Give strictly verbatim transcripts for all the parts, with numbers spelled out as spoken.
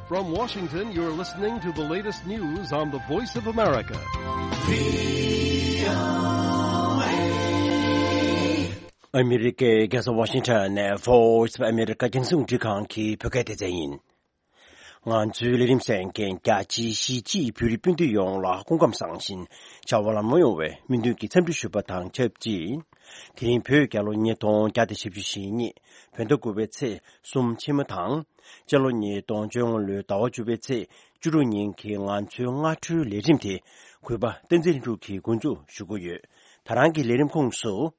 From Washington, you're listening to the latest news on the Voice of America. ཨ་མི་རི་ཀའི་རྒྱལ་ས་ཝ་ཤིང་ཊོན་ནས་Voice of America རྒྱང་སྲིང་རླུང་འཕྲིན་ཁང་གི་བོད་སྐད་སྡེ་ཚན་ཡིན། ང་ཚོའི་ལས་རིམ་གསན་མཁན་རྒྱ་ཆེའི་གཞིས་བྱེས་བོད་རིགས་སྤུན་ཟླ་ཡོངས་ལ་སྐུ་ཁམས་བཟང་ཞིང་བྱ་བ་ལམ་ལྷོང་ཡོང་བའི་སྨོན་འདུན་གྱི་འཚམས་འདྲི་ཞུ་བ་དང་ཆབས་ཅིག་དེ་རིང་བོད་རྒྱལ་ལོ་ཉིས་སྟོང་བརྒྱ་དང་བཞི་བཅུ་ཞེ་གཉིས་བོད་ཟླ་དགུ་པའི་ཚེས་གསུམ་ཕྱི་མ་དང་། སྤྱི་ལོ་ཉིས་སྟོང་བཅོ་ལྔ་ལོའི་ཟླ་བ་བཅུ་པའི་ཚེས་བཅུ་དྲུག་ཉིན་གྱི་ང་ཚོའི་སྔ་དྲོའི་ལས་རིམ་དེ་གུས་པ་བསྟན་འཛིན་ལྷུན་གྲུབ་ཀྱིས་འགོ་འཛུགས་ཞུ་གི་ཡོད། ད་རང་གི་ལས་རིམ་ཁོངས་སུ།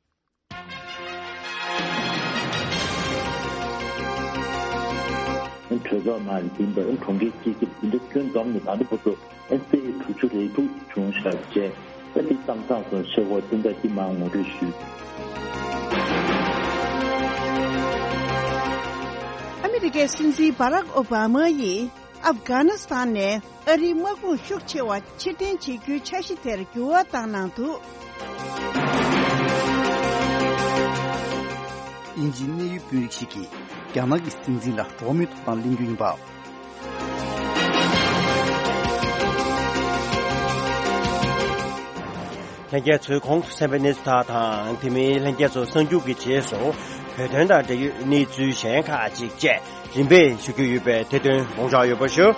གྲོས་ཚོགས་ནང་ཡིན་པའི་གྲོང་ཁྱེར་སྐྱིད་ཁྱིབ་འདི་འདྲ་ཁྱོན་བསྡོམས་ནས་ད་ལྟ་བར་དུ་ཨེ་སི་ཨེ་དྲུག་ཅུ་རེ་དྲུག་བྱུང་བཞག་བྱས་ཨེ་འདི་བཏང་ཚང་སོང་ཤེས་གོ་དེ་འདྲ་ཅི་མང་ངོ་སྤྲོད་ཞུས། ཨ་མི་རི་ཀའི་སྲིད་འཛིན་བྷ་རག་ཨོ་བྷ་མ་ཡིས། ཨབ་གྷ་ནི་སི་ཐན་ནས་ཨ་རིའི་དམག་དཔུང་ཤུགས་ཆེ་བ་ཕྱིར་འཐེན་བྱེད་རྒྱུའི་འཆར་གཞི་དེར་འགྱུར་བ་བཏང་གནང་འདུག་དབྱིན་ཇིའི་གནད་ཡོད་དཔོན་རིགས་ཤིག་གིས་རྒྱ་ནག་གི་སྲིད་འཛིན་ལ་འགྲོ་བ་མིའི་ཐོབ་ཐང་གླེང་རྒྱུ་ཡིན་པ། ལྷན་རྒྱས་ཚོས་གོང་དུ་གསན་པའི་གནས་ཚུལ་དག་དང་དེ་མིན་ལྷན་རྒྱས་ཚོ་གསར་འགྱུར་གྱི་རྗེས་སུ་བོད་དོན་དང་འབྲེལ་ཡོད་གནས་ཚུལ་གཞན་ཁག་ཅིག་བཅས། རིམ་པས་ཞུ་རྒྱུ་ཡོད་པས་དེ་དོན་དགོངས་འཇགས་ཡོད་པ་ཞུ།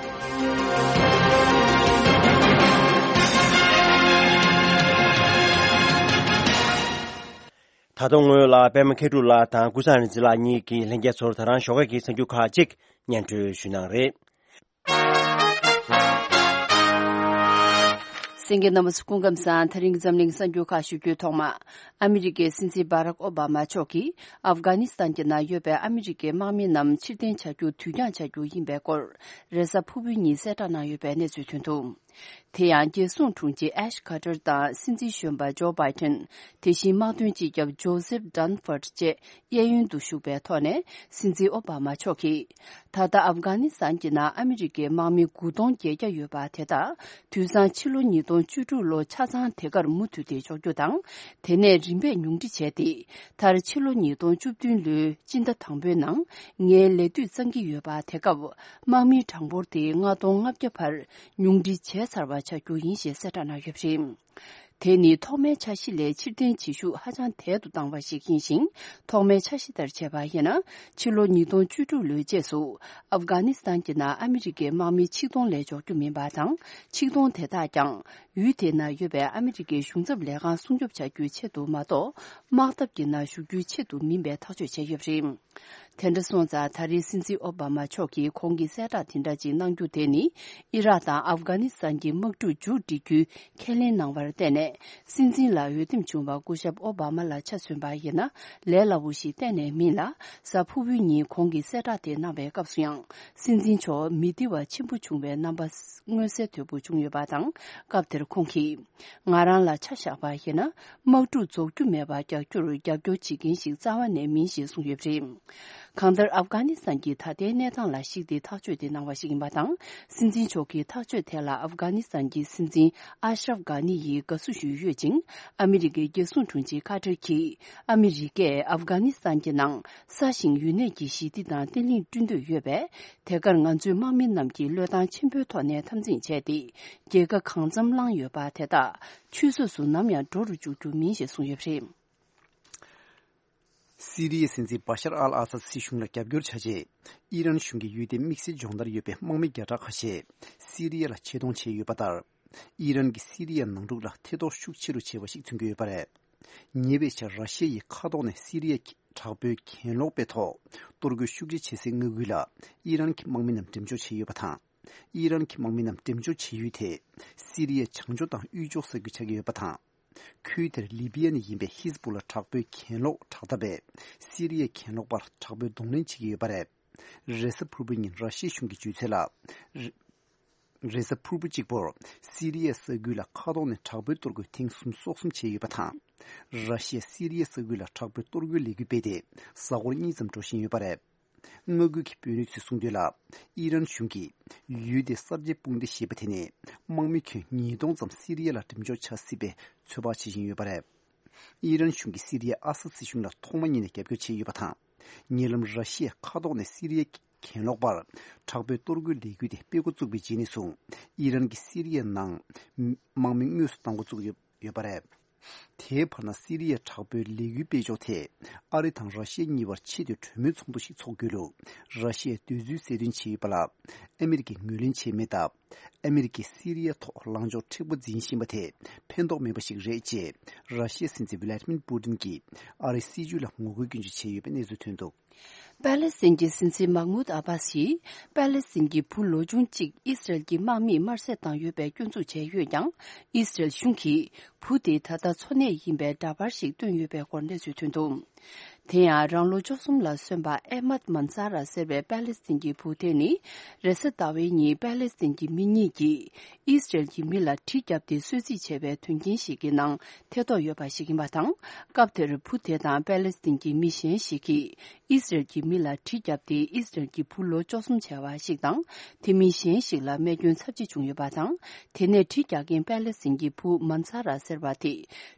ད་དུང་ངོས་ལ་པད་མ་མཁས་གྲུབ་ལགས་དང་ཀུན་བཟང་རིག་འཛིན་ལགས་གཉིས་ཀྱིས་ལྷན་རྒྱས་ཚོར་ད་རང་ཞོགས་ཀས་ཀྱི་གསར་འགྱུར་ཁག་ཅིག་སྙན་སྒྲོན་ཞུ་གནང་རེད། གསན་མཁན་རྣམ་པ་ཚོ་སྐུ་ཁམས་བཟང་། ད་རིང་འཛམ་གླིང་གསར་འགྱུར་ཁག་ཞུ་རྒྱུའི་ཐོག་མ། ཨ་མི་རི་ཀའི་སྲིད་འཛིན་བྷ་རག་ཨོ་བྷ་མ་མཆོག་གིས་ཨབ་གྷ་ནི་སི་ཐན་གྱི་ནང་ཡོད་པའི་ཨ་མི་རི་ཀའི་དམག་མི་རྣམས་ཕྱིར་འཐེན་བྱ་རྒྱུ་དུས་འགྱངས་བྱ་རྒྱུ་ཡིན་པའི་སྐོར་རེས་གཟའ་ཕུར་བུའི་ཉིན་གསལ་བསྒྲགས་གནང་ཡོད་པའི་གནས་ཚུལ་ཐོན་འདུག་དེ་ཡང་རྒྱལ་སྲུང་དྲུང་ཆེ་ཨེཤ་ཁ་ཏར་དང་སྲིད་འཛིན་གཞོན་པ་ཇོ་བྷའི་ཏན། དེ་བཞིན་དམག་དོན་སྤྱི་ཁྱབ་ཇོ་སེབ་ཌན་ཧྥར་ཌི་བཅས་གཡས་གཡོན་དུ་བཞུགས་པའི་ཐོག་ནས་སྲིད་འཛིན་ཨོ་བྷ་མ་མཆོག་གིས། ད་ལྟ་ཨབ་གྷ་ནི་སི་ཐན་གྱི་ནང་ཨ་མི་རི་ཀའི་དམག་མི་དགུ་སྟོང་བརྒྱད་བརྒྱ་ཡོད་པ་དེ་དག་དུས་སང་ཕྱི་ལོ་ཉིས་སྟོང་བཅུ་དྲུག་ལོ་ཆ་ཚང་དེ་གར་མུ་མཐུད་དེ་འཇོག་རྒྱུ་དང་། དེ་ནས་རིམ་པས་ཉུང་འཕྲི་བྱས་ཏེ། མཐར་ཕྱི་ལོ་ཉིས་སྟོང་བཅུ་བདུན་ལོའི་སྤྱི་ཟླ་དང་པོའི་ནང་ངའི་ལས་དུས་གཙང་གི་ཡོད་པ་དེ་སྐབས་དམག་མིའི་གྲངས་འབོར་དེ་ལྔ་སྟོང་ལྔ་བརྒྱ་བར་ཉུང་འཕྲི་བྱས་ཚར་བ་ཆགས་རྒྱུ་ཡིན་ཞེས་གསལ་བསྒྲགས་གནང་ཡོད་པ་རེད། དེ་ནི་ཐོག་མའི་འཆར་གཞི་ལས་ཕྱིར་འཐེན་བྱེད་ཤུགས་ཧ་ཅང་དལ་དུ་བཏང་བ་ཞིག་ཡིན་ཞིང་། ཐོག་མའི་འཆར་གཞི་ལྟར་བྱས་པ་ཡིན་ན། ཕྱི་ལོ་ཉིས་སྟོང་བཅུ་དྲུག་ལོའི་རྗེས་སུ་ཨབ་གྷ་ནི་སི་ཐན་གྱི་ནང་ཨ་མི་རི་ཀའི་དམག་མི་ཆིག་སྟོང་ལས་འཇོག་རྒྱུ་མིན་པ་དང་། ཆིག་སྟོང་དེ་དག་ཀྱང་ཡུལ་དེའི་ནང་ཡོད་པའི་ཨ་མི་རི་ཀའི་གཞུང་ཚབ་ལས་ཁང་སྲུང་སྐྱོབ་བྱ་རྒྱུའི་ཆེད་དུ་མ་གཏོགས། དམག་འཐབ་ཀྱི་ནང་ཞུགས་རྒྱུའི་ཆེད་དུ་མིན་པའི་ཐག་གཅོད་བྱས་ཡོད་པ་རེད། དེ་འདྲ་སོང་ཙང་། ད་རེས་སྲིད་འཛིན་ཨོ་བྷ་མ་མཆོག་གིས་གོང་གི་གསལ་བསྒྲགས་དེ་འདྲ་ཅིག་གནང་རྒྱུ་དེ་ནི། ཨི་རག་དང་ཨབ་གྷ་ནི་སི་ཐན་གྱི་དམག་འཁྲུག་མཇུག་སྒྲིལ་རྒྱུའི་ཁས་ལེན་གནང་བར་བརྟེན་ནས། སྲིད་འཛིན་ལ་འོས་འདེམས་བྱུང་བ་སྐུ་ཞབས་ཨོ་བྷ་མ་ལ་ཆ་མཚོན་པ་ཡིན་ན། ལས་སླ་བོ་ཞིག་གཏན་ནས་མིན་ལ། གཟའ་ཕུར་བུའི་ཉིན་གོང་གི་གསལ་བསྒྲགས་དེ་གནང་བའི་སྐབས་སུ་ཡང་། སྲིད་འཛིན་མཆོག་མི་བདེ་བ་ཆེན་པོ་བྱུང་བའི་རྣམ་པ་མངོན་གསལ་དོད་པོ་བྱུང་ཡོད་པ་དང་། སྐབས་དེར་ཁོང་གིས། ང་རང་ལ་ཆ་བཞག་པ་ཡིན་ན། དམག་འཁྲུག་རྫོགས་རྒྱུ་མེད་པར་རྒྱག་རྒྱུར་རྒྱབ་སྐྱོར་བྱེད་མཁན་ཞིག་རྩ་བ་ནས་མིན་ཞེས་གསུངས་ཡོད་པ་རེད། གང་ལྟར། ཨབ་གྷ་ནི་སི་ཐན་གྱི་ད་ལྟའི་གནས་སྟངས་ལ་གཞིགས་ཏེ་ཐག་གཅོད་དེ་གནང་བ་ཞིག་ཡིན་པ་དང་། སྲིད་འཛིན་མཆོག་གིས་ཐག་གཅོད་དེ་ལ་ཨབ་གྷ་ནི་སི་ཐན་གྱི་སྲིད་འཛིན་ཨ་ཤ་རབ་གྷ་ནི་ཡིས་དགའ་བསུ་ཞུས་ཡོད་ཅིང་། ཨ་མི་རི་ཀའི་རྒྱལ་སྲུང་དྲུང་ཆེ་ཁ་ཏར་གྱིས། ཨ་མི་རི་ཀས་ཨབ་གྷ་ནི་སི་ཐན་གྱི་ནང་ས་ཞིང་ཡུན་གནས་ཀྱི་ཞི་བདེ་དང་བརྟན་ལྷིང་བསྐྲུན་འདོད་ཡོད་པས། དེ་གར་ང་ཚོའི་དམག་མི་རྣམས་ཀྱིས་བློས་བཏང་ཆེན་པོའི་ཐོག་ནས་འཐབ་འཛིང་བྱས་ཏེ། རྒྱལ་ཁ་གང་འཚམ་བླངས་ཡོད་པ་དེ་དག་ཆུད་ཟོས་སུ་ནམ་ཡང་འགྲོ་རུ་འཇུག་རྒྱུ་མིན་ཞེས་གསུངས་ཡོད་པ་རེད། སི་རི་ཡའི་སྲིད་འཛིན་བྷ་ཤར་ཨལ་ཨ་སཱད་སྲིད་གཞུང་ལ་རྒྱབ་སྐྱོར་བྱ་ཆེད། ཨི་རན་གཞུང་གིས་ཡུལ་དེའི་དམིགས་བསལ་སྦྱོང་བརྡར་ཡོད་པའི་དམག་མི་བརྒྱ་ཕྲག་ཁ་ཤས་སི་རི་ཡ་ལ་ཆེད་གཏོང་བྱས་ཡོད་པ་ལྟར། ཨི་རན་གྱིས་སི་རི་ཡའི་ནང་འཁྲུག་ལ་ཐེ་གཏོགས་ཤུགས་ཆེ་རུ་བྱས་པ་ཞིག་མཚོན་གྱི་ཡོད་པ་རེད། ཉེ་བའི་ཆར་ར་ཤི་ཡ་ཡིས་མཁའ་ཐོག་ནས་སི་རི་ཡའི་དྲག་པོའི་གྱེན་ལོག་པའི་ཐོག་གཏོར་རྒོལ་ཤུགས་ཆེ་བྱེད་སའི་མངའ་ཁུལ་ལ་ཨི་རན་གྱི་དམག་མི་རྣམས་འགྲེམས་འཇོག་བྱས་ཡོད་པ་དང་། ཨི་རན་གྱི་དམག་མི་རྣམས་འགྲེམས་འཇོག་བྱེད་ཡུལ་དེ་སི་རི་ཡའི་བྱང་ཕྱོགས་དང་དབུས་ཕྱོགས་ས་ཁུལ་ཆགས་ཀྱི་ཡོད་པ་དང་། ཁུལ་དེར་ལི་བི་ཡ་ནས་ཡིན་པའི་ཧི་ཟ་བུ་ལ་དྲག་པོའི་གྱེན་ལོག་དྲག་འཐབ་པས་སི་རི་ཡའི་གྱེན་ལོག་པར་དྲག་པོའི་གདོང་ལེན་བྱེད་ཀྱི་ཡོད་པ་རེད། རེས་གཟའ་ཕུར་བུ་ཉིན་ར་ཤི་ཡའི་གཞུང་གིས་བརྗོད་ཚུལ་ལ། རེས་གཟའ་ཕུར་བུ་གཅིག་པོར་སི་རི་ཡའི་ས་ཁུལ་ལ་མཁའ་ཐོག་ནས་དྲག་པོའི་གཏོར་རྒོལ་ཐེངས་སུམ་ཅུ་སོ་གསུམ་བྱས་ཡོད་པ་དང་། ར་ཤི་ཡས་སི་རི་ཡའི་ས་ཁུལ་ལ་དྲག་པོའི་གཏོར་རྒོལ་ལས་འགུལ་སྤེལ་ཏེ་གཟའ་འཁོར་གཉིས་ཙམ་འགྲོ་བཞིན་ཡོད་པ་རེད། མངའ་ཁུལ་གྱི་དཔོན་རིགས་ཚོས་གསུངས་དོན་ལ། ཨི་རན་གཞུང་གིས་ཡུལ་དེའི་གསར་བརྗེའི་དཔུང་སྡེ་ཞེས་པ་དེ་ནས་དམག་མི་ཁྱོན་ཉིས་སྟོང་ཙམ་སི་རི་ཡ་ལ་འགྲེམས་འཇོག་བྱ་སྲིད་པའི་ཚོད་དཔག་བྱེད་བཞིན་ཡོད་པ་རེད། ཨི་རན་གཞུང་གིས་སི་རི་ཡའི་ཨ་སཱད་སྲིད་གཞུང་ལ་ཐོག་མ་ཉིད་ནས་རྒྱབ་སྐྱོར་བྱས་ཡོད་པ་དང་། ཉེ་ལམ་ར་ཤི་ཡས་མཁའ་ཐོག་ནས་སི་རི་ཡའི་ གྱེན་ལོག་པར་དྲག་པོའི་གཏོར་རྒོལ་ལས་འགུལ་དེ་སྤེལ་འགོ་བཙུགས་པའི་རྗེས་ནས་བཟུང་ཨི་རན་གྱིས་སི་རི་ཡའི་ནང་དམག་མི་དངོས་སུ་གཏོང་འགོ་བཙུགས་ཡོད་ཡོད་པ་རེད། དེའི་བར་ན་སི་རི་ཡའི་དྲག་པོའི་ལས་འགུལ་སྤེལ་ཕྱོགས་ཐད་ཨ་རི་དང་ར་ཤི་ཡ་གཉིས་བར་ཆེས་མཐོའི་གྲོས་མོལ་ཚོགས་འདུ་ཞིག་འཚོགས་རྒྱུ་ལུགས་ར་ཤི་ཡའི་འདོད་ཚུལ་གསལ་སྟོན་བྱས་ཡོད་པ་ལ་ཨ་མི་རི་ཀས་ངོས་ལེན་བྱས་མེད་སྟབས། ཨ་མི་རི་ཀས་སི་རི་ཡའི་ཐོག་ལངས་ཕྱོགས་མཁྲེགས་པོ་འཛིན་བཞིན་པ་དེ་ཕན་ཐོགས་མེད་པ་ཞིག་རེད་ཅེས་ར་ཤི་ཡའི་སྲིད་འཛིན་ཝི་ལ་ཏི་མིར་པུ་ཏིན་གྱིས་ཨ་རིའི་སྲིད་བྱུས་ལ་ངོ་རྒོལ་སྐྱོན་བརྗོད་བྱས་ཡོད་པའི་གནས་ཚུལ་ཐོན་འདུག་པེ་ལེ་སི་ཐན་གྱི་སྲིད་འཛིན་མཱ་མུད་ཨ་བྷ་སི་ཡིས་པེ་ལེ་སི་ཐན་གྱི་བུ་ལོ་ཆུང་གཅིག་ཨིས་རལ་གྱི་དམག་མིས་དམར་བསད་བཏང་ཡོད་པའི་སྐྱོན་འཛུགས་བྱས་ཡོད་ཀྱང་། ཨིས་རལ་གཞུང་གིས་བུ་དེ་ད་ལྟ་འཚོ་གནས་ཡིན་པའི་འདྲ་པར་ཞིག་བཏོན་ཡོད་པའི་སྐོར་གནས་ཚུལ་ཐོན་འདུག་དེ་ཡང་རང་ལོ་བཅུ་གསུམ་ལ་སོན་པ་ཨེ་མད་མན་ས་ར་ཟེར་བའི་པེ་ལེ་སི་ཐན་གྱི་བུ་དེ་ནི་རེས་གཟའ་ཟླ་བའི་ཉིན་པེ་ལེ་སི་ཐན་གྱི་མི་གཉིས་ཀྱིས་ཨིས་རལ་གྱི་མི་ལ་གྲི་བརྒྱབ་སྟེ་གསོད་རྩིས་བྱས་པའི་དོན་རྐྱེན་ཞིག་གི་ནང་ཐེ་གཏོགས་ཡོད་པ་ཞིག་ཡིན་པ་དང་། སྐབས་དེར་བུ་དེ་དང་པེ་ལེ་སི་ཐན་གྱི་མི་གཞན་ཞིག་གིས་ཨིས་རལ་གྱི་མི་ལ་གྲི་བརྒྱབ་སྟེ་ཨིས་རལ་གྱི་བུ་ལོ་བཅུ་གསུམ་བྱ་བ་ཞིག་དང་། དེ་མིན་གཞན་ཞིག་ལ་རྨས་སྐྱོན་ཚབས་ཆེ་བྱུང་ཡོད་པ་དང་། དེ་ནས་གྲི་རྒྱག་མཁན་པེ་ལེ་སི་ཐན་གྱི་བུ་མན་ས་ར་ཟེར་བ་དེ་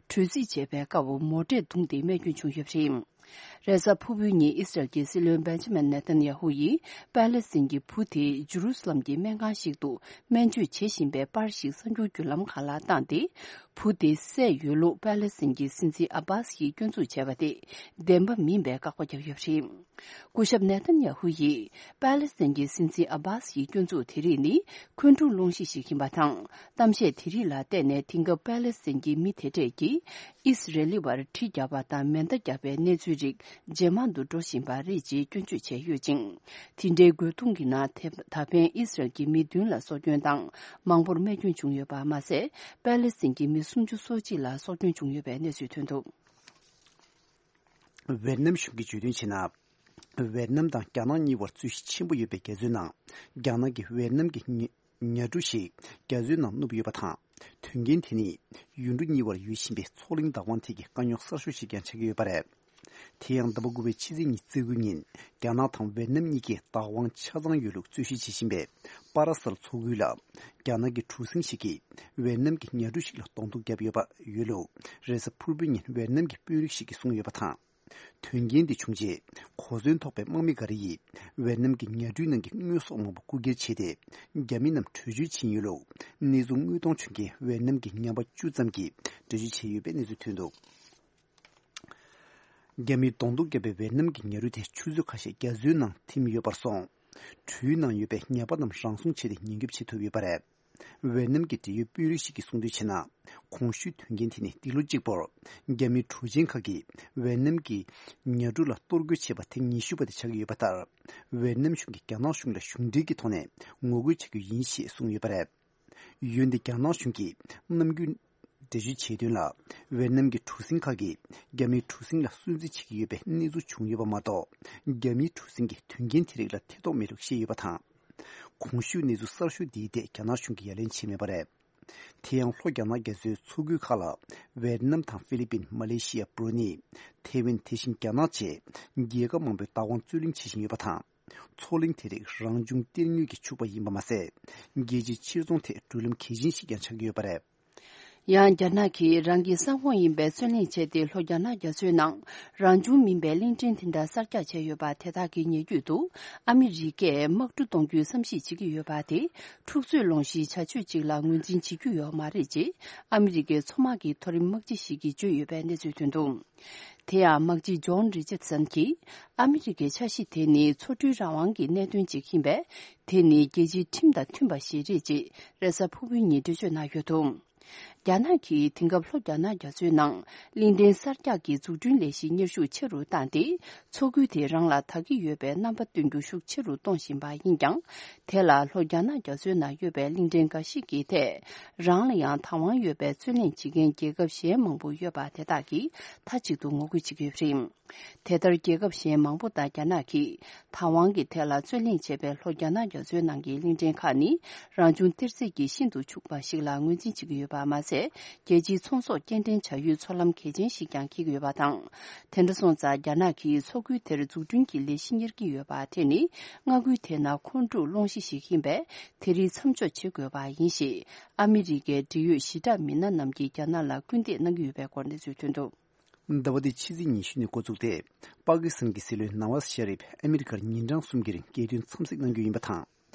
དྲོད་རྩིས་བྱས་པའི་སྐབས་མོ་ཊས་བརྡུངས་ཏེ་རྨས་སྐྱོན་བྱུང་ཡོད་པ་རེད། རེས་གཟའ་ཕུར་བུའི་ཉིན་ཨིས་རལ་གྱི་སྲིད་བློན་བེན་ཇ་མིན་ནེ་ཐན་ཡ་ཧུ་ཡིས་པེ་ལེ་སི་ཐན་གྱི་བུ་དེ་ཇུ་རུ་སི་ལམ་གྱི་སྨན་ཁང་ཞིག་ཏུ་སྨན་བཅོས་བྱེད་བཞིན་པའི་པར་ཞིག་གསར་འགྱུར་བརྒྱུད་ལམ་ཁག་ལ་བཏང་སྟེ། བུ་དེ་བསད་ཡོད་ལུགས་པེ་ལེ་སི་ཐན་གྱི་སྲིད་འཛིན་ཨ་བྷ་སི་ཡིས་སྐྱོན་འཛུགས་བྱས་པ་དེ་བདེན་པ་མིན་པའི་བཀག་པ་བརྒྱབ་ཡོད་པ་རེད། སྐུ་ཞབས་ནེ་ཐན་ཡ་ཧུ་ཡིས་པེ་ལེ་སི་ཐན་གྱི་སྲིད་འཛིན་ཨ་བྷ་སི་ཡི་སྐྱོན་འཛུགས་དེ་རིགས་ནི་འཁོན་འཁྲུག་སློང་གཞི་ཞིག་ཡིན་པ་དང་། གཏམ་བཤད་དེ་རིགས་ལ་བལྟས་ནས་དེང་སྐབས་པེ་ལེ་སི་ཐན་གྱི་མི་དེ་གྲས་ཀྱིས་ཨིས་རལ་ལི་བར་གྲི་བརྒྱབ་པ་དང་མེ་མདའ་བརྒྱབ་པའི་གནས་ཚུལ་རིགས་ཇེ་མང་དུ་འགྲོ་བཞིན་པ་རེད་ཅེས་སྐྱོན་བརྗོད་བྱས་ཡོད་ཅིང་། དེ་འདྲའི་རྒོལ་རྡུང་གི་ནང་ད་ཕན་ཨིས་རལ་གྱི་མི་བདུན་ལ་སྲོག་སྐྱོན་དང་མང་པོར་རྨས་སྐྱོན་བྱུང་ཡོད་པ་མ་ཟད། པེ་ལེ་སི་ཐན་གྱི་མི་སུམ་ཅུ་སོ་གཅིག་ལ་སྲོག་སྐྱོན་བྱུང་ཡོད་པའི་གནས་ཚུལ་ཐོན་འདུག་ཝེ་ནམ་གཞུང་གིས་བརྗོད་དོན་བྱས་ན། ཝེ་ནམ་དང་རྒྱ་ནག་གཉིས་བར་རྩོད་གཞི་ཆེན་པོ་ཡོད་པའི་རྒྱ་མཚོའི་ནང་། རྒྱ་ནག་གིས་ཝེ་ནམ་གྱི་ཉ་ཉ་གྲུ་ཞིག་རྒྱ་མཚོའི་ནང་བསྣུབས་ཡོད་པ་དང་། དོན་རྐྱེན་དེ་ནི་ཡུལ་གྲུ་གཉིས་བར་ཡོད་བཞིན་པའི་མཚོ་གླིང་བདག་དབང་ཐད་ཀྱི་དཀའ་རྙོག་གསར་ཤོས་ཤིག་ཀྱང་ཆགས་ཀྱི་ཡོད་པ་རེད། དེ་ཡང་ཟླ་བ་དགུ་པའི་ཕྱི་ཚེས་ཉི་ཤུ་རྩ་དགུ་ཉིན་རྒྱ་ནག་དང་ཝེ་ནམ་གཉིས་ཀས་བདག་དབང་ཆ་ཚང་ཡོད་ལུགས་རྩོད་གཞི་བྱེད་བཞིན་པའི་པ་ར་སལ་མཚོ་ཁུལ་ལ། རྒྱ་ནག་གི་གྲུ་གཟིངས་ཤིག་གིས་ཝེ་ནམ་གྱི་ཉ་གྲུ་ཞིག་ལ་གདོང་ཐུག་བརྒྱབ་ཡོད་པ་ཡོད་ལུགས་རེས་གཟའ་ཕུར་བུའི་ཉིན་ཝེ་ནམ་གྱི་དཔོན་རིགས་ཤིག་གིས་གསུངས་ཡོད་པ་དང་། དོན་རྐྱེན་འདི་བྱུང་རྗེས་གོ་མཚོན་ཐོགས་པའི་དམག་མི་འགའ་རེ་ཡིས་ཝེ་ནམ་གྱི་ཉ་གྲུའི་ནང་གི་དངོས་ཟོག་མང་པོ་རྐུ་འཁྱེར་བྱས་ཏེ། རྒྱ་མི་རྣམས་བྲོས་བྱོལ་ཕྱིན་ཡོད་ལུགས་གནས་ཚུལ་དངོས་མཐོང་བྱུང་མཁན་ཝེ་ནམ་གྱི་ཉམས་པ་བཅུ་ཙམ་གྱིས་འགྲེལ་བརྗོད་བྱས་ཡོད་པའི་གནས་ཚུལ་ཐོན་འདུག་རྒྱ་མིས་གདོང་ཐུག་བརྒྱབ་པའི་ཝེ་ནམ་གྱི་ཉ་རུ་དེ་ཆུ་ཚོད་ཁ་ཤས་རྒྱ་མཚོའི་ནང་ཐིམ་ཡོད་པར་སོང་། གྲུའི་ནང་ཡོད་པའི་ཉ་པ་རྣམས་རང་སྲུང་བྱས་ཏེ་ཉེན་སྐྱོབ་བྱེད་ཐུབ་ཡོད་པ་རེད། ཝེ་ནམ་གྱི་འབྲེལ་ཡོད་དཔོན་རིགས་ཤིག་གིས་གསུངས་དོན་བྱས་ན། གོང་ཞུས་དོན་རྐྱེན་དེ་ནི་འདི་ལོ་གཅིག་པོར་རྒྱ་མིའི་གྲུ་ཆེན་ཁག་གིས་ཝེ་ནམ་གྱི་ཉ་གྲུ་ལ་གཏོར་རྒོལ་བྱས་པ་ཐེངས་ཉི་ཤུ་པ་དེ་ཆགས་ཀྱི་ཡོད་པ་ལྟར། ཝེ་ནམ་གཞུང་གིས་རྒྱ་ནག་གཞུང་ལ་གཞུང་འབྲེལ་གྱི་ཐོག་ནས་ངོ་རྒོལ་བྱ་རྒྱུ་ཡིན་ཞེས་གསུངས་ཡོད་པ་རེད། འོན་ཏེ་རྒྱ་ནག་གཞུང་གིས་ནམ་རྒྱུན་འགྲེལ་བརྗོད་བྱས་དོན་ལ། ཝེ་ནམ་གྱི་གྲུ་གཟིངས་ཁག་གིས་རྒྱ་མིའི་གྲུ་གཟིངས་ལ་སུན་གཙེར་བྱེད་ཀྱི་ཡོད་པའི་གནས་ཚུལ་བྱུང་ཡོད་པ་མ་གཏོགས། རྒྱ་མིའི་གྲུ་གཟིངས་ཀྱིས་དོན་རྐྱེན་དེ་རིགས་ལ་ཐེ་གཏོགས་མེད་ལུགས་བཤད་ཡོད་པ་དང་། གོང་ཞུས་གནས་ཚུལ་གསར་ཤོས་འདིའི་ཐད་རྒྱ་ནག་གཞུང་གིས་ཡ་ལན་བྱས་མེད་པ་རེད། དེ་ཡང་ལྷོ་རྒྱ་ནག་རྒྱ་མཚོའི་མཚོ་ཁུལ་ཁག་ལ་ཝེ་ཏི་ནམ་དང་ཧྥི་ལི་པིན། མ་ལེ་ཤི་ཡ། བྷུ་རུ་ནེ། ཐེ་ཝན། དེ་བཞིན་རྒྱ་ནག་བཅས་རྒྱལ་ཁབ་མང་པོས་བདག་དབང་རྩོད་གླེང་བྱེད་བཞིན་ཡོད་པ་དང་། མཚོ་གླིང་དེ་རིགས་རང་བྱུང་གཏེར་དངོས་ཀྱིས་ཕྱུག་པ་ཡིན་པ་མ་ཟད། རྒྱལ་སྤྱིའི་ཕྱིར་ཚོང་ཐད་འགྲོ་ལམ་གལ་ཆེན་ཞིག་ཀྱང་ཆགས་ཀྱི་ཡོད་པ་རེད། ཡང་རྒྱ་ནག་གིས་རང་གི་ས་ཁོངས་ཡིན་པའི་རྩོད་གླེང་བྱས་ཏེ། ལྷོ་རྒྱ་ནག་རྒྱ་མཚོའི་ནང་རང་བྱུང་མིན་པའི་གླིང་ཕྲན་དེ་འདྲ་གསར་རྒྱག་བྱས་ཡོད་པ་དེ་དག་གི་ཉེ་བརྒྱུད་དུ། ཨ་མི་རི་ཀས་དམག་གྲུ་གཏོང་རྒྱུའི་བསམ་གཞིག་བྱེད་ཀྱི་ཡོད་པ་དེ། འཁྲུག་རྩོད་སློང་གཞིའི་བྱ་སྤྱོད་ཅིག་ལ་ངོས་འཛིན་བྱེད་རྒྱུ་ཡོད་མ་རེད་ཅེས། ཨ་མི་རི་ཀའི་མཚོ་དམག་གི་མཐོ་རིམ་དམག་སྤྱི་ཞིག་གིས་བརྗོད་ཡོད་པའི་གནས་ཚུལ་ཐོན་འདུག་དེ་ཡང་། དམག་སྤྱི་ཇོན་རི་ཅར་སན་གྱིས། ཨ་མི་རི་ཀའི་འཆར་གཞི་དེ་ནི་མཚོ་གྲུའི་རང་དབང་གི་གནད་དོན་ཅིག་ཡིན་པས། དེ་ནི་རྒྱལ་སྤྱིའི་ཁྲིམས་དང་མཐུན་པ་ཞིག་རེད་ཅེས། རེས་གཟའ་ཕུར་བུའི་ཉིན་འགྲེལ་བརྗོད་གནང་ཡོད་འདུག་རྒྱ་ནག་གིས་དེང་སྐབས་ལྷོ་རྒྱ་ནག་རྒྱ་མཚོའི་ནང་གླིང་ཕྲན་གསར་རྒྱག་གི་འཛུགས་སྐྲུན་ལས་གཞི་གཉེར་ཤུགས་ཆེ་རུ་བཏང་སྟེ། མཚོ་ཁུལ་དེ་རང་ལ་དག་གི་ཡོད་པའི་རྣམ་པ་སྟོན་རྒྱུ་ཤུགས་ཆེ་རུ་གཏོང་བཞིན་པ་ཡིན་ཀྱང་། དེ་ལ་ལྷོ་རྒྱ་ནག་རྒྱ་མཚོའི་ནང་ཡོད་པའི་གླིང་ཕྲན་འགའ་ཞིག་གི་ཐད་རང་ལ་ཡང་བདག་དབང་ཡོད་པའི་རྩོད་གླེང་བྱེད་མཁན་རྒྱལ་ཁབ་གཞན་མང་པོ་ཡོད་པ་དེ་དག་གིས་མཐའ་གཅིག་ཏུ་ངོ་རྒོལ་བྱེད་ཀྱི་ཡོད་པ་རེད། དེ་ལྟར་རྒྱལ་ཁབ་གཞན་མང་པོ་དང་རྒྱ་ནག་གིས་བདག་དབང་གི་ཐད་ལ་རྩོད་གླེང་བྱས་པའི་ལྷོ་རྒྱ་ནག་རྒྱ་མཚོའི་ནང་གི་གླིང་ཕྲན་ཁག་ནི་རང་བྱུང་གཏེར་རྫས་ཀྱིས་ཤིན་ཏུ་ཕྱུག་པ་ཞིག་ལ་ངོས་འཛིན་བྱེད་ཀྱི་ཡོད་པ་མ་ཟད། རྒྱལ་སྤྱིའི་ཚོང་ཟོག་སྐྱེལ་འདྲེན་བྱ་ཡུལ་མཚོ་ལམ་གལ་ཆེན་ཞིག་ཀྱང་འཁེལ་གྱི་ཡོད་པ་དང་། དེ་འདྲ་སོང་ཙང་། རྒྱ་ནག་གིས་མཚོ་ཁུལ་དེར་འཛུགས་སྐྲུན་གྱི་ལས་གཞི་གཉེར་གྱི་ཡོད་པ་དེ་ནི། མངའ་ཁུལ་དེའི་ནང་འཁོན་འཁྲུག་སློང་གཞི་ཞིག་ཡིན་པས། དེ་རིགས་མཚམས་འཇོག་བྱེད་དགོས་པ་ཡིན་ཞེས། ཨ་མི་རི་ཀའི་འབྲེལ་ཡོད་ཞི་དྲག་མི་སྣ་རྣམས་ཀྱིས་རྒྱ་ནག་ལ་སྐུལ་འདེད་གནང་གི་ཡོད་པའི་སྐོར་གནས་ཚུལ་ཐོན་འདུག་ཟླ་བ་འདིའི་ཕྱི་ཚེས་ཉི་ཤུ་ནས་འགོ་བཙུགས་ཏེ། པ་ཀི་སི་ཐན་གྱི་སྲིད་བློན་ནཱ་ཝཱ་ཟི་ཤ་རིབ་ཨ་མི་རི་ཀར་ཉིན་གྲངས་གསུམ་གྱི་རིང་རྒྱལ་དོན་འཚམས་གཟིགས་གནང་རྒྱུ་ཡིན་པ་དང་།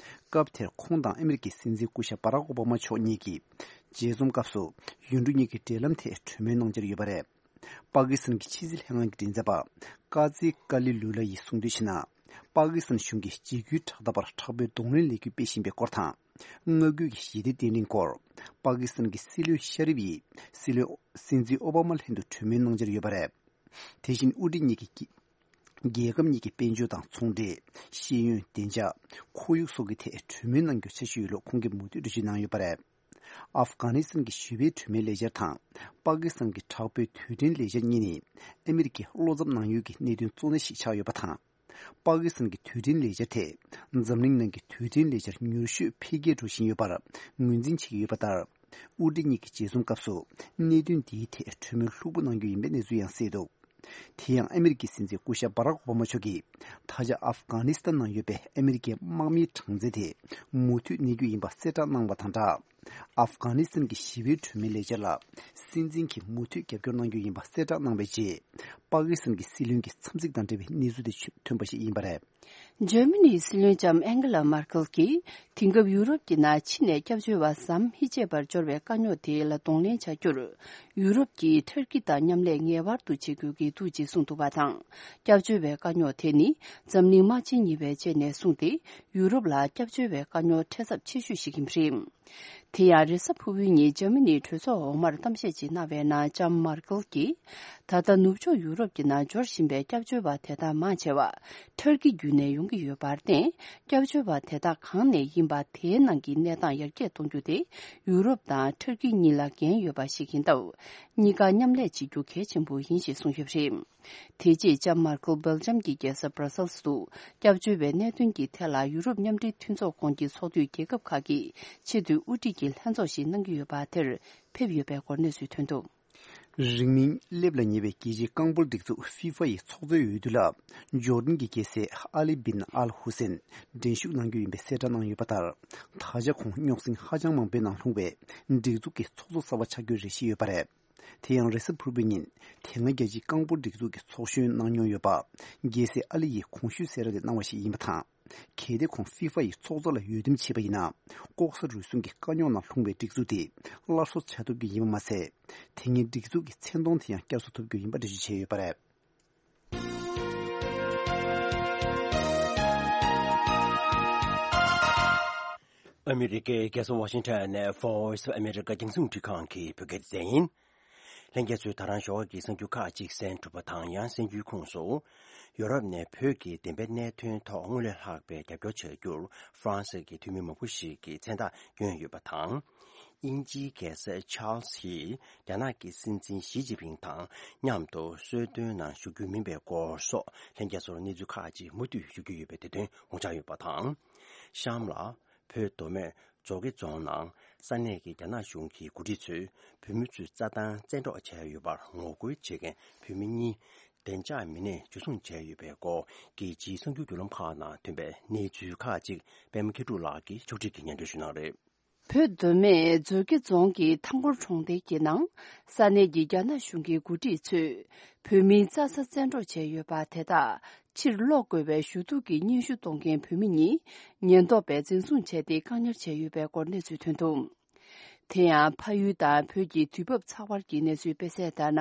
སྐབས་དེར་ཁོང་དང་ཨ་མི་རི་ཀའི་སྲིད་འཛིན་སྐུ་ཞབས་བྷ་རག་ཨོ་བྷ་མ་མཆོག་གཉིས་ཀྱིས་མཇལ་འཛོམས་སྐབས་སུ་ཡུལ་གྲུ་གཉིས་ཀྱི་འབྲེལ་ལམ་ཐད་གྲོས་མོལ་གནང་འཆར་ཡོད་པ་རེད། པ་ཀི་སི་ཐན་གྱི་ཕྱི་སྲིད་ལྷན་ཁང་གི་མགྲིན་ཚབ་པ་ཀ་ཛི་ཀ་ལི་ལུ་ལ་ཡིས་གསུངས་དོན་བྱས་ན། པ་ཀི་སི་ཐན་གཞུང་གིས་འཇིགས་སྐུལ་དྲག་འཐབ་པར་དྲག་པོའི་གདོང་ལེན་ལས་འགུལ་སྤེལ་བཞིན་པའི་སྐོར་དང་། མངའ་ཁུལ་གྱི་ཞི་བདེ་བརྟན་ལྷིང་སྐོར། པ་ཀི་སི་ཐན་གྱི་སྲིད་བློན་ཤ་རིབ་ཡིས་སྲིད་བློན་སྲིད་འཛིན་ཨོ་བྷ་མ་ལྷན་དུ་གྲོས་མོལ་གནང་འཆར་ཡོད་པ་རེད། དེ་བཞིན་དབུ་ཁྲིད་གཉིས་ཀྱིས་རྒྱལ་ཁབ་གཉིས་ཀྱི་དཔལ་འབྱོར་དང་ཚོང་འབྲེལ། ཤེས་ཡོན། བདེ་འཇགས། ཁོར་ཡུག་སོགས་ཀྱི་ཐད་གྲོས་མོལ་གནང་རྒྱུ་འཆར་གཞི་ཡོད་ལུགས་ཁོང་གིས་མུ་མཐུད་འགྲེལ་བརྗོད་གནང་ཡོད་པ་རེད། ཨབ་གྷ་ནི་སི་ཐན་གྱི་ཞི་བའི་གྲོས་མོལ་ལས་འཆར་དང་། པ་ཀི་སི་ཐན་གྱི་དྲག་པོའི་དུས་དྲན་ལས་འཆར་གཉིས་ནི་ཨ་མི་རི་ཀས་བློ་འཚབ་གནང་ཡུལ་གྱི་གནད་དོན་གཙོ་གནད་ཞིག་ཆགས་ཡོད་པ་དང་། པ་ཀི་སི་ཐན་གྱི་དུས་དྲན་ལས་འཆར་དེ་འཛམ་གླིང་ནང་གི་དུས་དྲན་ལས་འཆར་མྱུར་ཤོས་འཕེལ་རྒྱས་འགྲོ་བཞིན་ཡོད་པར་ངོས་འཛིན་བྱེད་ཀྱི་ཡོད་པ་ལྟར། དབུ་ཁྲིད་གཉིས་ཀྱི་མཇལ་འཛོམས་སྐབས་སུ་གནད་དོན་འདིའི་ཐད་གྲོས་མོལ་ལྷུག་པོ་གནང་རྒྱུ་ཡིན་པའི་གནས་ཚུལ་ཡང་གསལ་འདུག་དེ་ཡང་ཨ་མི་རི་ཀའི་སྲིད་འཛིན་སྐུ་ཞབས་བྷ་རག་ཨོ་བྷ་མ་མཆོག་གིས་ད་ཆ་ཨབ་གྷ་ནི་སི་ཐན་ནང་ཡོད་པའི་ཨ་མི་རི་ཀའི་དམག་མིའི་གྲངས་ཚད་དེ་མུ་མཐུད་གནས་རྒྱུ་ཡིན་པ་གསལ་བསྒྲགས་གནང་བ་དང་སྦྲགས། ཨབ་གྷ་ནི་སི་ཐན་གྱི་ཞི་བའི་གྲོས་མོལ་ལས་འཆར་ལ་སྲིད་འཛིན་གྱིས་མུ་མཐུད་རྒྱབ་སྐྱོར་གནང་རྒྱུ་ཡིན་པ་གསལ་བསྒྲགས་གནང་བའི་རྗེས། པ་ཀི་སི་ཐན་གྱི་སྲིད་བློན་གྱི་འཚམས་གཟིགས་དང་འབྲེལ་བའི་གནས་ཚུལ་དེ་ཐོན་པ་ཞིག་ཡིན་པ་རེད། འཇར་མ་ནིའི་སྲིད་བློན་ལྕམ་ཨན་གྷི་ལ་མར་ཁེལ་གྱིས་དེང་སྐབས་ཡུ་རོབ་ཀྱི་ནང་ཕྱི་ནས་སྐྱབས་བཅོལ་བ་ཟམ་མི་ཆད་པར་འབྱོར་བའི་དཀའ་རྙོག་དེ་ལ་གདོང་ལེན་བྱ་རྒྱུར། ཡུ་རོབ་ཀྱིས་ཐར་ཀི་དང་མཉམ་ལས་ངེས་པར་དུ་བྱེད་དགོས་ཀྱི་འདུག་ཅེས་གསུངས་འདུག་པ་དང་། སྐྱབས་བཅོལ་བའི་དཀའ་རྙོག་དེ་ནི་འཛམ་གླིང་དམག་ཆེན་གཉིས་པའི་རྗེས་ནས་བཟུང་སྟེ་ཡུ་རོབ་ལ་སྐྱབས་བཅོལ་བའི་དཀའ་རྙོག་འཕྲད་ཚབས་ཆེ་ཤོས་ཤིག་ཡིན་པ་རེད། དེ་ཡང་རེས་གཟའ་ཕུར་བུའི་ཉིན་འཇར་མ་ནིའི་གྲོས་ཚོགས་འོག་མར་གཏམ་བཤད་ཅིག་གནང་བའི་ནང་ལྕམ་མར་ཀེལ་གྱིས། ད་ལྟ་ནུབ་ཕྱོགས་ཡུ་རོབ་ཀྱི་ནང་འབྱོར་བཞིན་པའི་སྐྱབས་བཅོལ་བ་དེ་དག་མང་ཆེ་བ་ཐར་ཀི་བརྒྱུད་ནས་ཡོང་གི་ཡོད་པར་བརྟེན། སྐྱབས་བཅོལ་བ་དེ་དག་གང་ནས་ཡིན་པ་དེའི་ནང་གི་གནས་སྟངས་ཡར་རྒྱས་གཏོང་རྒྱུ་དེ་ཡུ་རོབ་དང་ཐར་ཀི་གཉིས་ལ་འགན་ཡོད་པ་ཞིག་ཡིན་སྟབས། གཉིས་ཀ་མཉམ་ལས་བྱེད་རྒྱུ་གལ་ཆེན་པོ་ཡིན་ཞེས་གསུངས་ཡོད་པ་རེད། དེ་རྗེས་ལྕམ་མར་ཀེལ་སྦེལ་ཇམ་གྱི་རྒྱལ་ས་སྦྲ་སེལ་སུ་སྐྱབས་བཅོལ་བའི་གནད་དོན་གྱི་ཐད་ལ་ཡུ་རོབ་མཉམ་འབྲེལ་མཐུན་ཚོགས་ཁོངས་ཀྱི་ཚོགས་འཐུས་རྒྱལ་ཁབ་ཁག་གི་ཆེས་མཐོའི་དབུ་ཁྲིད་ཀྱི་ལྷན་ཚོགས་ཤིག་གནང་གི་ཡོད་པ་དེར་ཕེབས་ཡོད་པའི་སྐོར་གནས་ཚུལ་ཐོན་འདུག་རིང་མིན་སླེབས་ལ་ཉེ་བའི་རྒྱལ་སྤྱིའི་རྐང་སྤོལ་སྒྲིག་འཛུགས་ཧྥི་ཧྥ་ཡི་ཚོགས་གཙོའི་འོས་བསྡུ་ལ་ཇོར་ཌན་གྱི་རྒྱལ་སྲས་ཨ་ལི་བིན་ཨལ་ཧུ་སེན་འགྲན་ཞུགས་གནང་རྒྱུ་ཡིན་པའི་གསལ་བསྒྲགས་གནང་ཡོད་པ་ལྟར། ད་ཆ་ཁོང་རྙོག་ཟིང་ཧ་ཅང་མང་པོའི་ནང་ལྷུང་བས་སྒྲིག་འཛུགས་ཀྱི་ཚོགས་གཙོ་གསར་པ་ཆགས་རྒྱུའི་རེ་ཞིག་ཡོད་པ་རེད། དེ་ཡང་རེས་གཟའ་ཕུར་བུའི་ཉིན་དེ་སྔ་རྒྱལ་སྤྱིའི་རྐང་སྤོལ་སྒྲིག་འཛུགས་ཀྱི་ཚོགས་གཞོན་གནང་མྱོང་ཡོད་པ་རྒྱལ་སྲས་ཨ་ལི་ཡིས་གོང་ཞུས་གསལ་བསྒྲགས་དེ་གནང་བ་ཞིག་ཡིན་པ་དང་། གལ་ཏེ་ཁོང་ཧྥི་ཧྥ་ཡི་ཚོགས་གཙོ་ལ་འོས་འདེམས་བྱས་པ་ཡིན་ན། ལྐོག་ཟ་རུལ་སུངས་ཀྱི་དཀའ་རྙོག་ནང་ལྷུང་བའི་སྒྲིག་འཛུགས་དེ་སླར་གསོ་བྱ་ཐུབ་རྒྱུ་ཡིན་པ་མ་ཟད། དེ་སྔའི་སྒྲིག་འཛུགས་ཀྱི་མཚན་མཐོང་དེ་ཡང་བསྐྱར་གསོ་ཐུབ་རྒྱུ་ཡིན་པ་འགྲེལ་བརྗོད་བྱས་ཡོད་པ་རེད། ཨ་མི་རི་ཀའི་རྒྱལ་ས་ཝ་ཤིང་ཊོན་ནས་Voice of America རྒྱང་སྲིང་རླུང་འཕྲིན་ཁང་གི་བོད་སྐད་སྡེ་ཚན་ཡིན། ལྷན་རྒྱས་ཚོས་ད་རང་ཞོགས་ཀྱི་གསར་འགྱུར་ཁག་ཅིག་གསན་གྲུབ་པ་དང་། ཡང་གསར་འགྱུར་ཁོངས་སུ། ཡོ་རོབ་ནས་བོད་ཀྱི་བདེན་པའི་གནད་དོན་ཐོག་སྔོན་ལས་ལྷག་པའི་རྒྱབ་སྐྱོར་བྱ་རྒྱུར་ཧྥ་རན་སི་གི་འཐུས་མི་མང་པོ་ཞིག་གིས་མཚན་རྟགས་བསྐྱོན་ཡོད་པ་དང་། དབྱིན་ཇིའི་རྒྱལ་ས་ཆཱལ་སི་ཡིས་རྒྱ་ནག་གི་སྲིད་འཛིན་ཞི་ཅིན་ཕིང་དང་མཉམ་དུ་གསོལ་སྟོན་ནང་ཞུགས་རྒྱུ་མིན་པའི་སྐོར་སོགས། ལྷན་རྒྱས་ཚོར་གནས་ཚུལ་ཁག་ཅིག་མུ་མཐུད་ཞུ་རྒྱུ་ཡོད་པའི་དེ་དོན་ངོ་བཅར་ཡོད་པ་དང་། གཤམ་ལ། བོད་མདོ་སྨད་མཛོ་དགེ་རྫོང་ནང་ས་གནས་ཀྱི་རྒྱ་ནག་གཞུང་གི་འགོ་ཁྲིད་ཚོས་བོད་མི་ཚོས་རྩྭ་ཐང་བཙན་འཕྲོག་བྱས་ཡོད་པར་ངོ་རྒོལ་བྱེད་མཁན་བོད་མི་གཉིས་བདེ་འཇགས་མི་སྣས་འཇུ་བཟུང་བྱས་ཡོད་པའི་སྐོར། རྒྱལ་སྤྱིའི་གསར་འགྱུར་བརྒྱུད་ལམ་ཁག་ནང་ཐོན་པའི་གནས་ཚུལ་ཁག་ཅིག་པད་མ་མཁས་གྲུབ་ལགས་ཀྱིས་ཕྱོགས་སྒྲིག་གིས་སྙན་སྒྲོན་ཞུ་གནང་རེད། བོད་མདོ་སྨད་མཛོ་དགེ་རྫོང་གི་ཐང་སྐོར་གྲོང་རྡལ་གྱི་ནང་ས་གནས་ཀྱི་རྒྱ་ནག་གཞུང་གི་འགོ་ཁྲིད་ཚོས་བོད་མིའི་རྩྭ་ས་བཙན་འཕྲོག་བྱས་ཡོད་པ་དེ་དག་ཕྱིར་སློག་དགོས་པའི་ཞུ་གཏུག་གི་སྙན་ཞུ་གཏོང་མཁན་བོད་མི་གཉིས་ཉེན་རྟོག་པས་འཛིན་བཟུང་བྱས་ཏེ་བཀག་ཉར་བྱས་ཡོད་པའི་སྐོར་གནས་ཚུལ་ཐོན་འདུག་དེ་ཡང་ཕ་ཡུལ་དང་བོད་ཀྱི་དུས་བབ་ཚགས་པར་གྱི་གནས་ཚུལ་སྤེལ་གསལ་ལྟར་ན།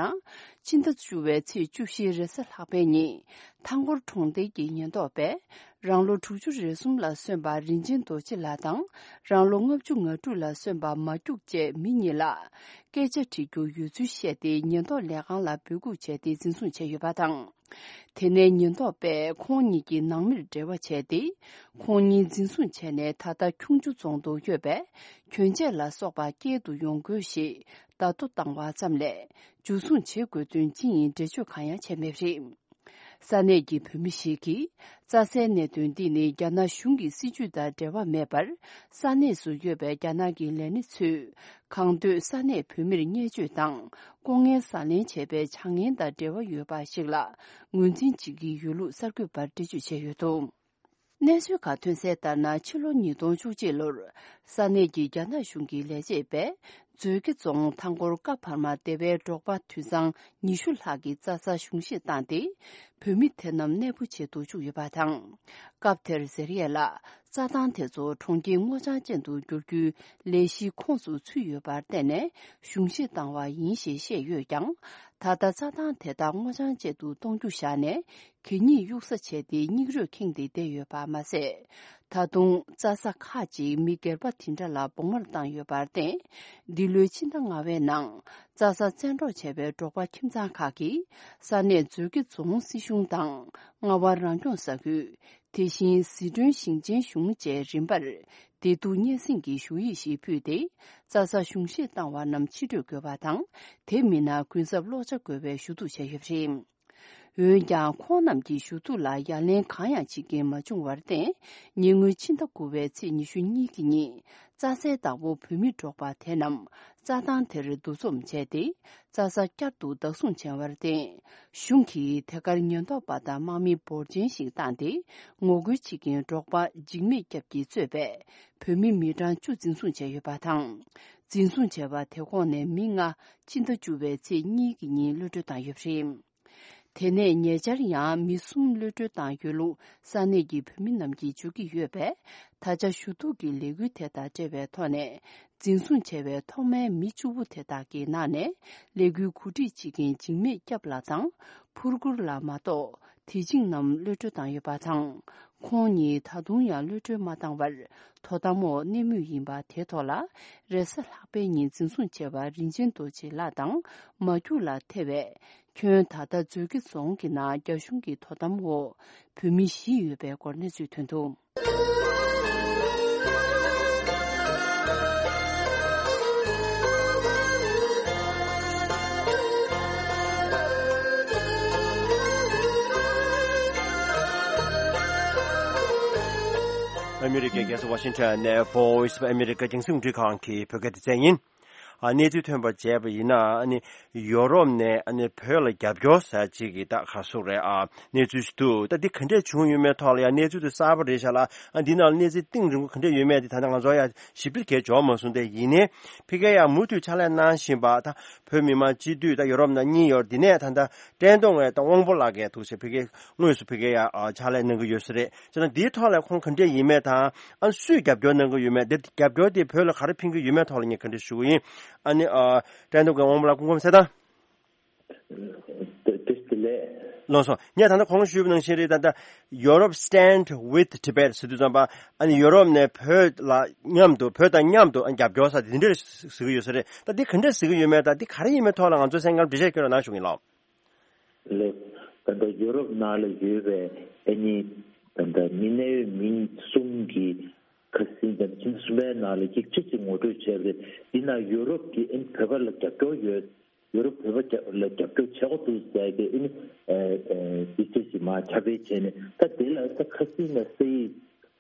ཕྱི་ཟླ་བཅུ་པའི་ཚེས་བཅུ་བཞིའི་རེས་གཟའ་ལྷག་པའི་ཉིན་ཐང་སྐོར་གྲོང་རྡལ་གྱི་ཉེན་རྟོག་པས་རང་ལོ་དྲུག་ཅུ་རེ་གསུམ་ལ་སོན་པ་རིན་ཆེན་རྡོ་རྗེ་ལགས་དང་རང་ལོ་ལྔ་བཅུ་ང་དྲུག་ལ་སོན་པ་མ་སྐྱུག་བཅས་མི་གཉིས་ལ་སྐད་ཆ་དྲི་རྒྱུ་ཡོད་ཚུལ་བཤད་དེ་ཉེན་རྟོག་ལས་ཁང་ལ་འབོད་འགུག་བྱས་ཏེ་འཛིན་བཟུང་བྱས་ཡོད་པ་དང་། དེ་ནས་ཉེན་རྟོག་པས་ཁོང་གཉིས་ཀྱི་ནང་མིར་འབྲེལ་བ་བྱས་ཏེ། ཁོང་གཉིས་འཛིན་བཟུང་བྱས་ནས་ད་ལྟ་ཁྱུང་མཆུ་རྫོང་དུ་ཡོད་པའི་གྱོན་ཆས་ལ་སོགས་པ་སྐྱེལ་དུ་ཡོང་དགོས་ཞེས་བརྡ་ཐོ་བཏང་བ་ཙམ་ལས་འཇུ་བཟུང་བྱེད་དགོས་དོན་ཅི་ཡིན་འགྲེལ་བརྗོད་གང་ཡང་བྱས་མེད་པ་རེད། ས་གནས་ཀྱི་བོད་མི་ཞིག་གིས་རྩྭ་སའི་གནད་དོན་འདི་ནི་རྒྱ་ནག་གཞུང་གི་སྲིད་ཇུས་དང་འབྲེལ་བ་མེད་པར། ས་གནས་སུ་ཡོད་པའི་རྒྱ་ནག་གི་ལས་སྣེ་ཚོས་གང་འདོད་ས་གནས་བོད་མིར་བརྙས་བཅོས་དང་ལྐོག་རྔན་ཟ་ལེན་བྱས་པའི་བྱ་ངན་དང་འབྲེལ་བ་ཡོད་པ་ཞིག་ལ་ངོས་འཛིན་བྱེད་ཀྱི་ཡོད་ལུགས་གསར་འགོད་པར་འགྲེལ་བརྗོད་བྱས་ཡོད་འདུག་གནས་ཚུལ་ཁག་ཐོན་གསལ་ལྟར་ན། ཕྱི་ལོ་ཉིས་སྟོང་བཅུ་གཅིག་ལོར་ས་གནས་ཀྱི་རྒྱ་ནག་གཞུང་གི་ལས་བྱེད་པས་ མཛོད་དགེ་རྫོང་མཐའ་འཁོར་ཀ་བར་མ་སྡེ་བའི་འབྲོག་པ་དུད་ཚང་ཉི་ཤུ་ལྷག་གིས་རྩྭ་ས་གཞུང་བཞེས་བཏང་སྟེ། བོད་མི་དེ་རྣམས་གནས་སྤོ་བྱེད་དུ་བཅུག་ཡོད་པ་དང་། སྐབས་དེར་ཟེར་ཡས་ལ། རྩྭ་ཐང་དེ་ཚོ་གྲོང་ཁྱེར་སྔོ་ལྗང་ཅན་དུ་བསྒྱུར་རྒྱུའི་ལས་གཞིའི་ཁོངས་སུ་ཚུད་ཡོད་པར་བརྟེན་ནས་གཞུང་བཞེས་བཏང་བ་ཡིན་ཞེས་བཤད་ཡོད་ཀྱང་། ད་ལྟ་རྩྭ་ཐང་དེ་དག་སྔོ་ལྗང་ཅན་དུ་གཏོང་རྒྱུ་བཞག་ནས། གད་སྙིགས་གཡུག་ས་བྱས་ཏེ་སྙིགས་རོས་ཁེངས་ཏེ་བསྡད་ཡོད་པ་མ་ཟད། ད་དུང་རྩྭ་ས་ཁག་ཅིག་མི་སྒེར་པ་དེ་འདྲ་ལ་བོགས་མར་བཏང་ཡོད་པར་བརྟེན། འདི་ལོའི་ཕྱི་ཟླ་ལྔ་པའི་ནང་རྩྭ་ས་བཙན་འཕྲོག་བྱས་པའི་འབྲོག་པ་ཁྱིམ་ཚང་ཁག་གིས་ས་གནས་མཛོད་དགེ་རྫོང་སྲིད་གཞུང་དང་རྔ་བ་རང་སྐྱོང་ས་ཁུལ། དེ་བཞིན་ཟི་ཁྲོན་ཞིང་ཆེན་གཞུང་བཅས་རིམ་པར་བདེ་སྡུག་སྙན་སེང་གི་ཞུ་ཡིག་ཞིག་ཕུལ་ཏེ། རྩྭ་ས་གཞུང་བཞེས་བཏང་བ་རྣམས་ཕྱིར་སྤྲོད་དགོས་པ་དང་། དེ་མིན་ན་གུན་གསབ་ལོག་ཆ་དགོས་པའི་ཞུ་གཏུག་བྱས་ཡོད་པ་རེད། འོན་ཀྱང་ཁོང་རྣམས་ཀྱི་ཞུ་གཏུག་ལ་ཡ་ལན་གང་ཡང་བྱེད་མཁན་མ་བྱུང་བར་བརྟེན། ཉེ་སྔོན་ཕྱི་ཟླ་དགུ་པའི་ཚེས་ཉི་ཤུ་གཉིས་ཀྱི་ཉིན། རྩྭ་སའི་བདག་པོ་བོད་མི་འབྲོག་པ་དེ་རྣམས་རྩྭ་ཐང་དེར་འདུ་འཛོམས་བྱས་ཏེ། རྩྭ་ས་བསྐྱར་དུ་བདག་བཟུང་བྱས་པར་བརྟེན། གཞུང་གིས་དེ་གར་ཉེན་རྟོག་པ་དང་དམག་མི་འབོར་ཆེན་ཞིག་བཏང་སྟེ། ངོ་རྒོལ་བྱེད་མཁན་འབྲོག་པ་འཇིགས་མེད་སྐྱབས་ཀྱིས་གཙོས་པའི་བོད་མི་མི་གྲངས་བཅུ་འཛིན་བཟུང་བྱས་ཡོད་པ་དང་། འཛིན་བཟུང་བྱས་པ་དེ་ཁོངས་ནས་མི་ལྔ་ཕྱི་ཟླ་བཅུ་པའི་ཚེས་གཉིས་ཀྱི་ཉིན་གློད་གྲོལ་བཏང་ཡོད་པ་རེད། དེ་ནས་ཉེ་ཆར་ཡང་མི་གསུམ་གློད་གྲོལ་བཏང་ཡོད་ལུགས་ས་གནས་ཀྱི་བོད་མི་རྣམས་ཀྱིས་བརྗོད་ཀྱི་ཡོད་པས། ད་ཆ་ཞུ་གཏུག་གི་ལས་འགུལ་དེ་དང་འབྲེལ་བའི་ཐོག་ནས། འཛིན་བཟུང་བྱས་པའི་ཐོག་མའི་མི་བཅུ་བོ་དེ་དག་གི་ནང་ནས་ལས་འགུལ་གོ་སྒྲིག་བྱེད་མཁན་འཇིགས་མེད་སྐྱབས་ལགས་དང་ཕུར་གུར་ལགས་མ་གཏོགས། དེ་བྱིངས་རྣམས་གློད་གྲོལ་བཏང་ཡོད་པ་དང་། ཁོང་གཉིས་ད་དུང་ཡང་གློད་གྲོལ་མ་བཏང་བར་དོ་དམ་འོག་གནས་མུས་ཡིན་པ་དེའི་ཐོག་ལ། རེས་གཟའ་ལྷག་པའི་ཉིན་འཛིན་བཟུང་བྱས་པ་རིན་ཆེན་རྡོ་རྗེ་ལགས་དང་མ་སྐྱུག་ལགས་ཐེ་བས། ཁྱོན་ད་ལྟ་མཛོད་དགེ་རྫོང་གི་ནང་རྒྱ་གཞུང་གི་དོ་དམ་འོག་བོད་མི་བཞི་ཡོད་པའི་སྐོར་གནས་ཚུལ་ཐོན་འདུག། ཨ་མི་རི་ཀའི་རྒྱལ་ས་ཝ་ཤིང་ཊོན་ནས་Voice of America་རྒྱང་སྲིང་རླུང་འཕྲིན་ཁང་གི་བོད་སྐད་སྡེ་ཚན་ཡིན། ཨ་གནས་ཚུལ་ཐོན་པར་བྱས་པ་ཡིན་ན། ཨ་ནི་ཡོ་རོབ་ནས་ཨ་ནི་བོད་ལ་རྒྱབ་སྐྱོར་ཟེར་ཅིག་གི་ད་ག་སུ་རེད། ཨ་གནས་ཚུལ་ཞིག་འདུག། ད་འདི་ག་འདྲས་བྱུང་ཡོད་མེད་ཐོག་ལ་ཡང་གནས་ཚུལ་དེ་གསར་པ་རེད་ཤག་ལ། ཨ་འདི་ནང་ལ་གནས་ཚུལ་གཏིང་རིང་པོ་ག་འདྲས་ཡོད་མེད་དེ་ད་ལྟ་ང་ཚོ་ཡང་ཞིབ་ཕྲ་གས་འབྱོར་མ་སོང་། དེ་ཡིན་ནའི་ཕ་གིར་ཡང་མུ་མཐུད་ཕྱག་ལས་གནང་བཞིན་པ་ད་བོད་མི་མང་སྤྱི་འཐུས་ད་ཡོ་རོབ་ནང་གཉིས་ཡོད། འདི་ནས་ད་ལྟ་བཀྲས་མཐོང་ངས་ད་དབང་པོ་ལགས་ཀྱིས་ཐུགས་ཆེ་ཕ་གིར་དངོས་སུ་ཕ་གིར་ཡང་ཕྱག་ལས་གནང་གི་ཡོད་ས་རེད། ཅེ་ན་འདིའི་ཐོག་ལ་ཁོང་ག་འདྲས་ཡིན་མེད་དང་། ཨ་སུས་རྒྱབ་སྐྱོར་གནང་གི་ཡོད་མེད། དེ་རྒྱབ་སྐྱོར་དེ་བོད་ལ་ག་རེ་ཕན་གྱི་ཡོད་མེད་ཐོག་ལ་ངས་ག་འདྲ་ཞུ་གི་ཡིན། ཨ་ནི་ཨ་བཀྲས་མཐོང་གི་དབང་པོ་ལགས་སྐུ་ཁམས་བཟང་། བདེ་སྐྱིད་ལགས། ལགས་སོ། ངས་ད་ལྟ་གོང་ཞུས་པ་ནང་བཞིན་རེད། ད་ལྟ་Europe Stand with Tibet་ཟེར་དུས་ཙམ་པ། ཨ་ནི་ཡོ་རོབ་ནས་བོད་ལ་མཉམ་དུ་བོད་དང་མཉམ་དུ་ཨ་རྒྱབ་སྐྱོར་ས་དེ་འདྲ་ཟེར་གྱི་ཡོད་ས་རེད། ད་འདི་ག་འདྲ་ཟེར་གྱི་ཡོད་མེད་དང་འདི་ག་རེ་ཡིན་མེད་ཐོག་ལ་ང་ཚོ་གསན་མཁན་འགྲེལ་བཤད་སྐྱོན་རོགས་གནང་ཞུ་གི་ཡིན་ལགས། ལགས། ད་ལྟ་ཡོ་རོབ་ནང་ལ་ཡོད་པའི་ཨ་ནི་ད་ལྟ་མི་གནད་ཡོད་མི་གསུམ་གྱི་ཁ་སང་ད་ཁྱིམ་གསུམ་པའི་ནང་ལ་ཡིག་ཆ་ཅིག་ངོ་སྤྲོད་བྱས་པ་རེད། འདི་ན་ཡོ་རོབ་ཀྱི་ཨ་ནི་བོད་པ་ལ་རྒྱབ་སྐྱོར་ཡོད། ཡོ་རོབ་བོད་པ་རྒྱ་ལ་རྒྱབ་སྐྱོར་བྱེད་དགོས་འདུག་ཟེར་གྱི་ཨ་ནི་ཡིག་ཆ་ཅིག་མར་ཁྱབ་སྤེལ་བྱས་ནས། ད་དེ་ལ་ད་ཁ་སང་ལ་ས་ཡིག་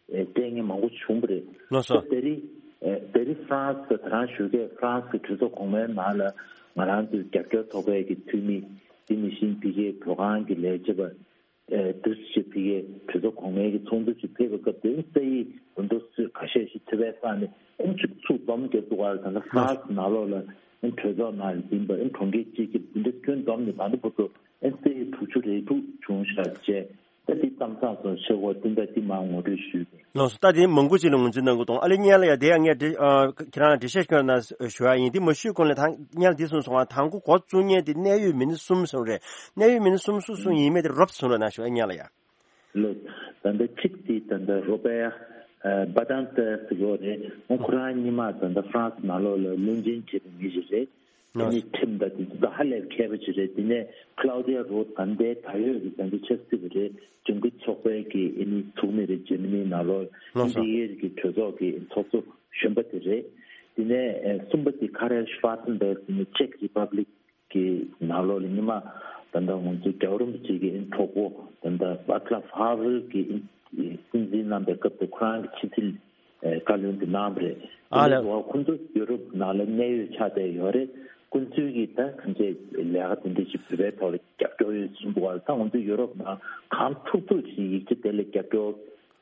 སྤྲད་མཁན་མང་པོ་བྱུང་བ་རེད། ལགས་སོ། ད་ད་རེས་ད་རེས་ཧྥ་རན་སི་ད་རང་ཞུ་མཁན་ཧྥ་རན་སི་གི་གྲོས་ཚོགས་གོང་མའི་ནང་ལ་ང་རང་ཚོའི་རྒྱབ་སྐྱོར་ཚོགས་པའི་གི་འཐུས་མི། དེ་ནང་བཞིན་ཕ་གིའི་བོད་ཁང་གི་ལས་བྱེད་པ། ཨེ་འདུ་ཤེས་ཕ་གིའི་གྲོས་ཚོགས་གོང་མའི་གི་ཚོགས་འདུ་ཞིག་ཕེབས་པའི་སྐབས་དེ་ས་ཡིག་འོ་འདུག་སེ་ཁ་ཤས་ཤིག་ཐེ་བའི་ས་ནས་ཨེ་ཚུགས་ཚུགས་འཛོམས་རྒྱབ་འདུག་ག་ད་ལྟ་ཧྥ་རན་སི་ནང་ལོགས་ལ་ཨེ་གྲོས་ཚོགས་ནང་ཡིན་པ་ཨེ་གྲོང་ཁྱེར་གཅིག་གི་འདི་འདྲ་ཁྱོན་བསྡོམས་ནས་ད་ལྟ་བར་དུ་ཨེ་ས་ཡིག་དྲུག་ཅུ་རེ་དྲུག་བྱུང་ཤག་བྱས། ད་འདི་གཏམ་བཟང་སོང་ཤེས་གོ་དེ་འདྲ་འདི་མར་ངོ་སྤྲོད་ཞུས་ཏེ། ལགས་སོ། ད་དེ་མང་པོ་ཅིག་ལ་ངོས་འཛིན་གནང་གི་འདུག། ཨ་ལེ་སྙན་ལགས་ཡ། དེ་ཡང་ངས་འདྲི་ཨ་ཁྱེད་རང་ལ་འགྲེལ་བཤད་སྐྱོན་ན་ཞུ་ཡ་ཡིན། དེ་མ་ཞུས་གོང་ལ་ད་སྙན་ལགས་འདི་གསུངས་སོང་ང་། དང་པོ་འགོ་བཙུགས་མཁན་དེ་གནད་ཡོད་མི་སྣ་གསུམ་གསུངས་རེད། གནད་ཡོད་མི་སྣ་གསུམ་སུ་སུ་ཡིན་མིན་དེ་རོབ་ཙམ་གསུང་རོགས་གནང་ཞུ་ཡ་སྙན་ལགས་ཡ། ལགས། ད་ལྟ་གཅིག་དེ་ད་ལྟ་རོ་པེ་ཨ་བ་དན་ཏེ་ཟེར་གྱི་ཡོད་རེད། ཁོ་རང་སྔོན་མ་ད་ལྟ་ཧྥ་རན་སི་ནང་ལོགས་ལ་བློན་ཆེན་བྱས་པའི་མི་ཞིག་རེད། དེ་ནས་ཁྲིམས་དང་དེ་ཚོ་ད་ཧ་ལས་མཁས་པ་ཅིག་རེད། དེ་ནས་ཁ་ལའོ་ཏི་ཡ་རོད་ད་ལྟའི་ད་ཡོད་ཀྱི་ད་ལྟའི་ཆབ་སྲིད་པ་རེད། ལྗང་ཁུ་ཚོགས་པའི་གི་ཨ་ནི་ཚོགས་མི་རེད། འཇར་མ་ནི་ནང་ལོགས་ལགས་སོ། ཨིན་ཌི་ཨེ་གི་གྲོས་ཚོགས་ཀྱི་ཚོགས་གཙོ་གཞོན་པ་དེ་རེད། དེ་ནས་ཨེ་གསུམ་པ་དེ་ཁ་རལ་ཤི་ཝ་ཐན་བེར་དེ་ནས་ཅེཀ་རི་པབ་ལིག་གི་ནང་ལོགས་ལ་སྔོན་མ་ད་ལྟ་ང་ཚོ་རྒྱལ་བ་རིན་པོ་ཆེ་གི་ཨ་ནི་གྲོགས་པོ་ད་ལྟ་ཝ་ཚ་ལབ་ཧ་ཝེལ་གི་ཨ་ནི་སྲིད་འཛིན་གནང་པའི་སྐབས་དེ་ཁོ་རང་གི་ཕྱི་སྲིད་ཨེ་བཀའ་བློན་དུ་གནང་བ་རེད། ཨ་དེ་ལས་ལགས། འོ་ཁོ་ཚོ་ཡོ་རོབ་ནང་ལ་གནད་ཡོད་ཆགས་བསྡད་ཡོད་རེད། ཁོ་ཚོའི་གི་ད་གང་ཅི་ལས་ཀ་དེ་འདྲ་ཞིག་བོད་པའི་ཐོག་ལ་རྒྱབ་སྐྱོར་ཡོད་གསུངས་འདུག་བ། ད་ང་ཚོ་ཡོ་རོབ་ནང་གང་ཐུབ་ཐུབ་ཞིག་ཡིག་ཆ་དེ་ལ་རྒྱབ་སྐྱོར་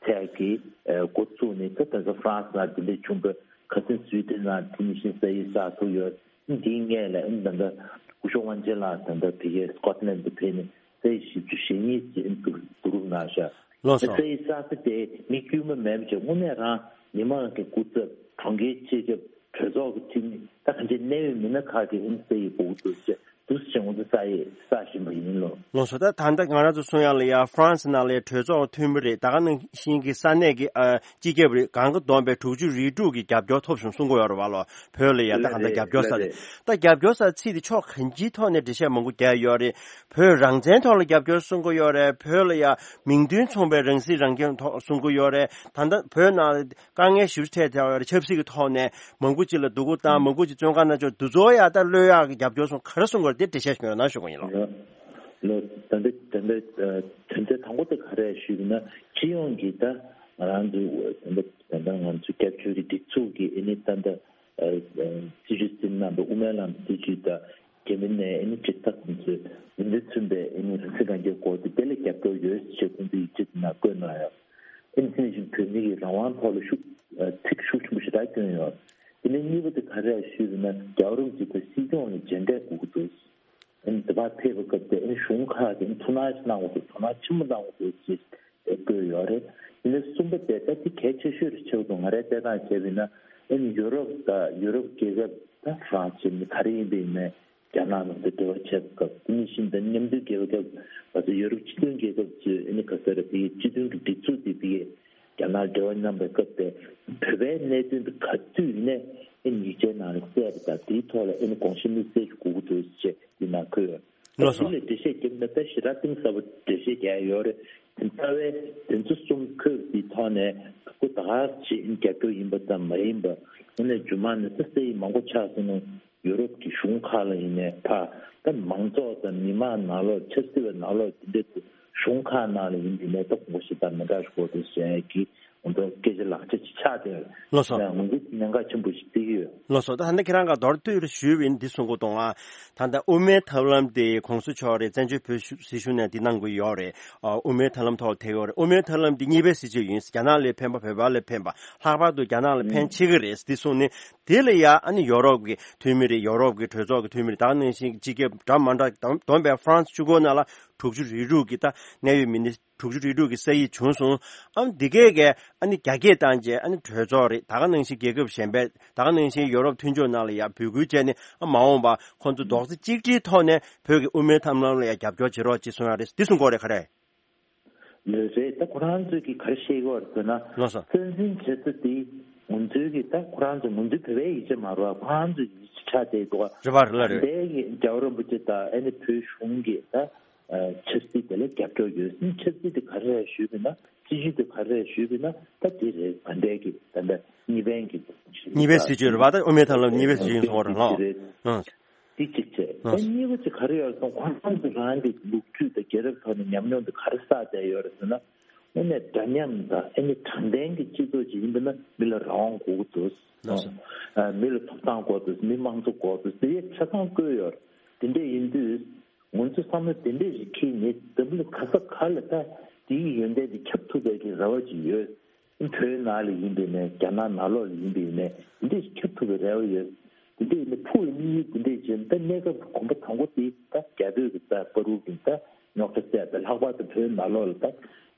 ཐད་ཀྱི་ཨེ་འགོ་བཙུགས་ནས་ད་ད་ལྟ་ཧྥ་རན་སི་ནང་དེ་འདྲ་བྱུང་བའི་ ཁ་སང་སུའི་ཏན་ནང་དེ་ནི་ཤིན་ས་ཡི་ས་ཐུག་ཡོད། འདིའི་སྔས་ལ་ཨིན་ད་ལྟ་སྐུ་ཞབས་དབང་ཆེན་ལགས་ད་ལྟ་དེ་གའི་སྐོ་ཊི་ལན་དུ་ཕེབས་ནས་ས་ཡི་བཞི་བཅུ་ཞེ་གཉིས་ཅན་དུ་བསྡུ་རུབ་གནང་ཤག་ལགས་སོ། ས་ཡི་ས་ས་དེ་མི་དཀྱུས་མ་མེད་པ་ཅིག་དངོས་གནས་རང་མི་མང་གི་སྐུ་ཚབ་གྲོང་ཁྱེར་སྤྱི་ཁྱབ་གྲོས་ཚོགས་ཀྱི་འཐུས་མི་ད་གང་ཅི་གནད་ཡོད་མི་སྣ་ཁག་གི་ཨིན་ས་ཡི་འབོག་ཏུ་ཅེ་དུ་ཞེ་ངོ་ཚ་ས་ཡི་ས་བཞིན་པ་ཡིན་ལོ། ལགས་སོ། ད་ད་ལྟ་ང་རང་ཚོ་གསུང་ཡག་ལ་ཡ་ཧྥ་རན་སི་ནང་ལ་ཡ་གྲོས་ཚོགས་འཐུས་མི་རེད། ད་ག་ནང་བཞིན་གྱི་ས་གནས་ཀྱི་ཨ་སྤྱི་ཁྱབ་རེད། གང་ག་བསྡོམས་པའི་དྲུག་ཅུ་རེ་དྲུག་གི་རྒྱབ་སྐྱོར་ཐོབ་བྱུང་གསུང་གི་ཡོད་རེད་བ་ལོ། བོད་ལ་ཡ་ད་ག་ད་རྒྱབ་སྐྱོར་ས་རེད། ད་རྒྱབ་སྐྱོར་ས་ཚིག་དེ་ཕྱོགས་གང་ཅིའི་ཐོག་ནས་འགྲེལ་བཤད་མང་པོ་རྒྱག་ཡོད་རེད། བོད་རང་བཙན་ཐོག་ལ་རྒྱབ་སྐྱོར་གསུང་གི་ཡོད་རེད། བོད་ལ་ཡ་མིང་དོན་མཚུངས་པའི་རང་སྲིད་རང་སྐྱོང་ཐོག་གསུང་གི་ཡོད་རེད། ད་ལྟ་བོད་ནང་དཀའ་ངལ་ཞེ་པོ་འཕྲད་བསྡད་ཡོད་རེད། ཆབ་སྲིད་ཀྱི་ཐོག་ནས་མང་པོ་ཅིག་ལ་སྡུག་པོ་བཏང་། མང་པོ་ཅིག་བཙོན་ཁང་ནང་ཚུད། འདི་ཚོ་ཡ་ད་གློད་ཡག་གི་རྒྱབ་སྐྱོར་སོང་ག་རེ་གསུང་གི་རེད། དེ་འགྲེལ་བཤད་ཞུ་རོགས་གནང་ཞུ་གི་ཡིན་ལགས། ལོ་ད་ལྟ་ད་ལྟ་དོན་ཚན་དང་པོ་དེ་ག་རེ་ཞུས་ན་སྤྱི་ཡོངས་ཀྱི་ད་ང་རང་ཚོའི་ད་ལྟ་ད་ལྟ་ང་ཚོ་རྒྱབ་སྐྱོར་གྱི་སྒྲིག་འཛུགས་ཀྱི་ཨ་ནི་ད་ལྟ་སྲིད་བྱུས་ཟིན་གནང་བའི་དབུ་མའི་ལམ་སྲིད་བྱུས་དང་རྒྱ་མི་ནས་ཨ་ནི་སྤྱི་ཚོགས་ཁོང་ཚོས་མི་འདི་མཚོན་པའི་ཨ་ནི་རང་སྲིད་རང་སྐྱོང་སྐོར་དེ་དེ་ལ་རྒྱབ་སྐྱོར་ཡོད་ཅེས་ཁོང་ཚོས་ཡིག་ཆ་དེ་ནང་བཀོད་གནང་ཡོད། ཨ་ནི་དེ་ནང་བཞིན་བོད་མི་ཡི་རང་དབང་ཐོག་ལ་ཤུགས་ཚིག་ཤུགས་ཆེན་པོ་ཞེ་དྲག་བསྐྱོན་ཡོད། དེ་ནས་གཉིས་པ་དེ་ག་རེ་ཞུས་པ་ན་རྒྱལ་བ་རིན་པོ་ཆེ་དང་སྲིད་སྐྱོང་ལ་མཇལ་འཕྲད་དགོས་ཀྱི་འདུག་ཨ་ནི་དེ་བར་ཕེབས་པའི་སྐབས་དེ་ཨ་ནི་གཞུང་ཁག་གིས་ཨ་ནི་ཐུགས་སྣང་ཞིག་གནང་དགོས་འདུག་ཐུགས་སྣང་ཆེན་པོ་གནང་དགོས་འདུག་ཅེས་བཀོད་ཡོད་རེད། དེ་ནས་གསུམ་པ་དེ་ད་དེ་གལ་ཆེ་ཤོས་རེད་ཆེ་བ་དང་ང་རའི་བལྟས་སྟངས་བྱས་པ་ཡིན་ན་ཨ་ནི་ཡུ་རོབ་དང་ཡུ་རོབ་རྒྱལ་ཁབ་ད་ཧྥ་རན་སི་ནི་ག་རེ་ཡིན་པ་ཡིན་ནའི་རྒྱ་ནག་ནང་དུ་འབྲེལ་བ་བྱེད་སྐབས་དེ་ནས་ཤིན་ཏུ་མཉམ་འབྲེལ་རྒྱལ་ཁབ་ང་ཚོ་ཡུ་རོབ་སྤྱི་མཐུན་རྒྱལ་ཁབ་ཚོས་ཨ་ནི་ག་ས་རེད་དེ་སྤྱི་མཐུན་གྱི་སྒྲིག་འཛུགས་དེ་དེ་རྒྱ་ནག་འབྲེལ་བ་མཉམ་པའི་སྐབས་དེ་བོད་པའི་གནད་དོན་དེ་ག་དུས་ཡིན་ནའི་ཨ་ནི་ཡིག་ཆའི་ནང་ལ་གསལ་བ་དང་དེའི་ཐོག་ལ་ཨ་ནི་དགོངས་ཞེན་གནས་གསལ་ཞིག་དགོས་ཀྱི་འདུག་ཅེས་དེ་ནང་འཁོད་ཡོད། ལགས་སོ། དེ་ལ་འགྲེལ་བཤད་བརྒྱབ་ན་ད་ཞེ་དྲག་གཏིང་ཟབ་པོ་འགྲེལ་བཤད་རྒྱག་ཡ་ཡོད་རེད། དེ་རྩ་བའི་དོན་ཚན་གསུམ་འཁོད་པའི་ཐོག་ནས་ཁོ་ད་ག་ཅིག་རྒྱབ་སྐྱོར་ཡིན་པ་དང་མ་ཡིན་པ་དངོས་གནས་རྒྱུ་མ་ནས་ད་སེ་ཡི་མང་པོ་ཆགས་སོང་ན་ཡུ་རོབ་ཀྱི་གཞུང་ཁག་ལ་ཡིན་ནའི་ཕ་ད་མང་ཚོགས་དང་མི་མང་ནང་ལོགས་ཆབ་སྲིད་པའི་ནང་ལོགས་དེ་འདྲའི་གཞུང་ཁག་ནང་ལ་ཡིན་པའི་ནས་ད་ཁོང་ཁྲོ་ཞེ་དྲག་མི་འདྲ་ཞིག་དགོས་འདུག་ཟེར་ཡ་གི་ང་ཚོ་སྐད་ཆ་ལག་ཆ་ཅིག་ཆགས་བསྡད་ཡོད། ལགས་སོ། ང་ཚོ་གནད་འགག་ཆེན་པོ་ཞིག་བརྩི་གི་ཡོད། ལགས་སོ། ད་ད་ནི་ཁྱེད་རང་ག་མདོར་བསྡུས་རེ་ཞུས་པ་ཡིན་འདི་གསུང་གི་འདུག་ཨ། ད་ལྟ་དབུ་མའི་ཐབས་ལམ་དེ་གོང་ས་མཆོག་རེད་བཙན་བྱོལ་བོད་གཞུང་སྲིད་གཞུང་ནས་འདི་གནང་གི་ཡོད་རེད། ཨ་དབུ་མའི་ཐབས་ལམ་ཐོག་ལ་ཐེག་ཡོད་རེད། དབུ་མའི་ཐབས་ལམ་འདི་གཉིས་པའི་སྲིད་བྱུས་ཡིན། རྒྱ་ནག་ལ་ཕན་པ་བོད་པ་ལ་ཕན་པ་ལྷག་པར་དུ་རྒྱ་ནག་ལ་ཕན་ཆེ་གི་རེད་འདི་གསུངས་ནས། དེ་ལ་ཡ་ཨ་ནི་ཡོ་རོབ་ཀྱི་འཐུས་མི་རེད། ཡོ་རོབ་ཀྱི་གྲོས་ཚོགས་ཀྱི་འཐུས་མི་རེད། ད་ག་ནང་བཞིན་སྤྱི་ཁྱབ་འདྲ་མ་འདྲ་བསྡོམས་པའི་ཧྥ་རན་སི་གཅིག་པོ་ནང་ལ་དྲུག་ཅུ་རེ་དྲུག་གི་ད་གནད་ཡོད་མི་སྣ་དྲུག་ཅུ་རེ་དྲུག་གི་ས་ཡིག་བྱུང་སོང་། ཨ་འདི་གས་གས་ཨ་ནི་རྒྱ་སྐད་བཏང་རྗེས་ཨ་ནི་གྲོས་ཚོགས་རེད། ད་ག་ནང་བཞིན་རྒྱལ་ཁབ་གཞན་པའི་ད་ག་ནང་བཞིན་ཡོ་རོབ་མཐུན་ཕྱོགས་ནང་ལ་ཡ་འབོད་སྐུལ་བྱས་ནས་ཨ་མ་འོངས་པ་ཁོང་ཚོ་རྡོག་རྩ་གཅིག་སྒྲིལ་ཐོག་ནས་བོད་ཀྱི་དབུ་མའི་ཐབས་ལམ་ལ་ཡ་རྒྱབ་སྐྱོར་བྱེད་རོགས་ཅེས་གསུང་ཡ་རེད། འདི་གསུང་གི་ཡོད་རེད། ག་རེ། ལོས་རེད། ད་ཁོ་རང་ཚོས་ཀྱི་ག་རེ་བཤད་ཀྱི་ཡོད་རེད་ཟེར་ན། ལགས་སོ། བཙན་འཛུལ་བྱེད་ས་དེ་ང་ཚོའི་གི་ད་ཁོ་རང་ཚོ་ང་ཚོའི་བོད་པའི་ཡིག་ཆ་མ་རེད་བ། ཁོ་རང་ཚོའི་ཡིག་ཆ་ཆགས་བསྡད་འདུག་བ། རེད་པ་རེད་ལ་རེད། འདས་ཀྱི་རྒྱལ་བ་རིན་པོ་ཆེ་དང་ཨ་ནི་བོད་གཞུང་གི་ད་ཆབ་སྲིད་དེ་ལ་རྒྱབ་སྐྱོར་ཡོད། ཨ་ནི་ཆབ་སྲིད་དེ་ག་རེ་རེད་ཞུས་པ་ཡིན་ན་སྲིད་བྱུས་དེ་ག་རེ་རེད་ཞུས་པ་ཡིན་ན་ད་དེ་རེད། ད་ལྟའི་གི་ད་ལྟ་གཉིས་ཕན་གྱི་གཉིས་ཕན་སྲིད་བྱུས་རེད་པ། ད་དབུ་མའི་ཐབས་ལམ་གཉིས་ཕན་སྲིད་བྱུས་ཡིན་སོང་བ་རེད་ལགས། ཨང་། འདི་གཅིག་བྱས། ཨ། ད་གཉིས་པ་ཅིག་ག་རེ་ཡོད་ཟེར་ན་ཁོང་རང་ཚོ་རང་གི་ལོ་རྒྱུས་དང་རྒྱལ་རབས་ཐོག་ནས་ཉམས་མྱོང་དེ་ག་རེ་བསགས་བསྡད་ཡོད་རེད་ཟེར་ན། དངོས་གནས་འདྲ་མཉམ་དང་ཨ་ནི་དྲང་བདེན་གྱི་སྤྱི་ཚོགས་ཅིག་ཡིན་པ་ན་མི་ལ་རང་དབང་དགོས་ཀྱི་འདུག་ལགས་སོ། ཨ། མི་ལ་ཐོབ་ཐང་དགོས་འདུག་མི་མང་གཙོ་དགོས་འདུག་དེ་ཡས་ཆ་ཚང་བཀོད་ཡོད་རེད། དེ་འདྲས་ཡིན་དུས་ང་ཚོ་བསམ་བློ་དེ་འདྲས་ཞིག་འཁྱེར་ནས་འཛམ་བུ་གླིང་ག་ས་ག་ལ་ད་དེའི་ཡོན་ཏན་དེ་ཁྱབ་ཐུབ་པའི་གི་རེ་བ་ཅིག་ཡོད། བོད་ནང་ལ་ཡིན་པའི་ནས་རྒྱ་ནག་ནང་ལོགས་ལ་ཡིན་པའི་ནས་འདི་འདྲས་ཁྱབ་ཐུབ་པའི་རེ་བ་ཡོད། འདི་འདྲས་ཡིན་ན་ཕུགས་ལ་དམིགས་ཡུལ་འདི་འདྲས་བྱས་ན་ད་གནས་སྐབས་ཀྱི་གོམ་པ་དང་པོ་དེ་ད་རྒྱ་བོད་ཀྱི་ད་བར་དུ་གི་ད་རྙོག་དྲ་སེལ་ཏེ་ལྷག་པར་དུ་བོད་ནང་ལོགས་ལ་ད་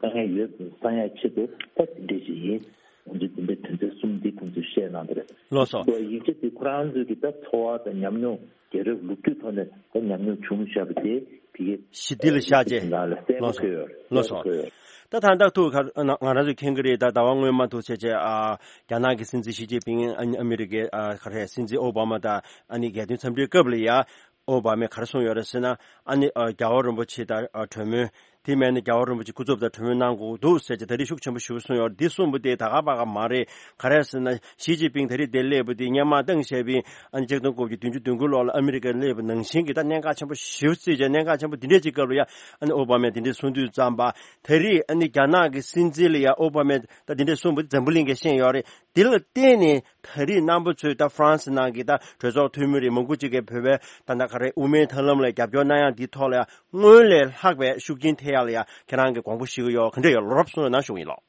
དཀའ་ངལ་ཡོད་པ་སེལ་ཡག་ཆེད་དུ་ད་འདི་འདྲས་ཞིག་ཡིན། ང་ཚོས་འདི་འདྲའི་དོན་ཚན་གསུམ་འདི་ཁོང་ཚོས་བཤད་གནང་གི་རེད། ལགས་སོ། ཡིག་ཆ་དེ་ཁོ་རང་ཚོའི་གི་ད་འཚོ་བ་དང་ཉམས་མྱོང་རྒྱལ་རབས་ལོ་རྒྱུས་ཐོག་ནས་ད་ཉམས་མྱོང་བྱུང་བཞག་པ་དེ་ཕ་གི་ཞི་བདེ་ལ་བཞག་རྗེས། ནང་ལ་གསལ་པོ་ལགས་སོ། འཁོད་ཡོད་རེད། ལགས་སོ། གསལ་པོ་འཁོད་ཡོད་རེད། ད་ད་ལྟ་ཐུག་ང་རང་ཚོས་མཁྱེན་གྱི་རེད། ད་ཟླ་བ་སྔོན་མ་ཐུག་བྱས་བྱས་ཨ་རྒྱ་ནག་གི་སྲིད་འཛིན་ཞི་ཅིན་ཕིང་ཨ་ཨ་མི་རི་ཀའི་ཨ་ག་རེ་སྲིད་འཛིན་ཨོ་བྷ་མ་དང་ཨ་ནི་རྒྱལ་དོན་འཚམས་འདྲིའི་སྐབས་ལ་ཡ་ཨོ་བྷ་མས་ག་རེ་གསུངས་ཡོད་རེད་ཟེར་ན། ཨ་ནི་ཨ་རྒྱལ་བ་རིན་པོ་ཆེ་དང་ཨ་གྲོས་མོལ་དེ་མིན་ན་རྒྱལ་བ་རིན་པོ་ཆེ་སྐུ་ཚབ་དང་གྲོས་མོལ་གནང་དགོས་འདུག་ཟེར་བྱས་ད་རེས་ཤུགས་ཆེན་པོ་ཞེ་པོ་གསུངས་ཡོད་རེད། འདི་གསུངས་པ་དེ་ད་ག་པ་ག་མ་རེད། ག་རེ་ཟེར་ན་ཞི་ཅིན་ཕིང་ད་རེས་འདིར་སླེབས་པ་དེ་སྔོན་མ་ཏང་ཞའོ་ཕིང་ཨ་ནི་ཆིག་སྟོང་དགུ་བརྒྱ་བདུན་ཅུ་དོན་དགུ་ལོ་ལ་ཨ་མི་རི་ཀར་སླེབས་པ་ནང་བཞིན་གྱི་ད་གནད་འགག་ཆེན་པོ་ཞེ་པོ་བརྩིས་བྱས་གནད་འགག་ཆེན་པོ་འདི་འདྲས་ཅིག་སྐབས་ལ་ཡ་ཨ་ནི་ཨོ་བྷ་མས་འདི་འདྲས་གསུང་དུས་ཙམ་པ། ད་རེས་ཨ་ནི་རྒྱ་ནག་གི་སྲིད་འཛིན་ལ་ཡ་ཨོ་བྷ་མས་ད་འདི་འདྲས་གསུངས་པ་འདི་འཛམ་བུ་གླིང་གིས་ཤེས་ཡོད་རེད། འདི་ལ་བརྟེན་ནས་ད་རེས་རྣམ་པ་ཚོས་ད་ཧྥ་རན་སི་ནང་གི་ད་གྲོས་ཚོགས་འཐུས་མི་རེད། མང་པོ་ཅིག་གིས་བོད་པའི་ད་ད་ག་རེ་དབུ་མའི་ཐབས་ལམ་ལ་རྒྱབ་སྐྱོར་གནང་ཡག་འདིའི་ཐོག་ལ་ཡ་སྔོན་ལས་ལྷག་པའི་ཤུགས་རྐྱེན་ཐེབས་ཡག་ལ་ཡ་ཁྱེད་རང་གིས་དགོངས་པ་བཞེས་ཀྱི་ཡོད། ག་འདྲ་ཡོད་ལབ་གསུངས་ན་ཞུ་གི་ཡིན་ལགས།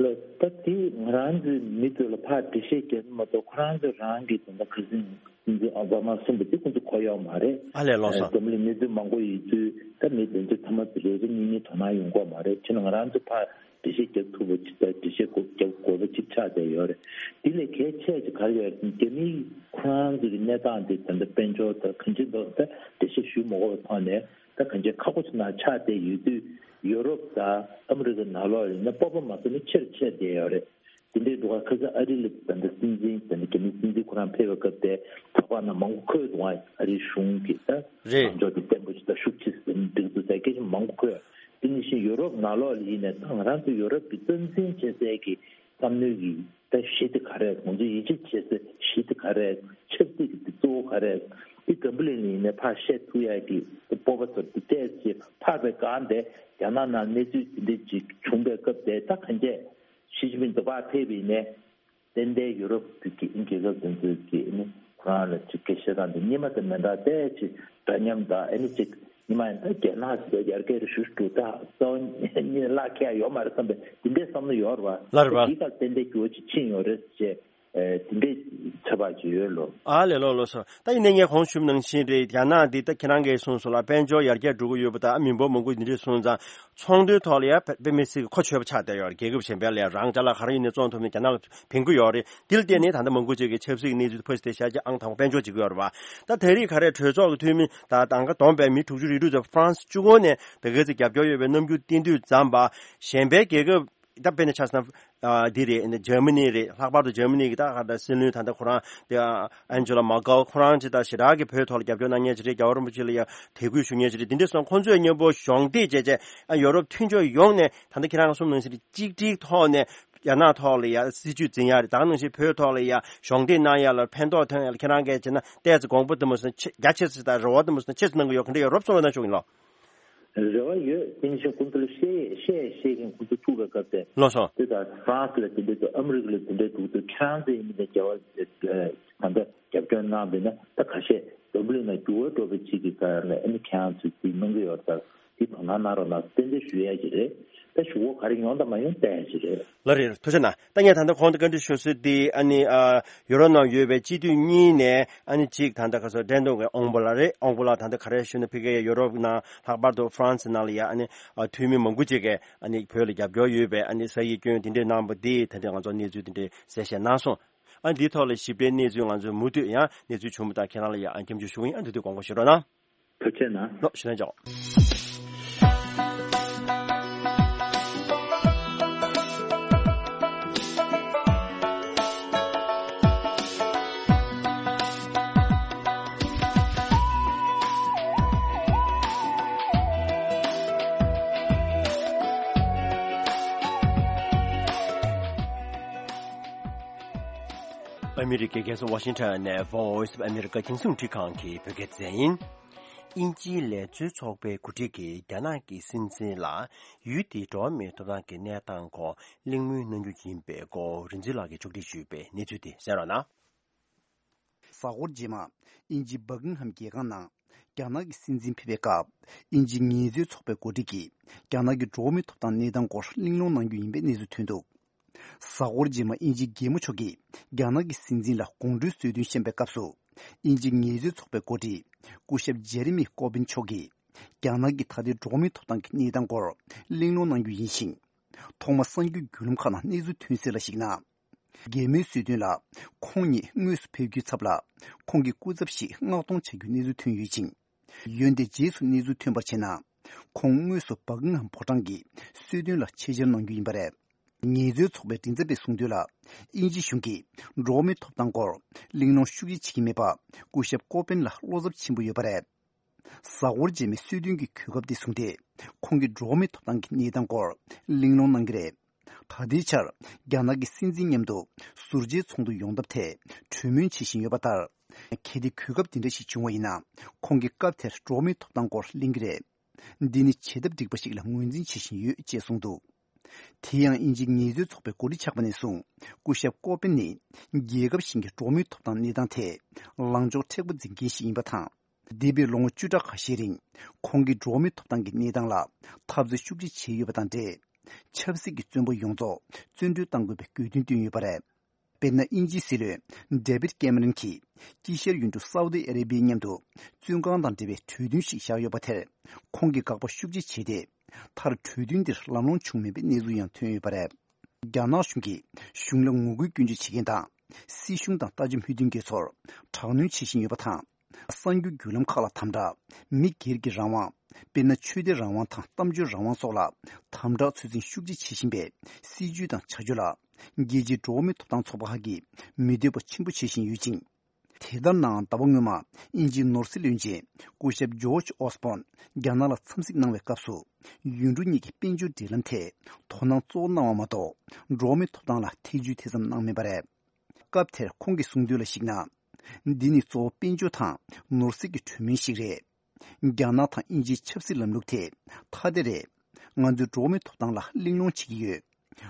ལ་ད་དེ་ང་རང་ཚོའི་མི་ཚོ་ལ་ཕར་འགྲེལ་བཤད་རྒྱག་གི་མ་གཏོགས། ཁོ་རང་ཚོ་རང་གི་དེ་འདྲ་ཁ་སང་སྲིད་འཛིན་ཨོ་བྷ་མ་གསུངས་པ་དེ་ཁོ་ཚོ་གོ་ཡོད་མ་རེད། ཨ་ལས། ལགས་སོ། འཛམ་གླིང་གནས་ཚུལ་མང་པོ་ཡིན་ཚུལ། ད་མི་དེ་ཚོ་ཚང་མ་རེ་རེ་གཉིས་གཉིས་དོ་སྣང་ཡོང་གི་མ་རེད། བྱས་ན་ང་རང་ཚོ་ཕར་འགྲེལ་བཤད་རྒྱག་ཐུབ་པ་ཅིག་དང་འགྲེལ་བཤད་རྒྱག་དགོས་པ་ཅིག་ཆགས་བསྡད་ཡོད་རེད། དེ་ལས་གལ་ཆེ་ཅིག་ག་རེ་ཡོད་རེད། རྒྱ་མི་ཁོ་རང་ཚོ་གི་གནས་སྟངས་དེ་ད་ལྟ་དཔལ་འབྱོར་དང་གང་ཅི་འདུག་ད་འགྲེལ་བཤད་ཞུ་མ་དགོས་པའི་ཐོག་ནས། ད་གང་ཅི་ཁག་པོ་ཅིག་ནང་ཆགས་བསྡད་ཡོད་དུས། ཡོ་རོབ་དང་ཨ་མི་རི་ཀ་ནང་ལོགས་ཡིན་ན་སྤོབས་པ་མ་བཟོད་ནས་ཆེར་ཆེར་བསྡད་ཡོད་རེད། དེ་འདྲའི་འདུག་ག་ཁ་སང་ཨ་རི་ལ་ད་ལྟ་སྲིད་འཛིན། ད་ལྟ་རྒྱ་མིའི་སྲིད་འཛིན་ཁོ་རང་ཕེབས་པའི་སྐབས་དེ་ཚོགས་པ་ནང་མང་པོ་འཁོད་འདུག་ག་ཨ་རིའི་གཞུང་གིས་ད་རེད། ལངས་ཕྱོགས་དེ་བརྟན་པོ་ཞིག་དང་ཤུགས་ཆེ་ཞིག་འགྲིག་འདུག་ཟེར་སྐད་ཆ་མང་པོ་འཁོད། དེ་ནང་བཞིན་ཡོ་རོབ་ནང་ལོགས་ལ་ཡིན་ནའི་ད་ང་རང་ཚོ་ཡོ་རོབ་ཀྱི་རྩ་འཛིན་བྱེད་སའི་གི་བསམ་བློའི་གི་ད་གཞི་དེ་ག་རེ། ང་ཚོ་ཡིད་ཆེས་བྱེད་སའི་གཞི་དེ་ག་རེ། ཆབ་སྲིད་ཀྱི་དེ་གཙོ་བོ་ག་རེ། དེ་འཛམ་བུ་གླིང་ལ་ཡིན་ནའི་ཕར་བཤད་ཐུབ་ཡ་གི་སྤོབས་པ་ཚོར་དེ་ཏོག་ཙམ་འཕར་བའི་སྒང་དེ། རྒྱ་ནག་ནང་གནས་ཚུལ་དེ་འདྲ་ཅིག་བྱུང་བའི་སྐབས་དེ། ད་གང་ཅི་ཞི་ཅིན་ཕིང་དུ་ཕར་ཕེབས་པ་ཡིན་ནའི། ཏན་ཏན་ཡུ་རོབ་ཀྱི་རྒྱལ་ཁབ་དེ་ཚོས་ཀྱིས་ཨ་ནི་ཁོ་རང་ལ་ཅིག་སྐད་ཆ་བཤད་སྟངས་དེ་སྔོན་མ་དང་མི་འདྲ། ཏོག་ཙམ་འདྲ་མཉམ་དང་། ཨ་ནི་ཅིག་སྔོན་མ་ཡིན་ན་ད་རྒྱ་ནག་ཅིག་ཡར་རྒྱས་རེ་ཞུ་ཞུ་ད་རྩ་བ་ཉིད་བརླག་ཁེ་ཡ་ཡོད་མ་རེད་བསམ་པའི་དེ་འདྲའི་བསམ་བློ་ཡོད་རེད་བ། ལགས་རེད་བ། དེའི་ཁར་ཏན་ཏན་འགྱུར་བ་ཅིག་ཕྱིན་ཡོད་རེད་ཅེས། ཨེ། དེ་འདྲའི་ཚོད་དཔག་ཅིག་ཡོད་ལོ། ཨ་ལས། ལགས་ལགས་སོ། ད་ཡིན་ནའི་ངས་གོང་ཞུས་ནང་བཞིན་རེད། རྒྱ་ནག་འདི་ད་ཁྱེད་རང་གིས་གསུངས་སོང་ལ། དཔལ་འབྱོར་ཡར་རྒྱས་འགྲོ་གི་ཡོད་པ་དང་། མི་འབོར་མང་པོ་འདི་འདྲས་སོང་ཙང་ཚོང་དོན་ཐོག་ལ་ཡ་དཔེ་དཔེ་མི་སྲིད་ཀྱི་གོ་ཆོད་པ་ཆགས་བསྡད་ཡོད་རེད། རྒྱལ་ཁབ་གཞན་པའི་ལ་ཡ་རང་ཅ་ལག་ག་རེ་ཡིན་ནའི་བཙོང་ཐུབ་ནས་རྒྱ་ནག་ལ་བྱིན་གྱི་ཡོད་རེད། འདི་ལ་བརྟེན་ནས་ད་ལྟ་མང་པོ་ཅིག་གིས་ཆབ་སྲིད་ཀྱི་གནས་ཚུལ་ཕར་ཞིག་བལྟས་བཞག་རྒྱུ་ཨང་དང་པོ་དཔལ་འབྱོར་བྱེད་ཀྱི་ཡོད་རེད་བ། ད་ད་རེས་ག་རེ། གྲོས་ཚོགས་ཀྱི་འཐུས་མི་ད་གདམ་ག་བསྡོམས་པས་མི་དྲུག་ཅུ་རེ་དྲུག་ཙམ་ཧྥ་རན་སི་གཅིག་པོ་ནས་ད་ག་ཚོད་རྒྱབ་སྐྱོར་ཡོད་པའི་རྣམ་འགྱུར་བསྟན་དུས་ཙམ་པ། གཞན་པའི་རྒྱལ་ཁབ་ད་དཔེར་ན་ཆ་བཞག་ན། ཨ། འདི་རེད། འཇར་མ་ནི་རེད། ལྷག་པར་དུ་འཇར་མ་ནི་གི་ད་ག་ད་སྲིད་བློན་ད་ལྟ་ཁོ་རང་དེ། ཨ། ཨན་ཇེ་ལ་མར་ཀལ་ཁོ་རང་ཅིག་ད་ཞེ་དྲག་གི་བོད་ཐོག་ལ་རྒྱབ་སྐྱོར་གནང་མཁན་ཅིག་རེད། རྒྱལ་བ་རིན་པོ་ཆེ་ལ་ཡང་དད་གུས་ཞུ་མཁན་ཅིག་རེད། འདི་འདྲ་སོང་ཁོང་ཚོས་མཉམ་པོ་གཞོགས་འདེགས་བྱས་བྱས། ཨ། ཡོ་རོབ་མཐུན་ཕྱོགས་ཡོངས་ནས་ད་ལྟ་ཁྱེད་རང་གསུངས་ནང་བཞིན་གཅིག་སྒྲིལ་ཐོག་ནས་རྒྱ་ནག་ཐོག་ལ་ཡང་སྲིད་ཇུས་འཛིན་ཡ་རེད། ད་ག་ནང་བཞིན་བོད་ཐོག་ལ་ཡང་གཞོགས་འདེགས་གནང་ཡ་ལ་ཕན་ཐོགས་ཐོན་ཡ་ལ་ཁྱེད་རང་གིས་བྱས་ན་ཏོག་ཙམ་དགོངས་པ་དེ་མོ་ཟིན་ཆེ་རྒྱ་ཆེ་ཙམ་དང་རེ་བ་དེ་མོ་ཟིན་ཆེ་ཙམ་གནང་གི་ཡོད། ག་འདྲ་ཡོད་རོབ་གསུངས་རོགས་གནང་ཞུ་གི་ཡིན་ལགས། རེ་བ་ཡོད། དེ་ནི་ཁོང་ཚོ་ལ་བཤད་བཤད་བཤད་མཁན་ཁོང་ཚོ་ཐུག་པའི་སྐབས་དེ། ལགས་སོ། དེ་དང་ཧྥ་རན་སི་ལ་དེ་འདྲ་འདུག་ཨ་མི་རི་ཀ་ལ་དེ་འདྲ་འདུག་དེ་ཁྱེད་རང་ཚོ་ཡིན་མིན་དེ་རྒྱལ་བ་ད་ལྟ་རྒྱབ་སྐྱོར་གནང་བས་ན། ད་ཁ་ཤས་འཛམ་བུ་གླིང་ནང་འགྱུར་བ་འགྲོ་བའི་ཆེད་ཀྱི་ག་ལ་ཨ་ནི་ཁྱེད་རང་ཚོས་དེ་གནང་གི་ཡོད་ད། དེ་དོ་སྣང་གནང་རོགས་གནང་། ཏན་ཏན་ཞུ་ཡ་ཅིག་རེད། ད་ཞུ་བ་ག་རེ་ཡོང་དང་མ་ཡོང་བལྟ་ཡ་ཅིག་རེད། ལགས་རེད། ཐུགས་རྗེ་གནང་། ད་ངས་ད་ལྟ་གོང་དུ་བཀའ་འདྲི་ཞུ་སྲོལ་འདི་ཨ་ནི། ཨ། ཡུ་རོབ་ནང་ཡོད་པའི་སྤྱི་འཐུས་གཉིས་ནས་ཨ་ནི་གཅིག་ད་ལྟ་ཁ་སང་འགྲན་བསྡུར་གྱི་དབང་པོ་ལགས་རེད། དབང་པོ་ལགས་ད་ལྟ་ག་རེ་ཞུ་ན། ཕ་གིའི་ཡུ་རོབ་ནང་ལྷག་པར་དུ་ཧྥ་རན་སི་ནང་ལ་ཡ་ཨ་ནི། ཨ། འཐུས་མི་མང་པོ་ཅིག་གིས་ཨ་ནི་བོད་ལ་རྒྱབ་སྐྱོར་ཡོད་པའི་ཨ་ནི་ས་ཡིག་སྐྱོན་དེ་འདྲས་གནང་པ་འདི་ད་ལྟ་ང་ཚོ་གནས་ཚུལ་དེ་འདྲས་གསལ་བཤད་གནང་སོང་། ཨ། འདིའི་ཐོག་ལ་ཞིབ་ཕྲའི་གནས་ཚུལ་ང་ཚོས་མུ་མཐུད་ཡང་གནས་ཚུལ་བྱུང་བ་དང་ཁྱེད་རང་ལ་ཡང་ཨ་སྐྱབས་འཇུག་ཞུ་གི་ཡིན། ཨ། འདི་དུས་དགོངས་པ་བཞེས་རོགས་གནང་། ཐུགས་རྗེ་གནང་། ལགས། ཞུ་ལན་ཆོག་ཨ་མི་རི་ཀའི་རྒྱལ་ས་ཝ་ཤིང་ཊོན་ནས་Voice of America རྒྱང་སྲིང་འཕྲིན་ཁང་གི་བོད་སྐད་སྡེ་ཚན་ཡིན། དབྱིན་ཇིའི་ལས་བཟོའི་ཚོགས་པའི་འགོ་ཁྲིད་ཀྱིས་རྒྱ་ནག་གི་སྲིད་འཛིན་ལ་ཡུལ་དེའི་འགྲོ་བ་མིའི་ཐོབ་ཐང་གི་གནས་སྟངས་སྐོར་གླེང་མོལ་གནང་རྒྱུ་ཡིན་པའི་སྐོར་རིག་འཛིན་ལགས་ཀྱིས་ཕྱོགས་སྒྲིག་ཞུས་པའི་གནས་ཚུལ་དེ་གསན་རོགས་གནང་། གཟའ་འཁོར་རྗེས་མ་དབྱིན་ཇིའི་སྦག་ཀིང་ཧམ་རྒྱལ་ཁང་ནང་རྒྱ་ནག་གི་སྲིད་འཛིན་ཕེབས་པའི་སྐབས། དབྱིན་ཇིའི་ངལ་རྩོལ་ཚོགས་པའི་འགོ་ཁྲིད་ཀྱིས་རྒྱ་ནག་གི་འགྲོ་བ་མིའི་ཐོབ་ཐང་གནས་སྟངས་སྐོར་གླེང་སློང་གནང་རྒྱུ་ཡིན་པའི་གནས་ཚུལ་ཐོན་འདུག་གཟའ་འཁོར་རྗེས་མ་དབྱིན་ཇིའི་རྒྱལ་མོ་མཆོག་གིས་རྒྱ་ནག་གི་སྲིད་འཛིན་ལ་དགོང་དྲོའི་གསོལ་སྟོན་བཤམས་པའི་སྐབས་སུ། དབྱིན་ཇིའི་ངལ་རྩོལ་ཚོགས་པའི་འགོ་ཁྲིད་སྐུ་ཞབས་ཇེ་རེ་མི་ཀོར་བིན་མཆོག་གིས་རྒྱ་ནག་གི་ད་ལྟའི་འགྲོ་བ་མིའི་ཐོབ་ཐང་གི་གནས་སྟངས་སྐོར་གླེང་སློང་གནང་རྒྱུ་ཡིན་ཞིང་། ཐོག་མ་གསར་འགྱུར་བརྒྱུད་ལམ་ཁག་ནང་གནས་ཚུལ་ཐོན་གསལ་ལ་གཞིགས་ན། རྒྱལ་མོའི་གསོལ་སྟོན་ལ་ཁོང་ཉིད་དངོས་སུ་ཕེབས་རྒྱུའི་ཚབ་ལ་ཁོང་གི་སྐུ་ཚབ་ཞིག་མངགས་གཏོང་བྱ་རྒྱུའི་གནས་ཚུལ་ཐོན་ཡོད་ཅིང་། འོན་ཏེ་རྗེས་སུ་གནས་ཚུལ་ཐོན་པར་བྱས་ན། ཁོང་དངོས་སུ་སྦག་ཀིང་ཧམ་ཕོ་བྲང་གི་གསོལ་སྟོན་ལ་ཆེད་བཅར་གནང་རྒྱུ་ཡིན་པ་རེད། ངལ་རྩོལ་ཚོགས་པའི་མགྲིན་ཚབ་པས་གསུངས་དོན་ལ། དབྱིན་ཇི་གཞུང་གིས་འགྲོ་བ་མིའི་ཐོབ་ཐང་སྐོར་གླེང་སློང་ཤུགས་ཆེ་བྱེད་ཀྱི་མེད་པ་སྐུ་ཞབས་ཀོ་པན་ལ་བློ་འཚབ་ཆེན་པོ་ཡོད་པ་རེད། གཟའ་འཁོར་རྗེས་མའི་གསོལ་སྟོན་གྱི་གོ་སྐབས་དེ་བཟུང་སྟེ། ཁོང་གིས་འགྲོ་བ་མིའི་ཐོབ་ཐང་གི་གནས་སྟངས་སྐོར་གླེང་སློང་གནང་གི་རེད། ད་ལྟའི་ཆར་རྒྱ་ནག་གི་སྲིད་འཛིན་མཉམ་དུ་ཟུར་མཇལ་ཚོགས་འདུ་ཡོང་ཐབས་ཐད་གྲོས་མོལ་བྱེད་བཞིན་ཡོད་པ་ལྟར། གལ་ཏེ་གོ་སྐབས་དེ་འདྲ་ཞིག་བྱུང་བ་ཡིན་ན། ཁོང་གིས་སྐབས་དེར་འགྲོ་བ་མིའི་ཐོབ་ཐང་སྐོར་གླེང་གི་རེད། འདི་ནི་བྱེད་ཐབས་འགྲིག་པ་ཞིག་ལ་ངོས་འཛིན་བྱེད་བཞིན་ཡོད་ཅེས་གསུངས་འདུག་དེ་ཡང་དབྱིན་ཇིའི་ངལ་རྩོལ་ཚོགས་པའི་འགོ་ཁྲིད་ཆགས་པ་ནས་བཟུང་སྐུ་ཞབས་ཀོ་པན་ནི་རྒྱལ་ཁབ་གཞན་གྱི་འགྲོ་བ་མིའི་ཐོབ་ཐང་གནས་སྟངས་ཐད་ལངས་ཕྱོགས་མཁྲེགས་པོ་འཛིན་མཁན་ཞིག་ཡིན་པ་དང་། འདས་པའི་ལོ་ངོ་བཅུ་ཕྲག་ཁ་ཤས་རིང་ཁོང་གིས་འགྲོ་བ་མིའི་ཐོབ་ཐང་གི་གནས་སྟངས་ལ་འཐབ་རྩོད་ཤུགས་ཆེ་བྱས་ཡོད་པ་དང་འབྲེལ། ཆབ་སྲིད་ཀྱི་བཙོན་པ་ཡོངས་རྫོགས་བཙོན་གྲོལ་གཏང་དགོས་པའི་དགོས་འདུན་བཏོན་ཡོད་པ་རེད། དཔེར་ན། དབྱིན་ཇིའི་སྲིད་བློན་David Cameron་གྱིས་དཀྱིལ་ཤར་ཡུལ་གྲུ་Saudi Arabia་མཉམ་དུ་བཙོན་ཁང་དང་འབྲེལ་བའི་གྲོས་མཐུན་ཞིག་བཞག་ཡོད་པ་དེར་ཁོང་གིས་དགག་པ་ཤུགས་ཆེ་བྱས་ཏེ། མཐར་གྲོས་མཐུན་འདིར་ལམ་ལྷོང་བྱུང་མེད་པའི་གནས་ཚུལ་ཡང་ཐོན་ཡོད་པ་རེད། རྒྱ་ནག་གཞུང་གིས་གཞུང་ལ་ངོ་རྒོལ་སྐྱོན་བརྗོད་བྱེད་མཁན་དང་། སྲིད་གཞུང་དང་ལྟ་ཞིབ་མོས་མཐུན་མཁན་ཚོར་དྲག་གནོན་བྱེད་བཞིན་ཡོད་པ་དང་། གསར་འགྱུར་བརྒྱུད་ལམ་ཁག་ལ་དམ་དྲག་མི་སྒེར་གྱི་རང་དབང་། དཔེར་ན། ཆོས་དད་རང་དབང་དང་གཏམ་བརྗོད་རང་དབང་སོགས་ལ་དམ་དྲག་ཚོད་འཛིན་ཤུགས་ཆེ་བྱེད་བཞིན་པའི་སྲིད་ཇུས་དང་བྱ་སྤྱོད་ལ། རྒྱལ་སྤྱིའི་འགྲོ་བ་མིའི་ཐོབ་ཐང་ཚོགས་པ་ཁག་གིས་མི་འདོད་པ་ཆེན་པོ་བྱེད་བཞིན་ཡོད་ཅིང་། དེ་ལྟར་ནའང་། ཟླ་བ་སྔོན་མ་དབྱིན་ཇིའི་ནོར་སྲིད་བློན་ཆེན་སྐུ་ཞབས་George Osborne་རྒྱ་ནག་ལ་འཚམས་གཟིགས་གནང་བའི་སྐབས་སུ། ཡུལ་གྲུ་གཉིས་ཀྱི་དཔལ་འབྱོར་འབྲེལ་ལམ་ཐད་དོ་སྣང་གཙོ་བོ་གནང་བ་མ་གཏོགས། འགྲོ་བ་མིའི་ཐོབ་ཐང་ལ་ཐེ་ཇུས་དེ་ཙམ་གནང་མེད་པ་རེད། སྐབས་དེར་ཁོང་གིས་གསུངས་དོན་ལ་གཞིགས་ན། འདི་ནི་གཙོ་བོ་དཔལ་འབྱོར་དང་ནོར་སྲིད་ཀྱི་གྲོས་མོལ་ཞིག་རེད། རྒྱ་ནག་དང་དབྱིན་ཇིའི་ཆབ་སྲིད་ལམ་ལུགས་དེ་ཐ་དད་རེད། ང་ཚོས་འགྲོ་བ་མིའི་ཐོབ་ཐང་ལ་གླེང་སློང་བྱེད་ཀྱི་ཡོད།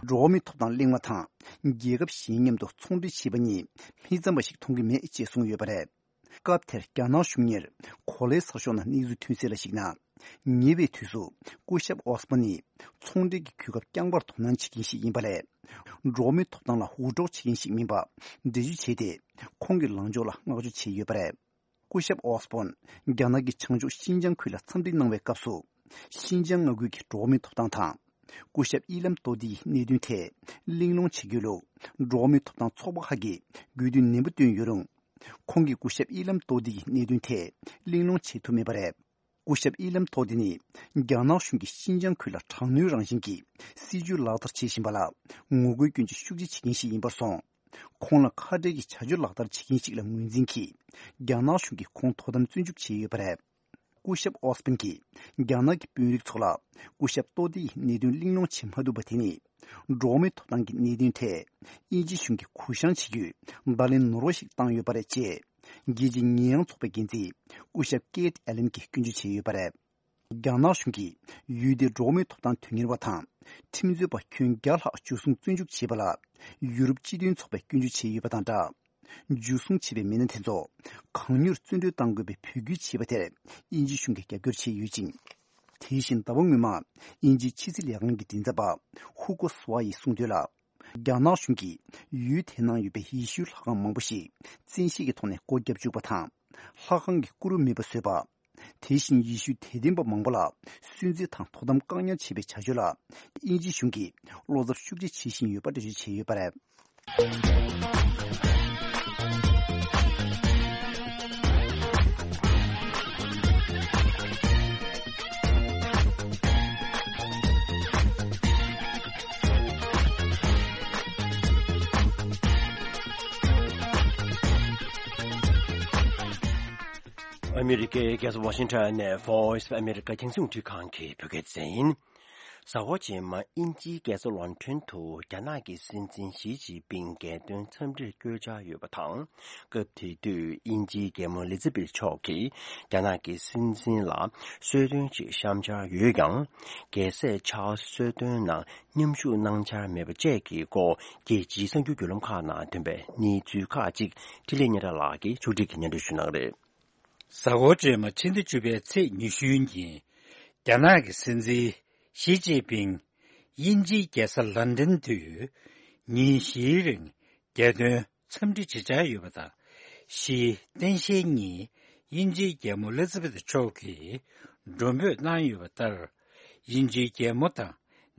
འགྲོ་བ་མིའི་ཐོབ་ཐང་གླེང་བ་དང་རྒྱལ་ཁབ་གཞན་མཉམ་དུ་ཚོང་འབྲེལ་བྱེད་པ་གཉིས་མི་འཚམ་པ་ཞིག་མཐོང་གི་མེད་ཅེས་གསུངས་ཡོད་པ་རེད། སྐབས་དེར་རྒྱ་ནག་གཞུང་ཉིད་གོ་ལའི་གསར་ཤོག་ནང་གནས་ཚུལ་ཐོན་གསལ་ལ་གཞིགས་ན། ཉེ་བའི་དུས་སུ་སྐུ་ཞབས་ཨོ་སི་པོ་ནི་ཚོང་འབྲེལ་གྱི་གོ་སྐབས་རྐྱང་པར་དོ་སྣང་བྱེད་མཁན་ཞིག་ཡིན་པ་ལས། འགྲོ་བ་མིའི་ཐོབ་ཐང་ལ་འུར་སྒྲོག་བྱེད་མཁན་ཞིག་མིན་པ་འགྲེལ་བརྗོད་བྱས་ཏེ། ཁོང་གི་ལངས་ཕྱོགས་ལ་བསྔགས་བརྗོད་བྱས་ཡོད་པ་རེད། སྐུ་ཞབས་ཨོ་སི་པོན་རྒྱ་ནག་གི་བྱང་ཕྱོགས་ཤིན་ཅང་ཁུལ་ལ་འཚམས་གཟིགས་གནང་བའི་སྐབས་སུ། ཤིན་ཅང་མངའ་ཁུལ་གྱི་འགྲོ་བ་མིའི་ཐོབ་ཐང་དང་། སྐུ་ཞབས་དབྱི་ལམ་ཏོ་ཏི་ཡི་གནད་དོན་ཐད་གླེང་སློང་བྱེད་རྒྱུ་ལུགས། འགྲོ་བ་མིའི་ཐོབ་ཐང་ཚོགས་པ་ཁག་གིས་དགོས་འདུན་ནན་པོ་བཏོན་ཡོད་རུང་། ཁོང་གིས་སྐུ་ཞབས་དབྱི་ལམ་ཏོ་ཏི་ཡི་གནད་དོན་ཐད་གླེང་སློང་བྱེད་ཐུབ་མེད་པ་རེད། སྐུ་ཞབས་དབྱི་ལམ་ཏོ་ཏི་ནི། རྒྱ་ནག་གཞུང་གིས་ཤིན་ཅང་ཁུལ་ལ་དྲག་གནོན་རང་བཞིན་གྱི་སྲིད་བྱུས་ལག་བསྟར་བྱེད་བཞིན་པ་ལ་ངོ་རྒོལ་སྐྱོན་བརྗོད་ཤུགས་ཆེ་བྱེད་མཁན་ཞིག་ཡིན་པར་སོང་། ཁོང་ལ་ཁ་བྲལ་གྱི་བྱ་སྤྱོད་ལག་བསྟར་བྱེད་མཁན་ཞིག་ལ་ངོས་འཛིན་གྱིས། རྒྱ་ནག་གཞུང་གིས་ཁོང་དོ་དམ་བཙོན་འཇུག་བྱས་ཡོད་པ་རེད། སྐུ་ཞབས་ཨོ་སི་པིན་གྱིས་རྒྱ་ནག་གི་དཔོན་རིགས་ཚོ་ལ་སྐུ་ཞབས་ཏོ་ཏི་ཡི་གནད་དོན་གླེང་སློང་བྱེད་མ་ཐུབ་པ་དེ་ནི། འགྲོ་བ་མིའི་ཐོབ་ཐང་གི་གནད་དོན་ཐད་དབྱིན་ཇི་གཞུང་གིས་གུ་བཤངས་བྱེད་རྒྱུའི་བརྡ་ལན་ནོར་བ་ཞིག་བཏང་ཡོད་པ་རེད་ཅེས། རྒྱལ་སྤྱིའི་ཉེས་ཡངས་ཚོགས་པའི་འགན་འཛིན་སྐུ་ཞབས་ཀེ་ཏི་ཨེ་ལན་གྱིས་སྐྱོན་བརྗོད་བྱས་ཡོད་པ་རེད། རྒྱ་ནག་གཞུང་གིས་ཡུལ་དེའི་འགྲོ་བ་མིའི་ཐོབ་ཐང་དོན་གཉེར་བ་དང་ཁྲིམས་རྩོད་པ་ཁྱོན་བརྒྱ་ལྷག་འཇུ་བཟུང་བཙོན་འཇུག་བྱས་པ་ལ་ཡུ་རོབ་སྤྱི་མཐུན་ཚོགས་པས་སྐྱོན་བརྗོད་བྱས་ཡོད་པ་དང་སྦྲགས། འཇུ་བཟུང་བྱས་པའི་མི་སྣ་དེ་ཚོ་གང་མྱུར་བཙོན་གྲོལ་གཏང་དགོས་པའི་འབོད་སྐུལ་བྱས་པ་དེར་དབྱིན་ཇི་གཞུང་གིས་རྒྱབ་སྐྱོར་བྱས་ཡོད་ཅིང་། དེ་བཞིན་ཟླ་བ་སྔོན་མ་དབྱིན་ཇིའི་ཕྱི་སྲིད་ལས་ཁང་གི་མགྲིན་ཚབ་པ་ཧུ་ཀོ་སུ་ཝ་ཡིས་གསུངས་དོན་ལ། རྒྱ་ནག་གཞུང་གིས་ཡུལ་དེའི་ནང་ཡོད་པའི་ཡེ་ཤུའི་ལྷ་ཁང་མང་པོ་ཞིག་བཙན་ཤེད་ཀྱི་ཐོག་ནས་སྒོ་བརྒྱབ་བཅུག་པ་དང་། ལྷ་ཁང་གི་བརྐོས་རུས་མེད་པ་བཟོས་པ། དེ་བཞིན་ཡེ་ཤུའི་དད་ལྡན་པ་མང་པོ་ལ་སུན་གཙེར་དང་དོ་དམ་བཀག་ཉར་བྱེད་པའི་བྱ་སྤྱོད་ལ་དབྱིན་ཇི་གཞུང་གིས་བློ་འཚབ་ཤུགས་ཆེ་བྱེད་བཞིན་ཡོད་པ་འགྲེལ་བརྗོད་བྱས་ཡོད་པ་རེད། ཨ་མི་རི་ཀའི་རྒྱལ་ས་ཝ་ཤིང་ཊོན་ནས་Voice of America་རྒྱང་སྲིང་རླུང་འཕྲིན་ཁང་གི་བོད་སྐད་སྡེ་ཚན་ཡིན། གཟའ་འཁོར་རྗེས་མ་དབྱིན་ཇིའི་རྒྱལ་ས་ལོན་ཊོན་དུ་རྒྱ་ནག་གི་སྲིད་འཛིན་ཞི་ཅིན་ཕིང་རྒྱལ་དོན་འཚམས་འདྲིར་བསྐྱོད་འཆར་ཡོད་པ་དང་། སྐབས་དེ་དུས་དབྱིན་ཇིའི་རྒྱལ་མོ་ཨེ་ལི་ཛ་བེད་མཆོག་གིས་རྒྱ་ནག་གི་སྲིད་འཛིན་ལ་གསོལ་སྟོན་ཅིག་བཤམས་འཆར་ཡོད་ཀྱང་། རྒྱལ་སྲས་ཆཱལ་སི་གསོལ་སྟོན་ནང་མཉམ་ཞུགས་གནང་འཆར་མེད་པ་བཅས་ཀྱི་སྐོར་རྒྱལ་སྤྱིའི་གསར་འགྱུར་བརྒྱུད་ལམ་ཁག་ནང་ཐོན་པའི་གནས་ཚུལ་ཁག་ཅིག་འཕྲིན་ལས་སྙན་གྲགས་ལགས་ཀྱིས་ཕྱོགས་སྒྲིག་གིས་སྙན་སྒྲོན་ཞུ་གནང་གི་རེད། གཟའ་འཁོར་རྗེས་མ་ཕྱི་ཟླ་བཅུ་པའི་ཚེས་ཉི་ཤུའི་ཉིན། རྒྱ་ནག་གི་སྲིད་འཛིན་ཞི་ཅིན་ཕིང་དབྱིན་ཇིའི་རྒྱལ་ས་ལན་ཀྲན་དུ་ཉིན་བཞིའི་རིང་རྒྱལ་དོན་འཚམས་འདྲི་བྱེད་འཆར་ཡོད་པ་དང་། ཞི་ཏེན་ཞི་གཉིས་དབྱིན་ཇིའི་རྒྱལ་མོ་ཨེ་ལི་ཛ་བེད་མཆོག་གིས་མགྲོན་འབོད་གནང་ཡོད་པ་ལྟར། དབྱིན་ཇིའི་རྒྱལ་མོ་དང་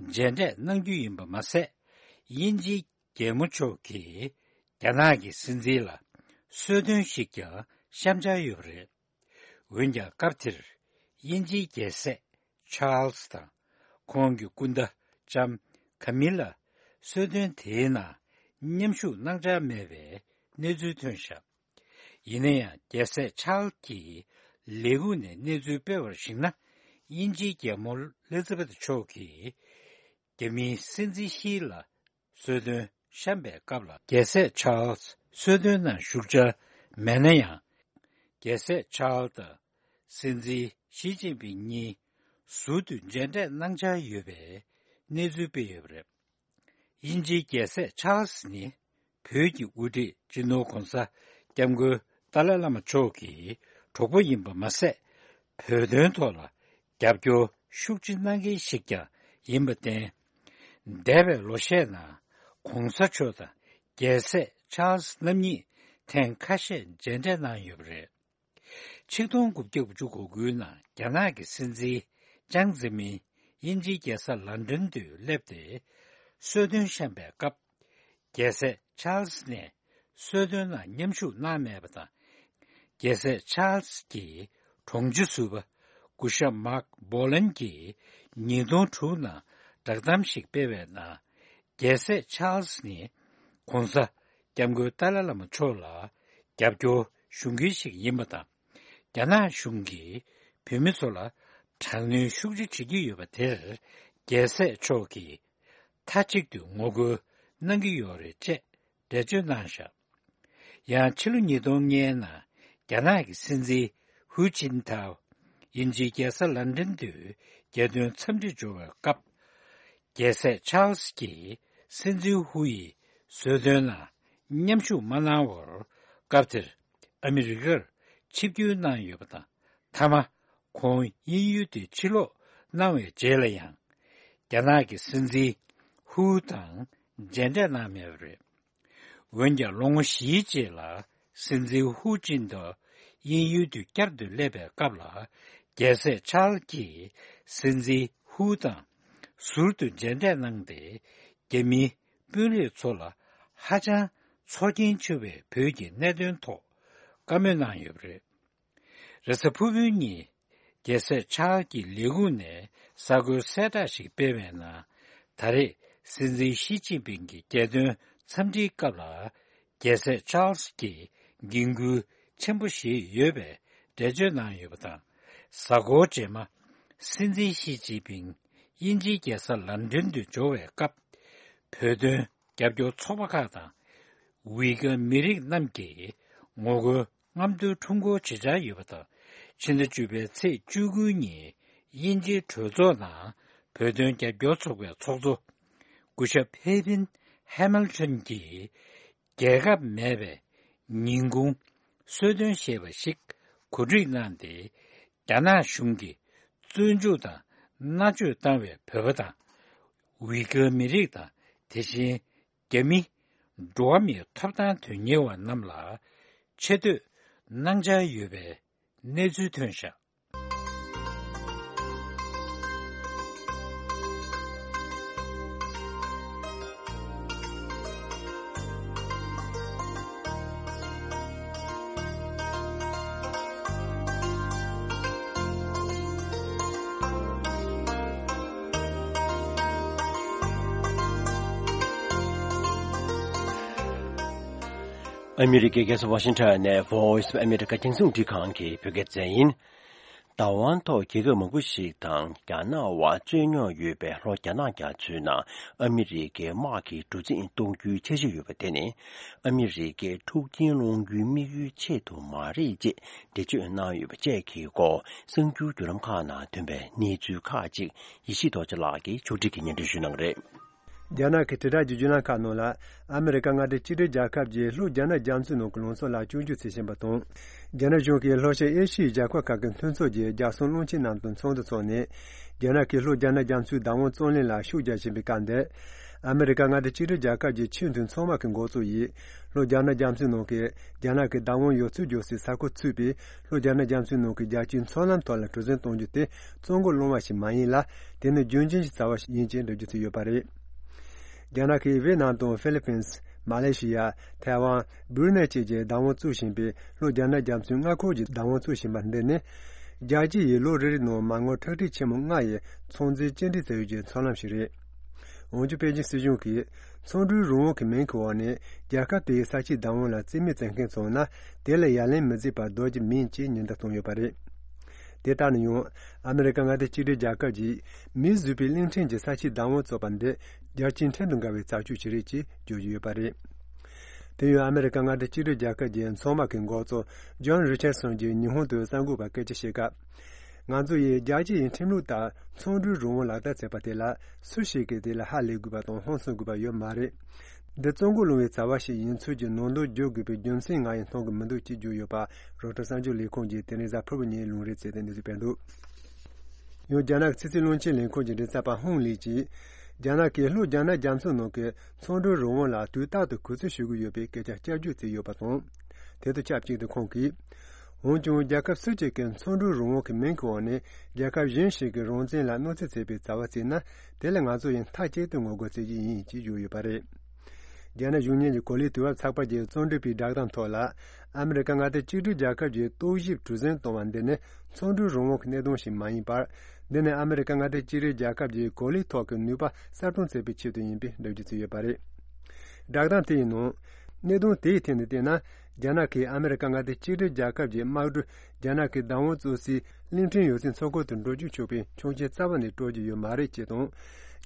མཇལ་འཕྲད་གནང་རྒྱུ་ཡིན་པ་མ་ཟད། དབྱིན་ཇིའི་རྒྱལ་མོ་མཆོག་གིས་རྒྱ་ནག་གི་སྲིད་འཛིན་ལ་གསོལ་སྟོན་ཞིག་ཀྱང་བཤམས་འཆར་ཡོད་པ་རེད། འོན་ཀྱང་སྐབས་དེར་དབྱིན་ཇིའི་རྒྱལ་སྲས་ཆཱལ་སི་དང་ཁོང་གི་སྐུ་ཟླ་ལྕམ་ཀ་མི་ལ་གསོལ་སྟོན་དེའི་ནང་མཉམ་ཞུགས་གནང་འཆར་མེད་པའི་གནས་ཚུལ་ཐོན་བཞག་ཡིན་ན་ཡང་རྒྱལ་སྲས་ཆཱལ་སི་ཀྱིས་ལས་ཁུངས་ནས་གནས་ཚུལ་སྤེལ་བར་གཞིགས་ན། དབྱིན་ཇིའི་རྒྱལ་མོ་ཨེ་ལི་ཛ་བེད་མཆོག་གིས་རྒྱ་མིའི་སྲིད་འཛིན་ཞི་ལ་གསོལ་སྟོན་བཤམས་པའི་སྐབས་ལ། རྒྱལ་སྲས་ཆཱལ་སི་གསོལ་སྟོན་ནང་ཞུགས་འཆར་མེད་ན་ཡང་། རྒྱལ་སྲས་ཆཱལ་སི་དང་སྲིད་འཛིན་ཞི་ཅིན་ཕིང་གཉིས་ཟུར་དུ་མཇལ་འཕྲད་གནང་འཆར་ཡོད་པའི་གནས་ཚུལ་སྤེལ་ཡོད་པ་རེད། དབྱིན་ཇིའི་རྒྱལ་སྲས་ཆཱལ་སི་ནི་བོད་ཀྱི་དབུ་ཁྲིད་སྤྱི་ནོར་༧གོང་ས་༧སྐྱབས་མགོན་ཏཱ་ལའི་བླ་མ་མཆོག་གི་གྲོགས་པོ་ཡིན་པ་མ་ཟད། བོད་དོན་ཐོག་ལ་རྒྱབ་སྐྱོར་ཤུགས་ཆེ་གནང་མཁན་ཞིག་ཀྱང་ཡིན་པར་བརྟེན། འདས་པའི་ལོ་ཤས་ནང་གོང་ས་མཆོག་དང་རྒྱལ་སྲས་ཆཱལ་སི་རྣམ་གཉིས་ཐེངས་ཁ་ཤས་མཇལ་འཕྲད་གནང་ཡོད་པ་རེད། ཆིག་སྟོང་དགུ་བརྒྱ་དགུ་བཅུ་གོ་དགུའི་ནང་རྒྱ་ནག་གི་སྲིད་འཛིན་ཅང་ཙེ་མིན་དབྱིན་ཇིའི་རྒྱལ་ས་ལན་ཀྲན་དུ་སླེབས་ཏེ་གསོལ་སྟོན་བཤམས་པའི་སྐབས། རྒྱལ་སྲས་ཆཱལ་སི་ནས་གསོལ་སྟོན་ནང་མཉམ་ཞུགས་གནང་མེད་པ་དང་། རྒྱལ་སྲས་ཆཱལ་སི་ཀྱི་དྲུང་ཆེ་ཟུར་པ་སྐུ་ཞབས་མཱག་སྦོ་ལན་གྱིས་ཉིས་སྟོང་དྲུག་ནང་བསྒྲགས་གཏམ་ཞིག་སྤེལ་བའི་ནང་། རྒྱལ་སྲས་ཆཱལ་སི་ནི་གོང་ས་སྐྱབས་མགོན་ཏཱ་ལའི་བླ་མ་མཆོག་ལ་རྒྱབ་སྐྱོར་ཞུ་མཁན་ཞིག་ཡིན་པ་དང་། རྒྱ་ནག་གཞུང་གིས་བོད་མི་ཚོ་ལ་དྲག་གནོན་ཤུགས་ཆེ་བྱེད་ཀྱི་ཡོད་པ་དེར་རྒྱལ་སྲས་མཆོག་གིས་མཐའ་གཅིག་ཏུ་ངོ་རྒོལ་གནང་གི་ཡོད་རེད་ཅེས་འགྲེལ་བརྗོད་གནང་བཞག་ཡང་ཕྱི་ལོ་ཉིས་སྟོང་ལྔའི་ནང་རྒྱ་ནག་གི་སྲིད་འཛིན་ཧུའུ་ཅིན་ཐའོ་དབྱིན་ཇིའི་རྒྱལ་ས་ལན་ཀྲན་དུ་རྒྱལ་དོན་འཚམས་འདྲི་འབྱོར་བའི་སྐབས། རྒྱལ་སྲས་ཆཱལ་སི་ཀྱིས་སྲིད་འཛིན་ཧུའུ་ཡི་གསོལ་སྟོན་ནང་མཉམ་ཞུགས་མ་གནང་བར་སྐབས་དེར་ཨ་མི་རི་ཀར་ཆིབས་བསྒྱུར་གནང་ཡོད་པ་དང་། མཐའ་མ་ཁོང་དབྱིན་ཡུལ་དུ་ཕྱིར་ལོག་གནང་བའི་རྗེས་ལ་ཡང་རྒྱ་ནག་གི་སྲིད་འཛིན་ཧུའུ་དང་མཇལ་འཕྲད་གནང་མེད་པ་རེད། འོན་ཀྱང་ལོ་ངོ་བཞིའི་རྗེས་ལ་སྲིད་འཛིན་ཧུའུ་ཅིན་ཐའོ་དབྱིན་ཡུལ་དུ་བསྐྱར་དུ་སླེབས་པའི་སྐབས་ལ། རྒྱལ་སྲས་ཆཱལ་གྱིས་སྲིད་འཛིན་ཧུའུ་དང་ཟུར་དུ་མཇལ་འཕྲད་གནང་སྟེ། རྒྱ་མིའི་དཔོན་རིགས་ཚོ་ལ་ཧ་ཅང་ཚོར་སྐྱེན་ཆེ་བའི་བོད་ཀྱི་གནད་དོན་ཐོག་བཀའ་མོལ་གནང་ཡོད་པ་རེད། རེས་གཟའ་ཕུར་བུའི་ཉིན། རྒྱལ་སྲས་ཆཱལ་གྱི་ལས་ཁུངས་ནས་གསར་འགོད་གསལ་བསྒྲགས་ཤིག་སྤེལ་བའི་ནང་། ད་རེས་སྲིད་འཛིན་ཞི་ཅིན་ཕིང་གི་རྒྱལ་དོན་འཚམས་འདྲིའི་སྐབས་ལ། རྒྱལ་སྲས་ཆཱལ་སི་ཀྱིས་འགན་ཁུར་ཆེན་པོ་བཞེས་ཡོད་པའི་འགྲེལ་བརྗོད་གནང་ཡོད་པ་དང་། གཟའ་འཁོར་རྗེས་མ་སྲིད་འཛིན་ཞི་ཅིན་ཕིང་དབྱིན་ཇིའི་རྒྱལ་ས་ལན་ཀྲན་དུ་འབྱོར་བའི་སྐབས། བོད་དོན་རྒྱབ་སྐྱོར་ཚོགས་པ་ཁག་དང་། ཝི་ཀ་མི་རིགས་རྣམས་ཀྱིས་ངོ་རྒོལ་རྔམ་སྟོན་ཁྲོམ་སྐོར་བྱེད་འཆར་ཡོད་པ་དང་། ཕྱི་ཟླ་བཅུ་པའི་ཚེས་བཅུ་དགུ་ཉིན་དབྱིན་ཇིའི་གྲོས་ཚོགས་ནང་བོད་དོན་རྒྱབ་སྐྱོར་ཚོགས་པའི་ཚོགས་གཙོ་སྐུ་ཞབས་ཧེ་ཕིན་ཧེ་མིལ་ཊོན་གྱིས། རྒྱལ་ཁབ་མེད་པའི་ཉིན་གུང་གསོལ་སྟོན་ཞེས་པ་ཞིག་གོ་སྒྲིག་གནང་སྟེ། རྒྱ་ནག་གཞུང་གིས་བཙོན་འཇུག་དང་མནར་གཅོད་བཏང་བའི་བོད་པ་དང་། ཝི་ཀ་མི་རིགས་དང་། དེ་བཞིན་རྒྱ་མི་འགྲོ་བ་མིའི་ཐོབ་ཐང་དོན་གཉེར་བ་རྣམས་ལ་ཆེ་བསྟོད་གནང་འཆར་ཡོད་པའི་གནས་ཚུལ་ཐོན་བཞག་ཨ་མི་རི་ཀའི་རྒྱལ་ས་ཝ་ཤིང་ཊོན་ནས་Voice of America རྒྱང་སྲིང་རླུང་འཕྲིན་ཁང་གི་བོད་སྐད་སྡེ་ཚན་ཡིན། བདག་དབང་ཐོག་རྒྱལ་ཁབ་མང་པོ་ཞིག་དང་རྒྱ་ནག་དབར་རྩོད་རྙོག་ཡོད་པའི་ལྷོ་རྒྱ་ནག་རྒྱ་མཚོའི་ནང་ཨ་མི་རི་ཀའི་དམག་གི་གྲུ་གཟིངས་གཏོང་རྒྱུའི་འཆར་གཞི་ཡོད་པ་དེ་ནི། ཨ་མི་རི་ཀའི་འཁྲུག་རྐྱེན་སློང་རྒྱུའི་དམིགས་ཡུལ་ཆེད་དུ་མ་རེད་ཅེས་འགྲེལ་བརྗོད་གནང་ཡོད་པ་བཅས་ཀྱི་སྐོར་གསར་འགྱུར་བརྒྱུད་ལམ་ཁག་ནང་ཐོན་པའི་གནས་ཚུལ་ཁག་ཅིག་ཡེ་ཤེས་རྡོ་རྗེ་ལགས་ཀྱིས་ཕྱོགས་སྒྲིག་གིས་སྙན་སྒྲོན་ཞུ་གནང་རེད། རྒྱ་ནག་གི་དྲིལ་བསྒྲགས་ཀྱི་བརྒྱུད་ལམ་ཁག་ནང་ལ། ཨ་མི་རི་ཀ་མངའ་སྡེ་གཅིག་སྒྲིལ་རྒྱལ་ཁབ་ཀྱིས་ལྷོ་རྒྱ་ནག་རྒྱ་མཚོའི་ནང་གི་ལུང་ཚན་ལ་སྐྱོན་བརྗོད་བྱེད་བཞིན་པ་དང་། རྒྱ་ནག་གཞུང་གིས་ལྷོ་ཤར་ཨེ་ཤི་ཡའི་རྒྱལ་ཁབ་ཁག་གི་མཐུན་ཚོགས་ཀྱི་རྒྱལ་སྲུང་བློན་ཆེན་རྣམས་དང་ཚོགས་འདུ་འཚོགས་ནས། རྒྱ་ནག་གིས་ལྷོ་རྒྱ་ནག་རྒྱ་མཚོའི་བདག་དབང་རྩོད་ལེན་ལ་ཤུགས་རྒྱག་བཞིན་པའི་སྐབས་འདིར། ཨ་མི་རི་ཀ་མངའ་སྡེ་གཅིག་སྒྲིལ་རྒྱལ་ཁབ་ཀྱི་ཆེས་མཐོའི་ཚོང་དམག་གི་འགོ་གཙོ་ཡིས། ལྷོ་རྒྱ་ནག་རྒྱ་མཚོའི་ནང་གི་རྒྱ་ནག་གི་བདག་དབང་ཡོད་ཚུལ་བརྗོད་སའི་ས་ཁུལ་ཚུད་པའི་ལྷོ་རྒྱ་ནག་རྒྱ་མཚོའི་ནང་གི་རྒྱལ་སྤྱིའི་མཚོ་ལམ་ཐོག་ལ་གྲུ་གཟིངས་གཏོང་རྒྱུ་དེ་བཙོན་གོ་སློང་བ་ཞིག་མ་ཡིན་ལ། དེ་ནི་རྒྱུན་འབྱམས་ཤིང་རྩ་བ་ཞིག་ཡིན་ཅེས་འགྲེལ་བརྗོད་བྱས་ཡོད་པ་རེད། རྒྱ་ནག་གིས་ཝེ་ནམ་དང་ཧྥི་ལི་པིན། མ་ལེ་ཤི་ཡ། ཐའེ་ཝན། སྦུ་རུ་ནེ་བཅས་ཀྱི་བདག་དབང་བཙུགས་བཞིན་པའི་ལྷོ་རྒྱ་ནག་རྒྱ་མཚོའི་མངའ་ཁོངས་ཀྱི་བདག་དབང་བཙུགས་བཞིན་པ་འདི་ནི། རྒྱལ་སྤྱི་ཡིས་ལོ་རེ་རེའི་ནང་མ་དངུལ་ཁྲག་ཁྲིག་ཆེན་མོ་ལྔ་ཡི་ཚོང་འཛིན་སྐྱེལ་འདྲེན་བྱ་ཡུལ་གྱི་མཚོ་ལམ་ཞིག་རེད། འོན་ཀྱང་པེ་ཅིན་སྲིད་གཞུང་གིས་ཚོང་འབྲེལ་རང་དབང་གི་མིང་གི་འོག་ནས་རྒྱལ་ཁབ་དེའི་ས་ཆའི་བདག་དབང་ལ་རྩིས་མེད་བྱེད་མཁན་ཚོ་ན་དེ་ལ་ཡ་ལན་མི་བརྩིས་པར་སྡོད་རྒྱུ་མིན་ཅེས་ཉེན་བརྡ་བཏང་ཡོད་པ་རེད། དེ་ལྟར་ན་ཡང་ཨ་མི་རི་ཀ་མངའ་སྡེ་གཅིག་སྒྲིལ་རྒྱལ་ཁབ་ཀྱིས་མིས་བཟོས་པའི་གླིང་ཕྲན་གྱི་ས་ཆའི་བདག་དབང་བཙུགས་པ་འདི་རྒྱལ་སྤྱིའི་ཁྲིམས་དང་འགལ་བའི་བྱ་སྤྱོད་ཅིག་རེད་ཅེས་བརྗོད་ཀྱི་ཡོད་པ་རེད། དེ་ཡང་ཨ་མི་རི་ཀ་མངའ་སྡེ་གཅིག་སྒྲིལ་རྒྱལ་ཁབ་ཀྱི་མཚོ་དམག་གི་འགོ་གཙོ་ཇོན་རི་ཆར་སོན་གྱིས་ཉི་ཧོང་དུ་གསར་འགོད་པར་སྐད་ཆ་བཤད་སྐབས། ང་ཚོ་ཡིས་རྒྱལ་སྤྱི་ཡི་ཁྲིམས་ལུགས་ལྟར་ཚོང་འབྲེལ་རང་དབང་ལག་བསྟར་བྱས་པ་དེ་ལ་སུ་ཞིག་གིས་དེ་ལ་ཧ་ལས་དགོས་པ་དང་ཧང་སང་དགོས་པ་ཡོད་མ་རེད། འདི་བཙོན་གོ་སློང་བའི་བྱ་བ་ཞིག་ཡིན་ཚུལ་གྱི་ནང་དོན་བརྗོད་དགོས་པའི་རྒྱུ་མཚན་ང་ཡིས་མཐོང་གི་མི་འདུག་ཅེས་བརྗོད་ཡོད་པ་རོའི་ཊར་གསར་འགྱུར་ལས་ཁུངས་ཀྱིས་དེ་རིང་གཟའ་ཕུར་བུ་ཉིན་ལུང་འདྲེན་བྱས་ཏེ་གནས་ཚུལ་སྤེལ་འདུག་ཡང་རྒྱ་ནག་གི་ཕྱི་སྲིད་བློན་ཆེན་ལས་ཁུངས་ཀྱི་མགྲིན་ཚབ་པ་ཧུང་ལི་གྱིས། རྒྱ་ནག་གིས་ལྷོ་རྒྱ་ནག་རྒྱ་མཚོ་ནང་གི་ཚོང་འབྲེལ་རང་དབང་ལ་དུས་རྟག་ཏུ་གུས་བརྩི་ཞུ་གི་ཡོད་པའི་སྐད་ཆ་བསྐྱར་བརྗོད་བྱས་ཡོད་པ་དང་། དེ་དང་ཆབས་ཅིག་ཏུ་ཁོང་གིས། འོན་ཀྱང་རྒྱལ་ཁབ་སུ་གཅིག་གི་ཚོང་འབྲེལ་རང་དབང་གི་མིང་གི་འོག་ནས་རྒྱལ་ཁབ་གཞན་ཞིག་གི་རང་བཙན་ལ་གནོད་འཚེ་བྱས་པའི་བྱ་བ་བྱས་ན། དེ་ལ་ང་ཚོ་ཡང་མཐའ་གཅིག་ཏུ་ངོ་རྒོལ་བྱེད་ཀྱི་ཡིན་ཅེས་བརྗོད་ཡོད་པ་རེད། རྒྱ་ནག་གཞུང་གཉེར་གྱི་གོ་ལའི་དུས་བབ་ཚགས་པར་གྱི་རྩོམ་སྒྲིག་པའི་བསྒྲགས་གཏམ་ཐོག་ལ། ཨ་མི་རི་ཀ་མངའ་སྡེ་གཅིག་སྒྲིལ་རྒྱལ་ཁབ་ཀྱི་རྟོག་ཞིབ་གྲོས་འཛིན་གཏོང་བ་འདི་ནི་ཚོང་འབྲེལ་རང་དབང་གི་གནད་དོན་ཞིག་མ་ཡིན་པར། འདི་ནི་ཨ་མི་རི་ཀ་མངའ་སྡེ་གཅིག་སྒྲིལ་རྒྱལ་ཁབ་ཀྱི་གོ་ལའི་ཐོག་གི་ནུས་པ་གསར་སྐྲུན་བྱེད་པའི་ཆེད་དུ་ཡིན་པའི་འགྲེལ་བརྗོད་བྱས་ཡོད་པ་རེད། བསྒྲགས་གཏམ་དེའི་ནང་། གནད་དོན་དེའི་ཐད་ནས་བལྟས་ན། རྒྱ་ནག་གིས་ཨ་མི་རི་ཀ་མངའ་སྡེ་གཅིག་སྒྲིལ་རྒྱལ་ཁབ་ཀྱི་དམག་གྲུ་རྒྱ་ནག་གི་བདག་དབང་གཙོ་སའི་གླིང་ཕྲན་ཡོད་སའི་མཚོ་ཁུལ་དུ་འགྲོ་རྒྱུ་ཆོག་པའི་ཆོག་མཆན་རྩ་བ་ནས་སྤྲོད་རྒྱུ་ཡོད་མ་རེད་ཅེས་དང་།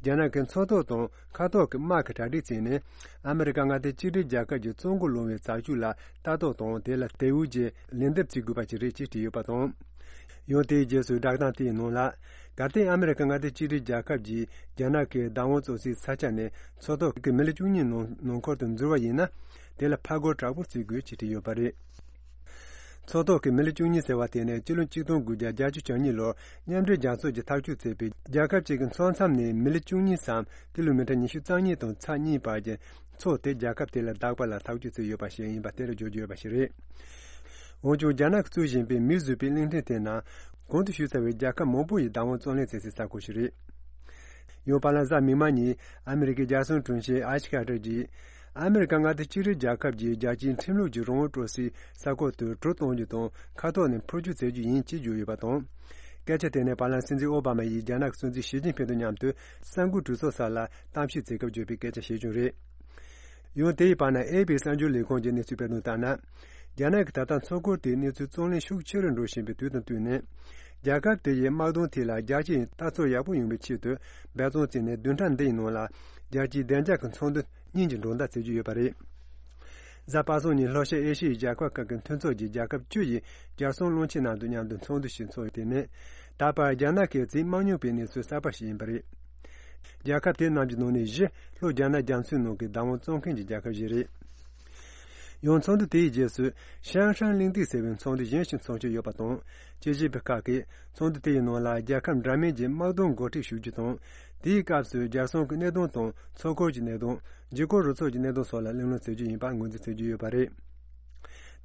རྒྱ་ནག་གི་མཚོ་ཐོག་དང་མཁའ་ཐོག་གི་དམག་གི་གྲ་སྒྲིག་བྱས་ནས། ཨ་མི་རི་ཀ་མངའ་སྡེ་གཅིག་སྒྲིལ་རྒྱལ་ཁབ་ཀྱི་བཙོན་འགུག་སློང་བའི་བྱ་སྤྱོད་ལ་ལྟ་རྟོག་དང་། དེ་ལ་དལ་བུ་རྗེས་ལན་འདེབས་བྱེད་དགོས་པ་ཞིག་རེད་ཅེས་བྲིས་ཡོད་པ་དང་། ཡང་དེའི་རྗེས་སུ་བསྒྲགས་གཏམ་དེའི་ནང་ལ། གལ་ཏེ་ཨ་མི་རི་ཀ་མངའ་སྡེ་གཅིག་སྒྲིལ་རྒྱལ་ཁབ་ཀྱིས་རྒྱ་ནག་གི་བདག་དབང་གཙོ་སའི་ས་ཆ་ནས་མཚོ་ཐོག་གི་མི་ལི་བཅུ་གཉིས་ནང་ནང་འཁོད་དུ་འཛུལ་བ་ཡིན་ན། དེ་ལ་ཕར་རྒོལ་དྲག་པོ་བྱེད་དགོས་ཅེས་བྲིས་ཡོད་པ་རེད། མཚོ་ཐོག་གི་མི་ལི་བཅུ་གཉིས་ཟེར་བ་དེ་ནི་སྤྱི་ལོ་གཅིག་སྟོང་དགུ་བརྒྱ་བརྒྱད་ཅུ་གྱ་གཉིས་ལོར་མཉམ་འབྲེལ་རྒྱལ་ཚོགས་ཀྱིས་ཐག་གཅོད་བྱས་པའི་རྒྱལ་ཁབ་ཅིག་གི་མཚོ་མཚམས་ནས་མི་ལི་བཅུ་གཉིས་སམ་ཀི་ལོ་མི་ཊར་ཉི་ཤུ་རྩ་གཉིས་དང་ཚེག་གཉིས་བར་གྱི་མཚོ་དེ་རྒྱལ་ཁབ་དེ་ལ་བདག་པ་ལ་ཐག་གཅོད་བྱས་ཡོད་པ་ཞིག་ཡིན་པ་དེར་བརྗོད་རྒྱུ་ཡོད་པ་ཞིག་རེད། འོན་ཀྱང་རྒྱ་ནག་གིས་བཙུགས་བཞིན་པའི་མིས་བཟོས་པའི་གླིང་ཕྲན་དེ་ནང་གོང་དུ་ཞུས་ཚར་བའི་རྒྱལ་ཁབ་མང་པོ་ཡི་བདག་དབང་རྩོད་ལེན་བྱེད་སའི་ས་ཁུལ་ཞིག་རེད། ཡང་བར་ལ་གཟའ་མིག་དམར་ཉིན་ཨ་མི་རི་ཀའི་རྒྱལ་སྲུང་དྲུང་ཆེ་ཨེཤ་ཁ་ཏར་གྱིས། ཨ་མི་རི་ཀ་མངའ་སྡེ་གཅིག་སྒྲིལ་རྒྱལ་ཁབ་ཀྱིས་རྒྱལ་སྤྱིའི་ཁྲིམས་ལུགས་ཀྱི་རང་དབང་སྤྲོད་སའི་ས་ཁུལ་དུ་གྲུ་གཏོང་རྒྱུ་དང་མཁའ་ཐོག་ནས་འཕུར་སྐྱོད་བྱེད་རྒྱུ་ཡིན་ཅེས་བརྗོད་ཡོད་པ་དང་། སྐད་ཆ་དེ་ནི་བར་ལ་སྲིད་འཛིན་ཨོ་བྷ་མ་ཡིས་རྒྱ་ནག་གི་སྲིད་འཛིན་ཞི་ཅིན་ཕིང་དང་མཉམ་དུ་གསར་འགོད་གྲོས་ཚོགས་ས་ལ་གཏམ་བཤད་བྱེད་སྐབས་བརྗོད་པའི་སྐད་ཆ་ཞིག་ཀྱང་རེད། ཡང་དེའི་བར་ན་ཨེ་པི་གསར་འགྱུར་ལས་ཁུངས་ཀྱིས་གནས་ཚུལ་སྤེལ་དོན་ལྟར་ན། རྒྱ་ནག་གིས་ད་ལྟ་མཚོ་ཁུལ་དེའི་གནས་ཚུལ་རྩོད་གླེང་ཤུགས་ཆེ་རུ་འགྲོ་བཞིན་པའི་དུས་དང་བསྟུན་ནས། རྒྱལ་ཁབ་དེ་ཡི་དམག་དོན་ཐད་ལ་རྒྱལ་སྤྱི་ཡི་ལྟ་ཚུལ་ཡག་པོ་ཡོང་བའི་ཆེད་དུ་འབད་བརྩོན་བྱས་ནས་བདུན་ཕྲག་འདིའི་ནང་ལ་རྒྱལ་སྤྱིའི་བདེ་འཇགས་ཀྱི་ཚོགས་འདུ་གཉིས་ཀྱི་མཇུག་བསྒྲིལ་བྱེད་རྒྱུ་ཡོད་པ་རེད། གཟའ་པ་སངས་ཉིན་ལྷོ་ཤར་ཨེ་ཤི་ཡའི་རྒྱལ་ཁབ་ཁག་གི་མཐུན་ཚོགས་ཀྱི་རྒྱལ་ཁབ་བཅུ་ཡི་རྒྱལ་སྲུང་བློན་ཆེན་རྣམས་དང་མཉམ་དུ་ཚོགས་འདུ་ཞིག་འཚོགས་ཡོད། དེ་ནི་ད་བར་རྒྱ་ནག་གིས་བྱེད་མ་མྱོང་པའི་གནས་ཚུལ་གསར་པ་ཞིག་ཡིན་པ་རེད། རྒྱལ་ཁབ་དེ་རྣམས་ཀྱི་ནང་ནས་བཞི་ལྷོ་རྒྱ་ནག་རྒྱ་མཚོའི་ནང་གི་བདག་དབང་རྩོད་མཁན་གྱི་རྒྱལ་ཁབ་ཞིག་རེད། ཡང་ཚོགས་འདུ་དེའི་རྗེས་སུ་ཤང་ཧྲན་གླེང་སྟེགས་ཟེར་བའི་ཚོགས་འདུ་གཞན་ཞིག་འཚོགས་འཆར་ཡོད་པ་དང་། དཔྱད་ཞིབ་པ་ཁག་གིས་ཚོགས་འདུ་དེའི་ནང་ལ་རྒྱལ་ཁབ་འདྲ་མིན་གྱི་དམག་དོན་འགོ་ཁྲིད་ཞུ་རྒྱུ་དང་། དེའི་སྐབས་སུ་རྒྱལ་སྲུང་གི་གནད་དོན་དང་མཚོ་ཁུལ་གྱི་གནད་དོན། འཇིགས་སྐུལ་རུ་ཚོགས་ཀྱི་གནད་དོན་སོགས་ལ་གླེང་སློང་བྱེད་རྒྱུ་ཡིན་པ་ངོས་འཛིན་བྱེད་ཀྱི་ཡོད་པ་རེད།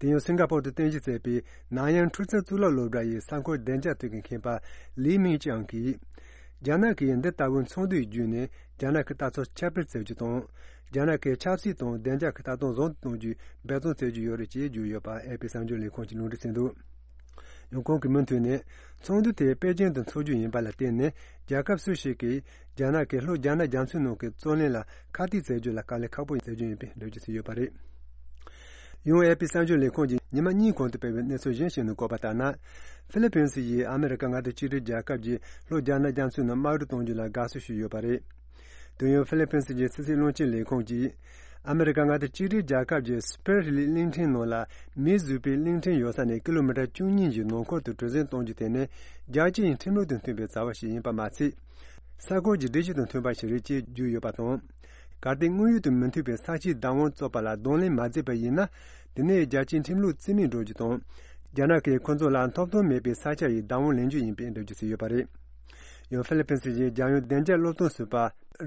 དེ་ཡང་སིང་ག་པོར་དུ་རྟེན་གཞི་བྱས་པའི་ནན་ཡང་འཕྲུལ་རྩལ་གཙུག་ལག་སློབ་གྲྭ་ཡི་གསར་འགོད་བདེ་འཇགས་ཐད་ཀྱི་མཁས་པ་ལི་མིང་ཅང་གིས། རྒྱ་ནག་གིས་འདི་ལྟ་བུའི་ཚོགས་འདུའི་བརྒྱུད་ནས་རྒྱ་ནག་གི་ལྟ་ཚུལ་ཁྱབ་སྤེལ་བྱེད་རྒྱུ་དང་། རྒྱ་ནག་གི་ཆབ་སྲིད་དང་བདེ་འཇགས་ཀྱི་ལྟ་སྟངས་བཟང་དུ་གཏོང་རྒྱུའི་འབད་བརྩོན་བྱེད་ཀྱི་ཡོད་རེད་ཅེས་བརྗོད་ཡོད་པ་ཨེ་པི་གསར་འགྱུར་ལས་ཁུངས་ཀྱིས་ལུང་འདྲེན་བྱས་འདུག། ཡང་ཁོང་གིས་མུ་མཐུད་ནས་ཚོགས་འདུ་དེ་པེ་ཅིང་དུ་འཚོགས་རྒྱུ་ཡིན་པ་ལ་བརྟེན་ནས་རྒྱལ་ཁབ་སུ་ཞིག་གིས་རྒྱ་ནག་གིས་ལྷོ་རྒྱ་ནག་རྒྱ་མཚོའི་ནང་གི་རྩོད་གླེང་ལ་ཁ་གཏད་བྱེད་རྒྱུ་ལ་དཀའ་ལས་ཁག་པོ་བྱེད་རྒྱུ་ཡིན་པའི་འགྲེལ་བརྗོད་བྱས་ཡོད་པ་རེད། ཡང་ཨེ་པི་གསར་འགྱུར་ལས་ཁུངས་ཀྱིས་ཉི་མ་གཉིས་གོང་དུ་སྤེལ་བའི་གནས་ཚུལ་གཞན་ཞིག་ནང་བཀོད་པ་ལྟར་ན། ཧྥི་ལི་ཕིན་སི་ཡིས་ཨ་མི་རི་ཀ་མངའ་སྡེ་གཅིག་སྒྲིལ་རྒྱལ་ཁབ་ཀྱིས་ལྷོ་རྒྱ་ནག་རྒྱ་མཚོའི་ནང་དམག་གྲུ་གཏོང་རྒྱུ་ལ་དགའ་བསུ་ཞུས་ཡོད་པ་རེད། དེ་ཡང་ཧྥི་ལི་ཕིན་སི་གྱི་ཕྱི་སྲིད་བློན་ཆེན་ལས་ཁུངས་ཀྱིས། ཨ་མི་རི་ཀ་མངའ་སྡེ་གཅིག་སྒྲིལ་རྒྱལ་ཁབ་ཀྱི་སྤེར་ལི་གླིང་ཕྲན་ནང་ལ་མིས་བཟོས་པའི་གླིང་ཕྲན་ཡོད་ས་ནས་ཀི་ལོ་མི་ཊར་བཅུ་གཉིས་ཀྱི་ནང་འཁོད་དུ་གྲུ་གཟིངས་གཏོང་རྒྱུ་དེ་ནི་རྒྱལ་སྤྱིའི་ཁྲིམས་ལུགས་དང་མཐུན་པའི་བྱ་བ་ཞིག་ཡིན་པ་མ་ཚད། ས་ཁུལ་གྱི་སྒྲིག་གཞི་དང་མཐུན་པ་ཞིག་རེད་ཅེས་བརྗོད་ཡོད་པ་དང་། གལ་ཏེ་དངོས་ཡོད་དང་མི་མཐུན་པའི་ས་ཆའི་བདག་དབང་རྩོད་པ་ལ་གདོང་ལེན་མ་མཛད་པ་ཡིན་ན། དེ་ནི་རྒྱལ་སྤྱིའི་ཁྲིམས་ལུགས་རྩིས་མེད་འགྲོ་རྒྱུ་དང་། རྒྱ་ནག་གིས་ཁོ་ཚོ་ལ་ཐོབ་ཐང་མེད་པའི་ས་ཆ་ཡི་བདག་དབང་ལེན་རྒྱུ་ཡིན་པའི་འགྲེལ་བརྗོད་བྱས་ཡོད་པ་རེད། ཡང་ཧྥི་ལི་ཕིན་སི་ཡི་རྒྱལ་ཡོངས་བདེ་འཇགས་སློབ་སྟོན་ཟུར་པ་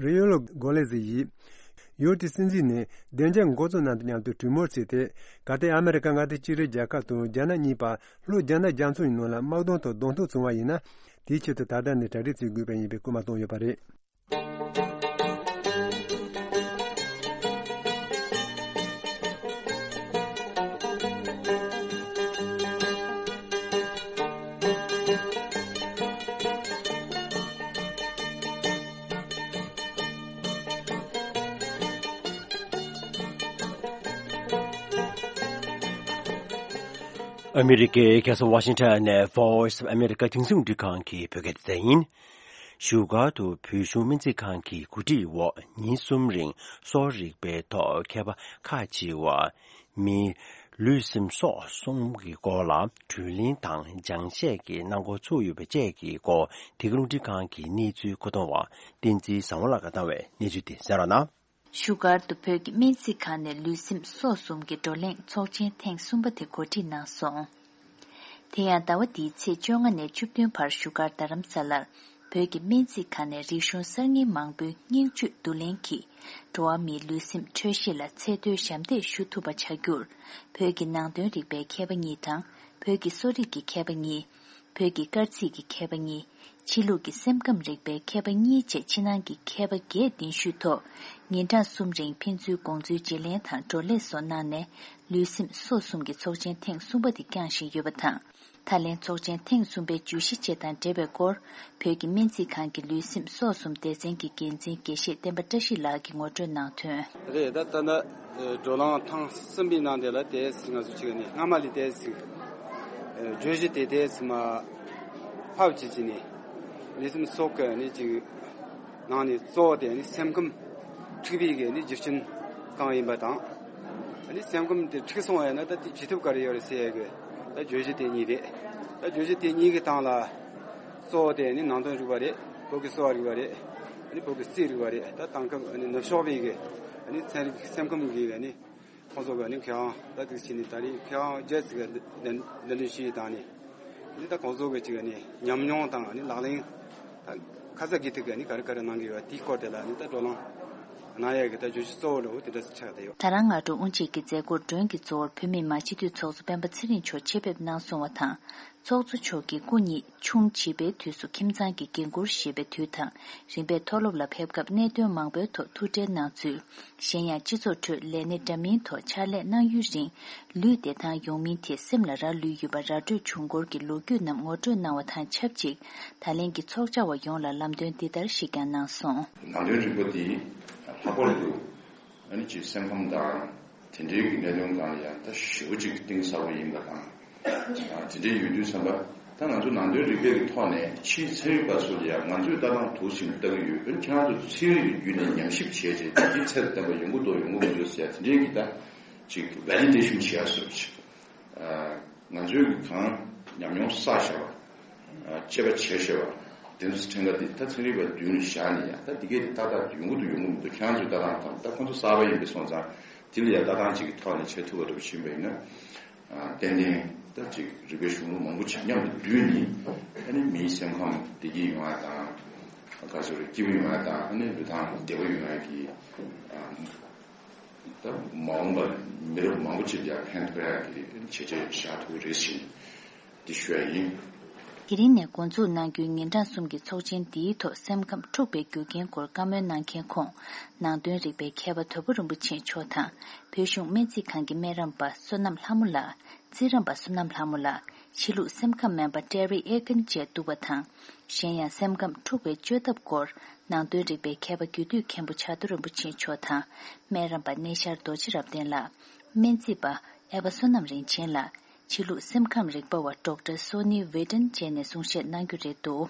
རི་ཡོ་ལོ་གོ་ལེ་ཛི་ཡིས། ཡུལ་དེའི་སྲིད་འཛིན་ནས་བདེ་འཇགས་འགོ་གཙོ་རྣམས་དང་མཉམ་དུ་གྲོས་མོལ་བྱས་ཏེ། གལ་ཏེ་ཨ་མི་རི་ཀ་མངའ་སྡེ་གཅིག་སྒྲིལ་རྒྱལ་ཁབ་དང་རྒྱ་ནག་གཉིས་བར་ལྷོ་རྒྱ་ནག་རྒྱ་མཚོ་ཡི་ནང་ལ་དམག་དོན་ཐོག་གདོང་ཐུག་བྱུང་བ་ཡིན་ན། དེའི་ཆེད་དུ་ད་ལྟ་ནས་གྲ་སྒྲིག་བྱེད་དགོས་པ་ཡིན་པའི་སྐུལ་མ་བཏང་ཡོད་པ་རེད། ཨ་མི་རི་ཀའི་རྒྱལ་ས་ཝ་ཤིང་ཊོན་ནས་Voice of America་རྒྱང་སྲིང་རླུང་འཕྲིན་ཁང་གི་བོད་སྐད་སྡེ་ཚན་ཡིན། བཞུགས་སྒར་དུ་བོད་གཞུང་སྨན་རྩིས་ཁང་གི་གོ་སྒྲིག་འོག་ཉིན་གསུམ་རིང་གསོ་བ་རིག་པའི་ཐོག་མཁས་པ་ཁག་ཅིག་བ། མིའི་ལུས་སེམས་སྲོག་གསུམ་གྱི་སྐོར་ལ་དྲུང་གླེང་དང་སྦྱང་བཤད་ཀྱི་གནང་སྒོ་ཚུགས་ཡོད་པ་བཅས་ཀྱི་སྐོར། དེ་གའི་རླུང་འཕྲིན་ཁང་གི་གནས་ཚུལ་མཁོ་གཏོང་བ་བསྟན་འཛིན་བཟང་བོ་ལགས་ཀྱིས་བཏང་བའི་གནས་ཚུལ་དེ་གསན་རོགས་གནང་། བཞུགས་སྒར་དུ་བོད་ཀྱི་སྨན་རྩིས་ཁང་ནས་ལུས་སེམས་སྲོག་གསུམ་གྱི་བགྲོ་གླེང་ཚོགས་ཆེན་ཐེངས་གསུམ་པ་དེ་གོ་སྒྲིག་གནང་སོང་། དེ་ཡང་ཟླ་བ་འདིའི་ཚེས་བཅོ་ལྔ་ནས་བཅུ་བདུན་བར་བཞུགས་སྒར་རྡ་རམ་ས་ལར། བོད་ཀྱི་སྨན་རྩིས་ཁང་ནས་རིག་གཞུང་གསར་རྙིང་མང་པོའི་སྙིང་བཅུད་བསྡུ་ལེན་གྱིས་འགྲོ་བ་མིའི་ལུས་སེམས་འཕྲོད་བཞེས་ལ་ཚད་མཐོའི་ཞབས་འདེགས་ཞུ་ཐུབ་པ་བྱ་རྒྱུར། བོད་ཀྱི་ནང་དོན་རིག་པའི་མཁས་པ་གཉིས་དང་། བོད་ཀྱི་གསོ་རིག་གི་མཁས་པ་གཉིས། བོད་ཀྱི་སྐར་རྩིས་ཀྱི་མཁས་པ་གཉིས། ཕྱི་ལུགས་ཀྱི་སེམས་ཁམས་རིག་པའི་མཁས་པ་གཉིས་བཅས་ཕྱི་ནང་གི་མཁས་པ་བརྒྱད་གདན་ཞུས་ཐོག་ཉིན་གྲངས་གསུམ་རིང་ཕན་ཚུན་དགོངས་ཚུལ་བརྗེ་ལེན་དང་བགྲོ་གླེང་སོགས་གནང་ནས། ལུས་སེམས་སྲོག་གསུམ་གྱི་ཚོགས་ཆེན་ཐེངས་གསུམ་པ་དེ་བསྐྱངས་བཞིན་ཡོད་པ་དང་། ད་ལན་ཚོགས་ཆེན་ཐེངས་གསུམ་པའི་བརྗོད་གཞི་བཅས་དང་འབྲེལ་བའི་སྐོར། བོད་ཀྱི་སྨན་རྩིས་ཁང་གི་ལུས་སེམས་སྲོག་གསུམ་སྡེ་ཚན་གྱི་འགན་འཛིན་དགེ་བཤེས་བསྟན་པ་བཀྲ་ཤིས་ལགས་ཀྱིས་ངོ་སྤྲོད་གནང་དོན། རེད། ད་ལྟ་ན་བགྲོ་གླེང་ཐེངས་གསུམ་པའི་ནང་དེ་ལ་དེ་ང་ཚོ་གཅིག་ནས་སྔ་མ་ལས་དེ་ཅིག་བརྗོད་གཞི་དེ་དེ་མ་ཕབ་ཅིག་ཅིག་ནས་ལུས་སེམས་སྲོག་གི་ནི་ཅིག་ནང་ནས་གཙོ་བོ་དེ་ནི་སེམས་ཁམས་འཁྲུག་པའི་གི་ནི་རྒྱུ་རྐྱེན་གང་ཡིན་པ་དང་། ཨ་ནི་སེམས་ཁམས་དེ་འཁྲུག་སོང་བ་ཡིན་ན་ད་དེ་བྱེད་ཐབས་ག་རེ་ཡོད་རེད་ཟེར་ཡ་གི་ད་བརྗོད་གཞི་དེ་གཉིས་རེད། ད་བརྗོད་གཞི་དེ་གཉིས་ཀྱི་སྟེང་ལ་གཙོ་བོ་དེ་ནི་ནང་དོན་རིག་པ་རེད། བོད་ཀྱི་གསོ་བ་རིག་པ་རེད། ཨ་ནི་བོད་ཀྱི་རྩིས་རིག་པ་རེད། ད་དེང་སྐབས་ཨ་ནི་ནུབ་ཕྱོགས་པའི་གི་ཨ་ནི་ཚན་རིག་སེམས་ཁམས་ཀྱི་ཨ་ནི་ཁོང་ཚོ་གི་ཨ་ནི་མཁས་དབང་ད་དེ་ཕྱིན་ནས་ད་རེས་མཁས་དབང་བརྒྱད་ཅིག་གི་འདི་འདི་འདྲ་ཞིག་བཏང་ནས། འདི་ད་ཁོང་ཚོ་གི་ཅིག་ནི་ཉམས་མྱོང་དང་ནི་ལག་ལེན་ད་ཁ་ཚ་དགོས་གཏུགས་གི་ནི་ག་རེ་ག་རེ་གནང་གི་ཡོད་དེའི་སྐོར་དེ་ལ་ནི་ད་བགྲོ་གླེང་གནང་ཡས་གི་ད་བརྗོད་གཞི་གཙོ་བོ་འདྲ་བོ་དེ་འདྲ་ཆགས་བསྡད་ཡོད། ད་རང་སྔ་དྲོ་དབུ་འབྱེད་ཀྱི་མཛད་སྒོར་མགྲོན་གྱི་གཙོ་བོར་བོད་མིའི་མང་སྤྱི་འཐུས་ཚོགས་གཙོ་སྤེན་པ་ཚེ་རིང་མཆོག་ཆེད་ཕེབས་གནང་སོང་བ་དང་། ཚོགས་གཙོ་མཆོག་གིས་སྐུ་ཉིད་ཆུང་བྱིས་པའི་དུས་སུ་ཁྱིམ་ཚང་གི་འགན་འཁུར་བཞེས་པའི་དུས་དང་། རིམ་པས་མཐོ་སློབ་ལ་ཕེབས་སྐབས་གནད་དོན་མང་པོའི་ཐོག་ཐུགས་ཁྲལ་གནང་ཚུལ། གཞན་ཡང་སྤྱི་ཚོགས་ཁྲོད་ལས་སྣེ་འདྲ་མིན་ཐོག་ཕྱག་ལས་གནང་ཡུན་རིང་ལུས་བདེ་ཐང་ཡོང་མིན་ཐད་སེམས་ལ་རག་ལུས་ཡོད་པ་ར་སྤྲོད་བྱུང་སྐོར་གྱི་ལོ་རྒྱུས་རྣམས་ངོ་སྤྲོད་གནང་བ་དང་ཆབས་ཅིག་ད་ལན་གྱི་ཚོགས་བཅར་བ་ཡོངས་ལ་ལམ་སྟོན་འདི་ལྟར་ཞིག་ཀྱང་གནང་སོང་། ནང་དོན་རིག་པ་འདི་ལྷག་པར་དུ་ཨ་ནི་ཅིག་སེམས་ཁམས་དང་དེ་འབྲེལ་གྱི་གནད་དོན་སྒང་ལ་ཡང་ད་ཞེ་པོ་ཅིག་གཏིང་ཟབ་པོ་ཡིན་པ་དང་། དེ་འདྲའི་ཡོད་དུས་ཙམ་པ་ད་ང་ཚོ་ནང་དོན་རིག་པའི་གི་ཐོག་ནས་ཕྱིའི་ཚན་རིག་པ་ཚོ་ལ་ཡང་ང་ཚོས་ལྟ་སྟངས་དུ་ཞིག་ལྟ་གི་ཡོད། ཁྱེད་རང་ཚོ་ཚན་རིག་གི་བརྒྱུད་ནས་ཉམས་ཞིབ་བྱས་རྗེས་འདི་ཚད་ལ་བརྟན་པ་ཡོང་གི་འདུག་ཡོང་གི་མི་འདུག་ཟེར་དེ་འདྲའི་གི་ད་ཅིག་ཝེ་ལི་ཌེ་ཤན་བྱེད་ཡ་བཟོ་ཅིག་ང་ཚོའི་གི་གང་ཉམས་མྱོང་བསགས་བཞག་པ། དཔྱད་པ་བྱས་བཞག་པ། དེ་ཚོ་ཕྲན་ཁ་དེ་ད་ཚན་རིག་པ་མདུན་ལ་བཞག་ནས་ཡང་ད་འདི་གས་དེ་ཏག་ཏག་ཡོང་གི་འདུག་ཡོང་གི་མི་འདུག་ཁྱེད་རང་ཚོའི་ལྟ་སྟངས་དང་ད་ཁོང་ཚོ་གསར་པ་ཡིན་པ་སོང་ཙང་དེ་ལ་ཡང་ལྟ་སྟངས་གཅིག་གི་ཐོག་ནས་བྱེད་ཐུབ་པ་འདྲ་པོ་ཕྱིན་པ་ཡིན་ན། ཏན་ཏན་ད་ཅིག་རིག་པའི་གཞུང་ལུགས་མང་པོ་ཅིག་མཉམ་དུ་བསྡུས་ནས་ཨ་ནི་མིའི་སེམས་ཁམས་བདེ་སྐྱིད་ཡོང་ཡ་དང་། ག་ཚོད་རེད་སྐྱིད་པོ་ཡོང་ཡ་དང་ཨ་ནི་ལུས་ཐང་བདེ་པོ་ཡོང་ཡ་གི་ད་མ་འོངས་པར་མི་རབས་མང་པོ་ཅིག་ལ་ཡང་ཕན་ཐོགས་ཡ་གི་བྱས་རྗེས་བཞག་ཐུབ་ཀྱི་རེད་ཟེར་ནས་འདི་ཞུ་ཡ་ཡིན། དེ་རིང་ནས་འགོ་འཛུགས་གནང་རྒྱུའི་ཉིན་གྲངས་གསུམ་གྱི་ཚོགས་ཆེན་འདིའི་ཐོག་སེམས་ཁམས་འཁྲུག་པའི་རྒྱུ་རྐྱེན་སྐོར་བཀའ་མོལ་གནང་མཁན་ཁོང་ནང་དོན་རིག་པའི་མཁས་པ་དོལ་པོ་རིན་པོ་ཆེ་མཆོག་དང་བོད་གཞུང་སྨན་རྩིས་ཁང་གི་སྨན་རམས་པ་བསོད་ནམས་ལྷ་མོ་ལགས། རྩིས་རམས་པ་བསོད་ནམས་ལྷ་མོ་ལགས། ཕྱི་ལུགས་སེམས་ཁམས་སྨན་པ་ཀྲེ་རི་ཨེ་ཀན་བཅས་འདུག་པ་དང་། གཞན་ཡང་སེམས་ཁམས་འཁྲུག་པའི་བཅོས་ཐབས་སྐོར་ནང་དོན་རིག་པའི་མཁས་པ་རྒྱུད་སྟོད་མཁན་པོ་བྱ་རྡོ་རིན་པོ་ཆེ་མཆོག་དང་སྨན་རམས་པ་གནས་ཤར་རྡོ་རྗེ་རབ་བརྟན་ལགས། སྨན་རྩིས་པ་ཨེ་བ་བསོད་ནམས་རིན་ཆེན་ལགས། ཕྱི་ལུགས་སེམས་ཁམས་རིག་པ་བ་ཌོག་ཊར་སོ་ནི་ཝེ་ཏན་བཅས་ནས་གསུང་བཤད་གནང་རྒྱུ་རེད་འདུག་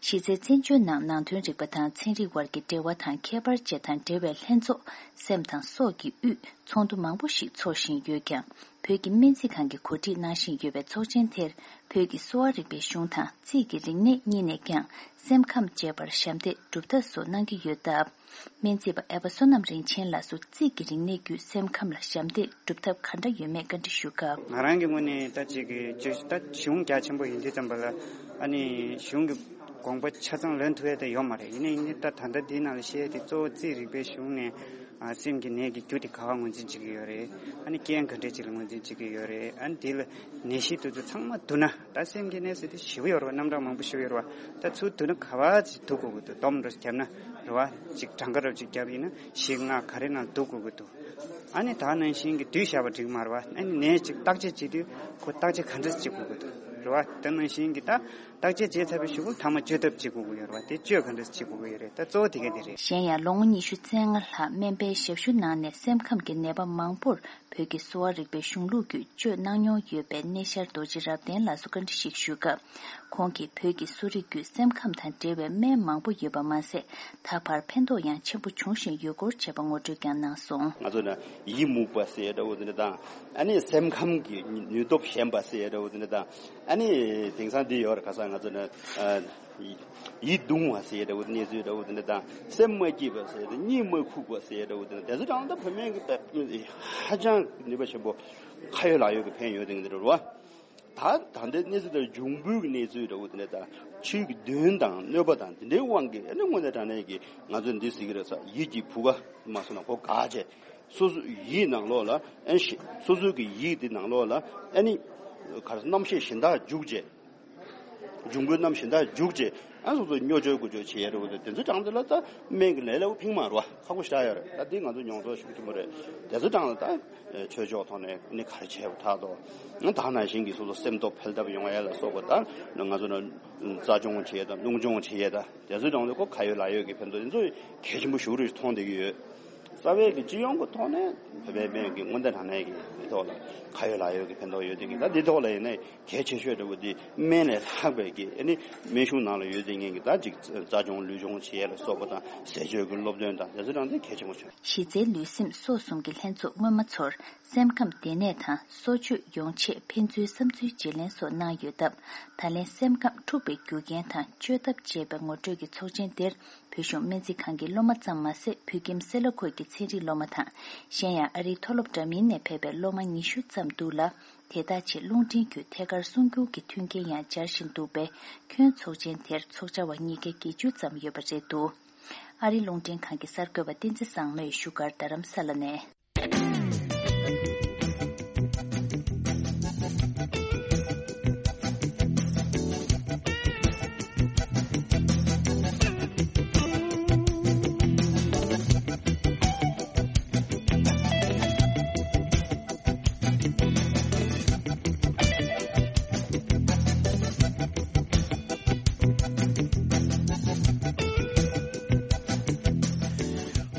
གཞི་རྩའི་བཙན་བྱོལ་ནང་ནང་དོན་རིག་པ་དང་ཚན་རིག་དབར་གྱི་འབྲེལ་བ་དང་ཁྱད་པར་བཅས་དང་འབྲེལ་བའི་ལྷན་ཚོགས་སེམས་དང་སྲོག་གི་དབུས་ཚོགས་འདུ་མང་པོ་ཞིག་འཚོགས་བཞིན་ཡོད་ཀྱང་། བོད་ཀྱི་སྨན་རྩིས་ཁང་གིས་གོ་སྒྲིག་གནང་བཞིན་ཡོད་པའི་ཚོགས་ཆེན་དེར་བོད་ཀྱི་གསོ་བ་རིག་པའི་གཞུང་དང་རྩིས་ཀྱི་རིག་གནས་གཉིས་ནས་ཀྱང་སེམས་ཁམས་བཅས་པར་ཞབས་འདེགས་སྒྲུབ་ཐབས་སོགས་གནང་གི་ཡོད་སྟབས། སྨན་རྩིས་པ་ཨེ་བ་བསོད་ནམས་རིན་ཆེན་ལགས་སུ་རྩིས་ཀྱི་རིག་གནས་བརྒྱུད་སེམས་ཁམས་ལ་ཞབས་འདེགས་སྒྲུབ་ཐབས་ག་འདྲ་ཡོད་མེད་བཀའ་འདྲི་ཞུ་སྐབས། ང་རང་གི་ངོས་ནས་ད་ཅིག་གི་བརྗོད་ད་གཞུང་རྒྱ་ཆེན་པོ་ཡིན་དུས་ཙམ་པ་ལ་ཨ་ནི་གཞུང་གི་དགོངས་པ་ཆ་ཚང་ལོན་ཐུབ་ཡ་དེ་ཡོད་མ་རེད། ཡིན་ནའི་ཡིན་ནའི་ད་ད་ལྟ་འདིའི་ནང་ལ་བཤད་ཡ་དེ་གཙོ་བོ་རྩིས་རིག་པའི་གཞུང་ནས་ཨ་སེམས་ཀྱི་ནད་ཀྱི་རྒྱུ་དེ་ག་བ་ངོས་འཛིན་བྱེད་ཀྱི་ཡོད་རེད། ཨ་ནི་རྐྱེན་ག་འདྲས་ཅིག་ལ་ངོས་འཛིན་བྱེད་ཀྱི་ཡོད་རེད། ཨ་ནི་དེ་ལ་ནད་གཞི་དེ་ཚོ་ཚང་མ་བསྡུ་ན། ད་སེམས་ཀྱི་གནས་ཚུལ་དེ་ཞེ་པོ་ཡོད་རེད་བ། རྣམ་གྲངས་མང་པོ་ཞེ་པོ་ཡོད་རེད་བ། ད་ཚུར་བསྡུ་ན་ག་བ་ཅིག་བསྡུ་དགོས་ཀྱི་འདུག་སྡོམ་འདྲ་བརྒྱབ་ན་རེད་བ། ཅིག་གྲངས་ཀ་འདྲ་ཅིག་བརྒྱབ་ཡིན་ན་བཞི་ལྔ་ག་རེ་ནང་བསྡུ་དགོས་ཀྱི་འདུག་ཨ་ནི་ད་ནང་བཞིན་གྱི་བསྡུས་བཞག་པ་འགྲིག་མ་རེད་བ། ཨ་ནི་ནས་ཅིག་བརྟག་དཔྱད་བྱེད་དུས་ཁོ་བརྟག་དཔྱད་ག་འདྲ་བྱེད་དགོས་ཀྱི་འདུག་རེད་བ། ད་ནང་བཞིན་གྱི་ད་བརྟག་དཔྱད་བྱས་ཚར་བའི་གཞུག་གུ་མཐའ་མ་བཅོས་ཐབས་བྱེད་དགོས་ཀྱི་ཡོད་རེད་བ། དེ་བཅོས་ག་འདྲ་བྱེད་དགོས་ཀྱི་ཡོད་རེད། ད་གཙོ་བོ་དེ་ག་དེ་རེད། གཞན་ཡང་ལོ་ངོ་ཉི་ཤུ་རྩ་ལྔ་ལྷག་སྨན་པའི་ཞབས་ཞུ་གནང་ནས་སེམས་ཁམས་ཀྱི་ནད་པ་མང་པོར་བོད་ཀྱི་གསོ་བ་རིག་པའི་གཞུང་ལུགས་བརྒྱུད་བཅོས་གནང་མྱོང་ཡོད་པའི་གནས་ཤར་རྡོ་རྗེ་རབ་བརྟན་ལགས་སུ་བཀའ་འདྲི་ཞིག་ཞུས་སྐབས། ཁོང་གིས་བོད་ཀྱི་གསོ་རིག་བརྒྱུད་སེམས་ཁམས་དང་འབྲེལ་བའི་སྨན་མང་པོ་ཡོད་པ་མ་ཟད། ད་བར་ཕན་ཐོགས་ཡང་ཆེན་པོ་འབྱུང་བཞིན་ཡོད་སྐོར་བྱས་པ་ངོ་སྤྲོད་ཀྱང་གནང་སོང་། ང་ཚོ་ནི་ཡིད་མུག་པ་ཟེར་འདྲ་བོ་དེ་འདྲ་དང་། ཨ་ནི་སེམས་ཁམས་ཀྱི་ནུས་སྟོབས་ཞན་པ་ཟེར་འདྲ་བོ་དེ་འདྲ་དང་། ཨ་ནི་དེང་སང་འདི་ཡོད་རེད། ཁ་སང་ང་ཚོ་ནི་ཡིད་གདུང་བ་ཟེར་འདྲ་བོ་དེ་གནས་ཚུལ་འདྲ་བོ་དེ་འདྲ་དང་། སེམས་མ་སྐྱིད་པ་ཟེར་དེ་གཉིད་མ་ཁུག་པ་ཟེར་འདྲ་བོ་དེ་འདྲ་དེ་ཚོ་ཀྱང་ད་བུད་མེད་ཀྱི་ཧ་ཅང་ནུས་པ་ཆེན་པོ་ཁ་ཡོད་ལག་ཡོད་ཀྱི་ཕན་ཡོད་དེ་འདྲ་རེད་བ། ད་ད་ལྟའི་གནས་ཚུལ་དེར་འབྱུང་པོའི་གནས་ཚུལ་འདྲ་བོ་དེ་འདྲ་དང་ ཆོས་ཀྱི་འདུན་དང་གནོད་པ་དང་དེ་འདྲའི་དབང་གིས་ཨ་ནི་དངོས་གནས་དྲང་གནས་ཀྱི་ང་ཚོས་འདི་ཟེར་གྱི་རེད་ས། ཡིད་ཀྱི་བུ་ག་མ་སོང་ན་གོ་ག་བྱས། སོ་སོ་ཡིད་ནང་ལོགས་ལ་ཨན་ཞེ་སོ་སོ་གི་ཡིད་དེ་ནང་ལོགས་ལ་ཨ་ནི་ག་རེ་རྣམ་ཤེས་གཞན་དག་འཇུག་བྱས། འབྱུང་པོའི་རྣམ་གཞན་དག་འཇུག་བྱས། ཨ་སོ་སོ་སྨྱོ་སྦྱོར་ཀུ་སྦྱོར་བྱེད་ཡ་རེད་བ། དེ་ཚོ་དྲང་དེ་ལ་ད་སྨན་གྱི་ལས་སླ་པོ་ཕིང་མ་རུ་བ་ཁག་པོ་ཞེ་དྲག་ཡོད་རེད། ད་འདི་ང་ཚོ་མྱོང་ཚོར་ཤུགས་ཆེན་པོ་རེད། དེ་ཚོ་དྲང་ལ་ད་ཆོས་ཕྱོགས་ཐོག་ནས་ནི་ག་རེ་བྱས་པ་ད་དོ་ད་ནང་བཞིན་གྱི་སོ་སོ་སེམས་སྟོབས་འཕེལ་ཐབས་ཡོང་ཡ་ལ་སོགས་པ། ད་ང་ཚོ་ནི་རྩ་སྦྱོང་བྱེད་ཡ་ད་རླུང་སྦྱོང་བྱེད་ཡ་ད་དེ་ཚོ་དྲང་དེ་ཁོ་ཁ་ཡོད་ལག་ཡོད་ཀྱི་ཕན་ཐོགས་དེ་ཚོ་གལ་ཆེན་པོ་ཞེ་པོ་རེ་མཐོང་བསྡད་ཀྱི་ཡོད། རྩ་བའི་གི་སྤྱི་ཡོངས་ཀྱི་ཐོག་ནས་བོད་པའི་སྨན་གྱི་དངོས་བརྟན་དྲང་གནས་ཀྱི་འདི་ཐོག་ལ་ཁ་ཡོད་ལག་ཡོད་ཀྱི་ཕན་ཐོགས་ཡོད་དེ་གི། ད་འདི་ཐོག་ལ་ཡིན་ནའི་གལ་ཆེ་ཤོས་འདྲ་བོ་འདི་སྨན་ལས་ལྷག་པའི་གི་ཨ་ནི་སྨན་གཞུང་ནང་ལ་ཡོད་དེ་ངེད་ཀྱི་ད་ཅིག་རྩ་སྦྱོང་ལུས་སྦྱོང་བྱེད་ཡས་ལ་སོགས་པ་དང་ཟས་སྤྱོད་ཀྱི་སློབ་སྟོན་དང་དེ་ཚོ་དྲང་དེ་གལ་ཆེན་པོ་བྱུང་། གཞི་རྩའི་ལུས་སེམས་སྲོག་གསུམ་གྱི་ལྷན་ཚོགས་སྔོན་མ་ཚོར་སེམས་ཁམས་བདེ་གནས་དང་གསོ་བཅོས་ཡོང་ཆེད་ཕན་ཚུན་བསམ་ཚུལ་བརྗེ་ལེན་སོགས་གནང་ཡོད་སྟབས། ད་ལན་སེམས་ཁམས་འཁྲུག་པའི་རྒྱུ་རྐྱེན་དང་བཅོས་ཐབས་ཅེས་པའི་ངོ་སྤྲོད་ཀྱི་ཚོགས་ཆེན་དེར། བོད་གཞུང་སྨན་རྩིས་ཁང་གི་སློབ་མ་ཙམ་མ་ཟད། བོད་ཁྱིམ་སེ་ལ་ཁུལ་གྱི་ཚན་རིག་སློབ་མ་དང་། གཞན་ཡང་ཨ་རིའི་མཐོ་སློབ་འདྲ་མིན་ནས་ཕེབས་པའི་སློབ་མ་ཉི་ཤུ་ཙམ་འདུག་ལ། དེ་དག་ཆེད་རླུང་འཕྲིན་བརྒྱུད་ཐད་ཀར་གསུང་སྒྱུར་གྱི་མཐུན་རྐྱེན་ཡང་སྦྱར་བཞིན་འདུག་པས། ཁྱོན་ཚོགས་ཆེན་དེར་ཚོགས་བཅར་བ་ཉིས་བརྒྱ་བརྒྱད་ཅུ་ཙམ་ཡོད་པ་རེད་འདུག་ཨ་རིའི་རླུང་འཕྲིན་ཁང་གི་གསར་འགོད་པ་བསྟན་འཛིན་བཟང་མོས་བཞུགས་སྒར་རྡ་རམ་ས་ལ་ནས།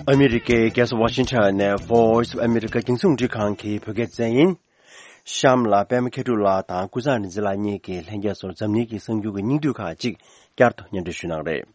ཨ་མི་རི་ཀའི་རྒྱལ་ས་ཝ་ཤིང་ཊོན་ནས་Voice of America རྒྱང་སྲིང་རླུང་འཕྲིན་ཁང་གི་བོད་སྐད་སྡེ་ཚན་ཡིན། གཤམ་ལ་པད་མ་མཁས་གྲུབ་ལགས་དང་ཀུན་བཟང་རིག་འཛིན་ལགས་གཉིས་ཀྱིས་ལྷན་རྒྱས་ཚོར་འཛམ་གླིང་གི་གསར་འགྱུར་གྱི་སྙིང་བསྡུས་ཁག་ཅིག་བསྐྱར་དུ་སྙན་སྒྲོན་ཞུ་གནང་རེད།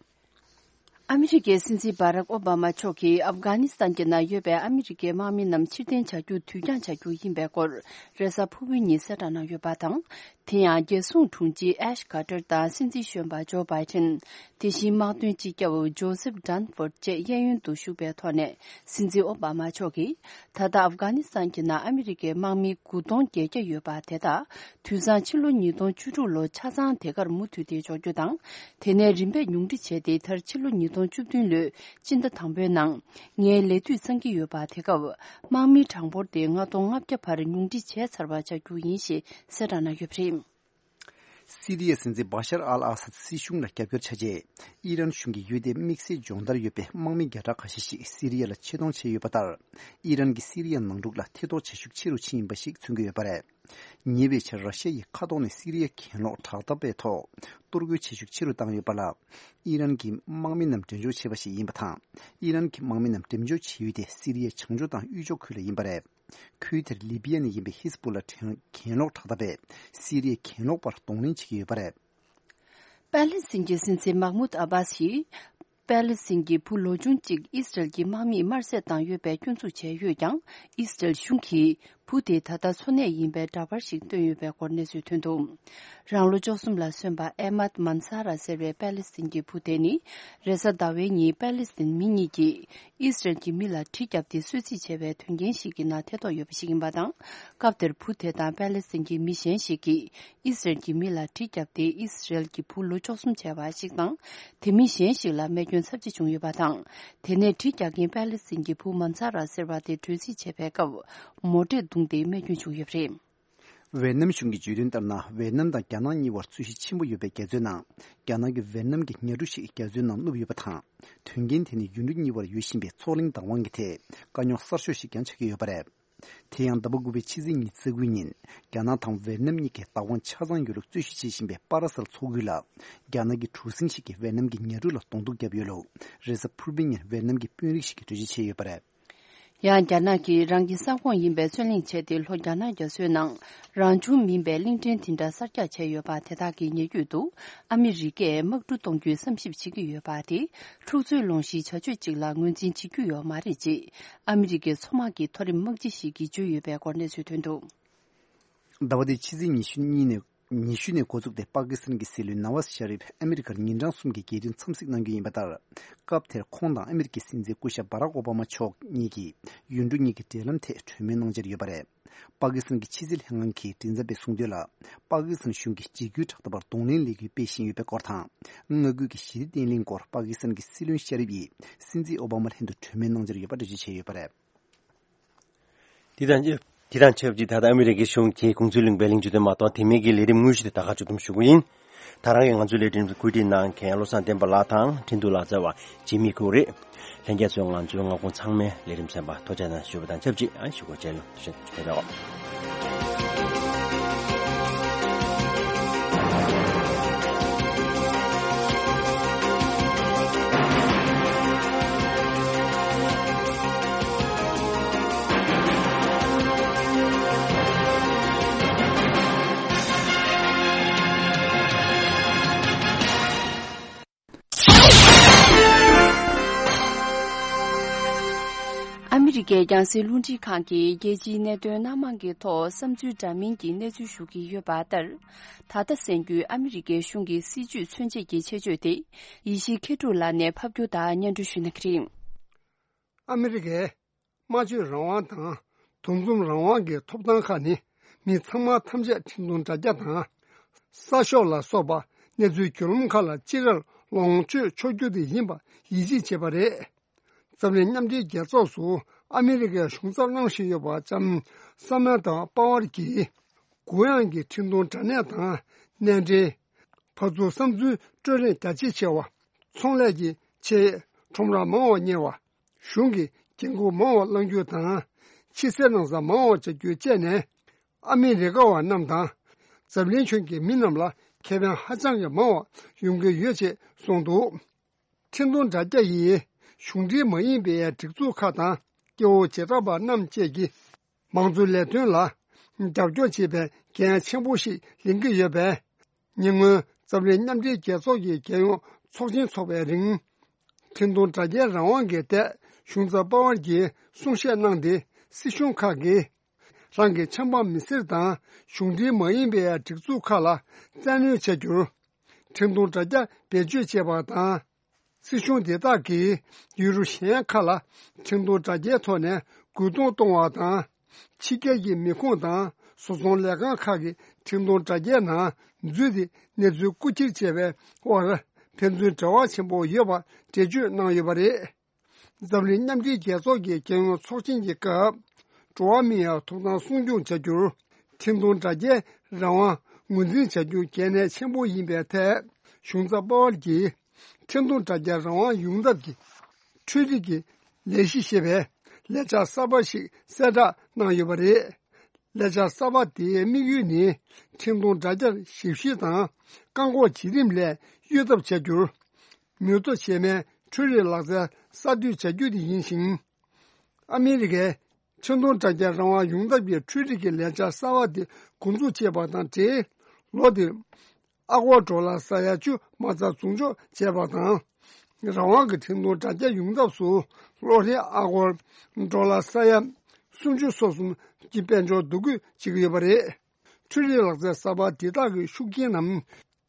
ཨ་མི་རི་ཀའི་སྲིད་འཛིན་བྷ་རག་ཨོ་བྷ་མ་མཆོག་གིས་ཨབ་གྷ་ནི་སི་ཐན་གྱི་ནང་ཡོད་པའི་ཨ་མི་རི་ཀའི་དམག་མི་རྣམས་ཕྱིར་འཐེན་བྱ་རྒྱུ་དུས་འགྱངས་བྱ་རྒྱུ་ཡིན་པའི་སྐོར་རེས་གཟའ་ཕུར་བུའི་ཉིན་གསལ་བསྒྲགས་གནང་ཡོད་པ་དང་། དེ་ཡང་རྒྱལ་སྲུང་དྲུང་ཆེ་ཨེཤ་ཀ་ཏར་དང་སྲིད་འཛིན་གཞོན་པ་ཇོ་བྷའི་ཏིན། དེ་བཞིན་དམག་དོན་སྤྱི་ཁྱབ་ཇོ་སེབ་ཌན་ཧྥོར་བཅས་གཡས་གཡོན་དུ་བཞུགས་པའི་ཐོག་ནས། སྲིད་འཛིན་ཨོ་བྷ་མ་མཆོག་གིས། ད་ལྟ་ཨབ་གྷ་ནི་སི་ཐན་གྱི་ནང་ཨ་མི་རི་ཀའི་དམག་མི་དགུ་སྟོང་བརྒྱད་བརྒྱ་ཡོད་པ་དེ་དག་དུས་སང་ཕྱི་ལོ་ཉིས་སྟོང་བཅུ་དྲུག་ལོ་ཆ་ཚང་དེ་གར་མུ་མཐུད་དེ་འབྱོར་རྒྱུ་དང་། དེ་ནས་རིམ་པས་ཉུང་འཕྲི་བྱས་ཏེ། མཐར་ཕྱི་ལོ་ཉིས་སྟོང་བཅུ་བདུན་ལོའི་སྤྱི་ཟླ་དང་པོའི་ནང་ངའི་ལས་དུས་ཚང་གི་ཡོད་པ་དེ་སྐབས། དམག་མིའི་གྲངས་འབོར་དེ་ལྔ་སྟོང་ལྔ་བརྒྱ་བར་ཉུང་འཕྲི་བྱས་ཚར་བ་ཆགས་རྒྱུ་ཡིན་ཞེས་གསལ་བསྒྲགས་གནང་ཡོད་པ་རེད། སི་རི་ཡའི་སྲིད་འཛིན་བྷ་ཤར་ཨལ་ཨ་སད་སྲིད་གཞུང་ལ་རྒྱབ་སྐྱོར་བྱ་ཆེད། ཨི་རན་གཞུང་གིས་ཡུལ་དེའི་དམིགས་བསལ་སྦྱོང་བརྡར་ཡོད་པའི་དམག་མི་བརྒྱ་ཕྲག་ཁ་ཤས་ཤིག་སི་རི་ཡ་ལ་ཆེད་གཏོང་བྱས་ཡོད་པ་ལྟར། ཨི་རན་གྱིས་སི་རི་ཡ་ནང་འཁྲུག་ལ་ཐེ་གཏོགས་བྱེད་ཤུགས་ཆེ་རུ་ཕྱིན་ཡིན་པ་ཞིག་མཚོན་གྱི་ཡོད་པ་རེད། ཉེ་བའི་ཆར་ར་ཤ་ཡིས་མཁའ་ཐོག་ནས་སི་རི་ཡ་གྱེན་ལོག་དྲག་འཐབ་པའི་ཐོག་གཏོར་རྒོལ་བྱེད་ཤུགས་ཆེ་རུ་བཏང་ཡོད་པ་ལ། ཨི་རན་གྱི་དམག་མི་རྣམས་འགྲེམས་འཇོག་བྱས་པ་ཞིག་ཡིན་པ་དང་། ཨི་རན་གྱི་དམག་མི་རྣམས་འགྲེམས་འཇོག་བྱེད་ཡུལ་དེ་སི་རི་ཡའི་བྱང་ཕྱོགས་དང་དབུས་ཕྱོགས་ཁུལ་ལ་ཡིན་པ་རེད། ཁུལ་དེར་ལི་བི་ཡ་ནས་ཡིན་པའི་ཧིས་པུ་ལ་གྱེན་ལོག་དྲག་འཐབ་པས་སི་རི་ཡའི་གྱེན་ལོག་པར་གདོང་ལེན་བྱེད་ཀྱི་ཡོད་པ་རེད། པཱ་ལི་སི་ཐན་གྱི་སྲིད་འཛིན་མཱ་མུད་ཨ་བྷ་སི་ཡིས། པཱ་ལི་སི་ཐན་གྱི་བུ་ལོ་ཆུང་གཅིག་ཨིས་རལ་གྱི་དམག་མིས་དམར་གསོད་བཏང་ཡོད་པའི་སྐྱོན་འཛུགས་བྱས་ཡོད་ཀྱང་། ཨིས་རལ་གཞུང་གིས་བུ་དེ་ད་ལྟ་འཚོ་གནས་ཡིན་པའི་འདྲ་པར་ཞིག་བཏོན་ཡོད་པའི་སྐོར་གནས་ཚུལ་ཐོན་འདུག་རང་ལོ་བཅུ་གསུམ་ལ་སོན་པ་ཨེ་མཱད་མན་ས་ར་ཟེར་བའི་པཱ་ལི་སི་ཐན་གྱི་བུ་དེ་ནི། རེས་གཟའ་ཟླ་བའི་ཉིན་པཱ་ལི་སི་ཐན་མི་གཉིས་ཀྱིས། ཨིས་རལ་གྱི་མི་ལ་གྲི་བརྒྱབ་སྟེ་གསོད་རྩིས་བྱས་པའི་དོན་རྐྱེན་ཞིག་གི་ནང་ཐེ་གཏོགས་ཡོད་པ་ཞིག་ཡིན་པ་དང་། སྐབས་དེར་བུ་དེ་དང་པཱ་ལི་སི་ཐན་གྱི་མི་གཞན་ཞིག་གིས་ཨིས་རལ་གྱི་མི་ལ་གྲི་བརྒྱབ་སྟེ་ཨིས་རལ་གྱི་བུ་ལོ་བཅུ་གསུམ་བྱས་པ་ཞིག་དང་། དེ་མིན་གཞན་ཞིག་ལ་རྨས་སྐྱོན་ཚབས་ཆེ་བྱུང་ཡོད་པ་དང་། དེ་ནས་གྲི་རྒྱག་མཁན་པཱ་ལི་སི་ཐན་གྱི་བུ་མན་ས་ར་ཟེར་བ་དེ་བྲོས་རྩིས་བྱས་པའི་སྐབས། མོ་ཊས་བརྡུངས་ཏེ་རྨས་སྐྱོན་བྱུང་ཡོད་པ་རེད། ཝེ་ནམ་གཞུང་གིས་བརྗོད་དོན་ལྟར་ན། ཝེ་ནམ་དང་རྒྱ་ནག་གཉིས་བར་རྩོད་གཞི་ཆེན་པོ་ཡོད་པའི་རྒྱ་མཚོའི་ནང་། རྒྱ་ནག་གི་ཝེ་ནམ་གྱི་ཉ་གྲུ་ཞིག་རྒྱ་མཚོའི་ནང་བསྣུབས་ཡོད་པ་དང་། དོན་རྐྱེན་དེ་ནི་ཡུལ་གྲུ་གཉིས་བར་ཡོད་བཞིན་པའི་མཚོ་གླིང་བདག་དབང་གི་ཐད་དཀའ་རྙོག་གསར་ཤོས་ཤིག་ཀྱང་ཆགས་ཀྱི་ཡོད་པ་རེད། དེ་ཡང་ཟླ་བ་དགུ་པའི་ཕྱི་ཚེས་ཉི་ཤུ་རྩ་དགུའི་ཉིན། རྒྱ་ནག་དང་ཝེ་ནམ་གཉིས་ཀྱི་བདག་དབང་ཆ་ཚང་ཡོད་ལུགས་རྩོད་གཞི་བྱེད་བཞིན་པའི་པ་ར་སལ་མཚོ་ཁུལ་ལ། རྒྱ་ནག་གི་གྲུ་གཟིངས་ཤིག་གིས་ཝེ་ནམ་གྱི་ཉ་གྲུ་ལ་གདོང་གཏུག་བརྒྱབ་ཡོད་ལུགས། རེས་གཟའ་ཕུར་བུའི་ཉིན་ཝེ་ནམ་གྱི་དཔོན་རིགས་ཤིག་གིས་འགྲེལ་བརྗོད་བྱས་ཡོད་པ་རེད། ཡང་རྒྱ་ནག་གིས་རང་གི་ས་ཁོངས་ཡིན་པའི་རྩོད་གླེང་བྱས་ཏེ། ལྷོ་རྒྱ་ནག་རྒྱ་མཚོའི་ནང་རང་བྱུང་མིན་པའི་གླིང་ཕྲན་དེ་འདྲ་གསར་རྒྱག་བྱས་ཡོད་པ་དེ་དག་གི་ཉེ་བརྒྱུད་དུ། ཨ་མི་རི་ཀས་དམག་གྲུ་གཏོང་རྒྱུའི་བསམ་ཞིབ་བྱེད་ཀྱི་ཡོད་པ་དེ། འཁྲུག་རྩོད་སློང་གཞིའི་བྱ་སྤྱོད་ཅིག་ལ་ངོས་འཛིན་བྱེད་རྒྱུ་ཡོད་མ་རེད་ཅེས། ཨ་མི་རི་ཀའི་མཚོ་དམག་གི་མཐོ་རིམ་དམག་སྤྱི་ཞིག་གིས་བརྗོད་ཡོད་པའི་སྐོར་གནས་ཚུལ་ཐོན་འདུག་ཟླ་བ་འདིའི་ཕྱི་ཚེས་ཉི་ཤུ་གཉིས་ནས། ཉི་ཤུ་ནས་འགོ་བཙུགས་ཏེ་པ་ཀི་སི་ཐན་གྱི་སྲིད་བློན་ན་ཝཱ་ཟ་ཤ་རིབ་ཨ་མི་རི་ཀར་ཉིན་གྲངས་གསུམ་གྱི་རྒྱལ་དོན་འཚམས་གཟིགས་གནང་རྒྱུ་ཡིན་པ་ལྟར། སྐབས་དེར་ཁོང་དང་ཨ་མི་རི་ཀའི་སྲིད་འཛིན་སྐུ་ཞབས་བྷ་རག་ཨོ་བྷ་མ་མཆོག་གཉིས་ཀྱིས་ཡུལ་གྲུ་གཉིས་ཀྱི་འབྲེལ་ལམ་ཐད་གྲོས་མོལ་གནང་འཆར་ཡོད་པ་རེད། པ་ཀི་སི་ཐན་གྱི་ཕྱི་སྲིད་ལྷན་ཁང་གི་མགྲིན་ཚབ་པས་གསུངས་དོན་ལ། པ་ཀི་སི་ཐན་གཞུང་གིས་འཇིགས་སྐུལ་དྲག་འཐབ་པར་གདོང་ལེན་ལས་འགུལ་སྤེལ་བཞིན་ཡོད་པའི་སྐོར་དང་། མངའ་ཁུལ་གྱི་ཞི་བདེ་བརྟན་ལྷིང་སྐོར་པ་ཀི་སི་ཐན་གྱི་སྲིད་བློན་ཤ་རིབ་ཡིས་སྲིད་འཛིན་ཨོ་བྷ་མ་ལྷན་དུ་གྲོས་མོལ་གནང་འཆར་ཡོད་པ་འགྲེལ་བརྗོད་བྱས་ཡོད་པ་རེད། དེ་དང་དེ་དང་ཆབས་ཅིག་ད་ལྟ་ཨ་མི་རི་ཀའི་གཞུང་གིས་གུང་སུན་གླིང་པའི་གླིང་ཆུ་དེ་མ་གཏོགས་དེ་མིན་གྱི་ལས་རིམ་དངོས་གཞི་དེ་ད་ག་མཇུག་བསྡོམས་ཞུ་གི་ཡིན། ད་རང་གིས་ང་ཚོའི་ལས་རིམ་བཀོད་སྒྲིག་གནང་མཁན་བློ་བཟང་བསྟན་པ་ལགས་དང་ཁྲིན་ཏུ་ལག་རྩལ་བ་ཇི་མི་ཁུག་རེད། ལྷན་རྒྱས་ཚོས་ང་ཚོའི་མངའ་ཁོངས་ཚང་མའི་ལས་རིམ་གསན་པ་ཐུགས་རྗེ་གནང་ཞུ་བ་དང་ཆབས་ཅིག་ཨ་ཞུ་སྒོ་ཆེ་ལོ་ཞུ་ཆེ་ལོ། ཨ་མི་རི་ཀའི་རྒྱང་སྲིང་རླུང་འཕྲིན་ཁང་གིས་རྒྱལ་སྤྱིའི་གནད་དོན་སྣ་མང་གི་ཐོག་བསམ་ཚུལ་འདྲ་མིན་གྱི་གནས་ཚུལ་ཞུ་གི་ཡོད་པ་ལྟར། ད་ལྟ་གསན་རྒྱུའི་ཨ་མི་རི་ཀའི་གཞུང་གི་སྲིད་བྱུས་མཚོན་བྱེད་ཀྱི་ཆེད་བརྗོད་དེ་ཡེ་ཤེས་མཁས་གྲུབ་ལགས་ནས་ཕབ་སྒྱུར་དང་སྙན་སྒྲོན་ཞུ་གནང་གི་རེད། ཨ་མི་རི་ཀའི་སྨྲ་བརྗོད་རང་དབང་དང་འདུ་འཛོམས་རང་དབང་གི་ཐོབ་ཐང་ཁག་ནི་མི་ཚང་མ་ཐམས་ཅད་འཕྲིན་གཏོང་དྲ་རྒྱ་དང་གསར་ཤོག་ལ་སོགས་པ་གནས་ཚུལ་བརྒྱུད་ལམ་ཁག་ལ་ཅི་རར་ལོངས་སྤྱོད་ཆོག་རྒྱུ་དེ་ཡིན་པ་ཡིད་ཆེས་བྱེད་པ་རེད། འཛམ་གླིང་མཉམ་འབྲེལ་རྒྱལ་ཚོགས་སུ་ཨ་མི་རི་ཀའི་གཞུང་ཚབ་གནང་བཞིན་ཡོད་པ་ལྕམ་ས་མན་ཐ་པ་ཝར་གྱིས། གུ་ཡངས་ཀྱི་འཕྲིན་གཏོང་དྲ་གནས་དང་། གནས་འབྲེལ། ཕར་ཚུར་བསམ་ཚུལ་སྤྲོད་རེས་རྒྱ་ཆེ་ཆེ་བ། ཚོང་ལས་ཀྱི་ཆེད་ཁྲོམ་ར་མང་བ་གཉེར་བ། གཞུང་གི་འགན་འཁུར་མང་བ་བླང་རྒྱུ་དང་། ཕྱི་གསལ་ནང་གསལ་མང་བ་བྱ་རྒྱུ་བཅས་ནས། ཨ་མི་རི་ཀ་བ་རྣམས་དང་། འཛམ་གླིང་ཁྱོན་གྱི་མི་རྣམས་ལ་ཁེ་ཕན་ཧ་ཅང་གི་མང་བ་ཡོང་གི་ཡོད་ཅེས་གསུངས་འདུག་འཕྲིན་གཏོང་དྲ་རྒྱ་ཡིས་གཞུང་འབྲེལ་མ་ཡིན་པའི་སྒྲིག་འཛུགས་ཁག་དང་སྐྱེ་བོ་བྱེ་བྲག་པ་རྣམས་བཅས་ཀྱི་མང་གཙོའི་ལས་དོན་ལ་རྒྱབ་སྐྱོར་བྱེད་པའི་འགན་ཆེན་པོ་ཞིག་ལེན་གྱི་ཡོད་པས། ཉེ་སྔོན་འཛམ་གླིང་མཉམ་འབྲེལ་རྒྱལ་ཚོགས་ཀྱི་རྒྱལ་ཡོངས་ཚོགས་ཆེན་འཚོགས་པའི་རིང་། འཕྲིན་གཏོང་དྲ་རྒྱའི་རང་དབང་གི་ཐད་གཞུང་ཚབ་པ་ཝར་གྱིས་གསུང་བཤད་གནང་སྟེ། སྲིད་གཞུང་ཁག་གིས་རང་གི་ཆབ་འབངས་མི་སེར་དང་གཞུང་འབྲེལ་མ་ཡིན་པའི་སྒྲིག་འཛུགས་ཁག་ལ་བཙན་གནོན་བྱ་རྒྱུར། འཕྲིན་གཏོང་དྲ་རྒྱ་བེད་སྤྱོད་བྱེད་པ་དང་། སྲིད་གཞུང་དེ་དག་གིས་ཡུལ་གྲུ་གཞན་ཁག་ལ་འཕྲིན་གཏོང་དྲ་རྒྱའི་ཐོག་ནས་རྒོལ་རྡུང་གཏོང་བ་དང་། ཕྱི་རྒྱལ་གྱི་མི་ཁུངས་དང་བཟོ་ཚོང་ལས་ཁང་ཁག་གི་འཕྲིན་གཏོང་དྲ་རྒྱའི་ནང་འཛུལ་ཏེ་གནས་ཚུལ་རྐུ་འཁྱེར་བྱས་པའི་དབར་ཕན་ཚུན་འབྲེལ་བ་ཆེན་པོ་ཡོད་པ་འགྲེལ་བརྗོད་གནང་ཡོད་པ་རེད། འཛམ་གླིང་མཉམ་འབྲེལ་རྒྱལ་ཚོགས་ཀྱི་རྒྱལ་ཡོངས་ཚོགས་ཆེན་གྱི་སྐབས། འགྲོ་བ་མིའི་ཐོབ་ཐང་སྲུང་སྐྱོང་བྱ་རྒྱུར། འཕྲིན་གཏོང་དྲ་རྒྱའི་རང་དབང་ངོས་འཛིན་བྱ་རྒྱུ་གལ་གནད་ཆེན་པོ་ཡིན་པའི་ཐད། གཞུང་ཚབ་པ་ཝར་གྱིས། འཕྲིན་གཏོང་དྲ་རྒྱ་རང་དབང་ཡོངས་ཐབས་ཀྱི་འཕྲུལ་རིག་གི་ལས་གཞི་ཞེས་པའི་ལས་འཆར་གསར་པ་ཞིག་གསལ་བསྒྲགས་གནང་ཡོད་པ་རེད། ལས་འཆར་གསར་པ་དེའི་དམིགས་ཡུལ་ནི། འཕྲིན་གཏོང་དྲ་རྒྱར་ཞིབ་བཤེར་དང་བཀག་འགོག་བྱེད་རིམ་ལས་གཡོལ་ཐབས་བྱ་རྒྱུར། མྱུར་ཚད་ཆེ་བའི་འཕྲུལ་རིག་ལག་རྩལ་གསར་གཏོད་བྱ་རྒྱུ་དེ་ཡིན་ཞིང་། ཨ་མི་རི་ཀའི་འཕྲིན་གཏོང་དྲ་རྒྱ་རང་དབང་ཡོངས་ཐབས་ཀྱི་འཕྲུལ་རིག་གི་ལས་འཆར་གསར་བ་དེ་འགོ་འཛུགས་བྱས་པ་དང་འབྲེལ། ལོ་འདིར་ཨ་སྒོར་ཌོ་ལར་ས་ཡ་བཅུ་མ་རྩ་འཛུགས་འཇོག་བྱས་པ་དང་། རང་དབང་གི་འཕྲིན་གཏོང་དྲ་རྒྱ་ཡོངས་ཐབས་སུ་ལོ་རེར་ཨ་སྒོར་ཌོ་ལར་ས་ཡ་སུམ་ཅུ་སོ་གསུམ་གྱི་དཔལ་འབྱོར་བསྡུ་སྐུལ་བྱེད་ཀྱི་ཡོད་པ་རེད། འཕྲུལ་རིག་ལག་རྩལ་གསར་པ་འདི་དག་གི་ཤུགས་རྐྱེན་ནམ།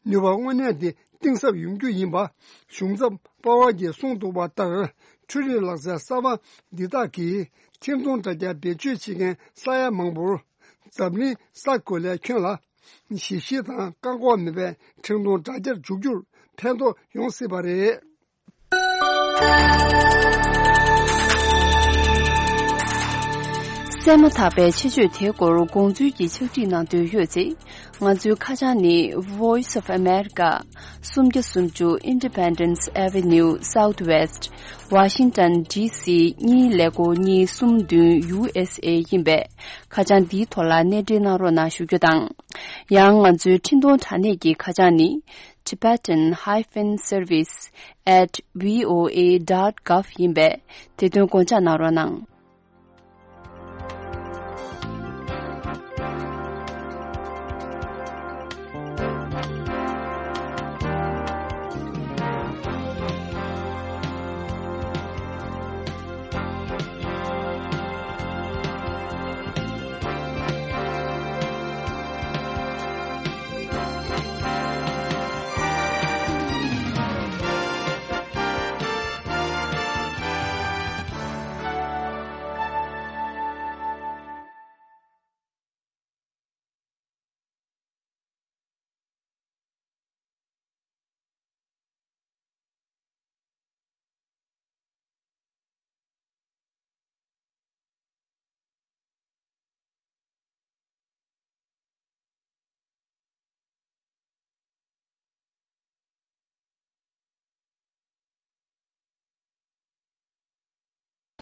ནུས་པ་དངོས་གནས་དེ་གཏིང་ཟབ་ཡོང་རྒྱུ་ཡིན་པ་གཞུང་ཚབ་པ་ཝར་གྱིས་གསུངས་འདུག་པ་ལྟར། འཕྲུལ་རིག་ལག་རྩལ་གསར་པ་འདི་དག་གིས་འཕྲིན་གཏོང་དྲ་རྒྱ་བེད་སྤྱོད་བྱེད་མཁན་ས་ཡ་མང་པོར་འཛམ་གླིང་ས་གོ་ལའི་ཁྱོན་ལ་ཞིབ་བཤེར་དང་བཀག་འགོག་མེད་པའི་འཕྲིན་གཏོང་དྲ་རྒྱར་འཇུག་རྒྱུར་ཕན་ཐོགས་ཡོང་སྲིད་པ་རེད། གསན་མ་ཐག་པའི་ཆེད་བརྗོད་དེའི་སྐོར་དགོངས་ཚུལ་གྱི་ཕྱག་བྲིས་གནང་འདོད་ཡོད་ཚེ། ང་ཚོའི་ཁ་བྱང་ནི་Voice of America། སུམ་བརྒྱ་སུམ་ཅུ་Independence Avenue Southwest། Washington D C གཉིས་ཀླད་ཀོར་གཉིས་གསུམ་བདུན་U S A ཡིན་པས། ཁ་བྱང་འདིའི་ཐོག་ལ་གནས་འབྲེལ་གནང་རོགས་གནང་ཞུ་རྒྱུ་དང་། ཡང་ང་ཚོའི་འཕྲིན་གཏོང་དྲ་གནས་ཀྱི་ཁ་བྱང་ནི། Tibetan hyphen service at V O A dot gov ཡིན་པས། དེ་དོན་དགོངས་འཇགས་གནང་རོགས་གནང་།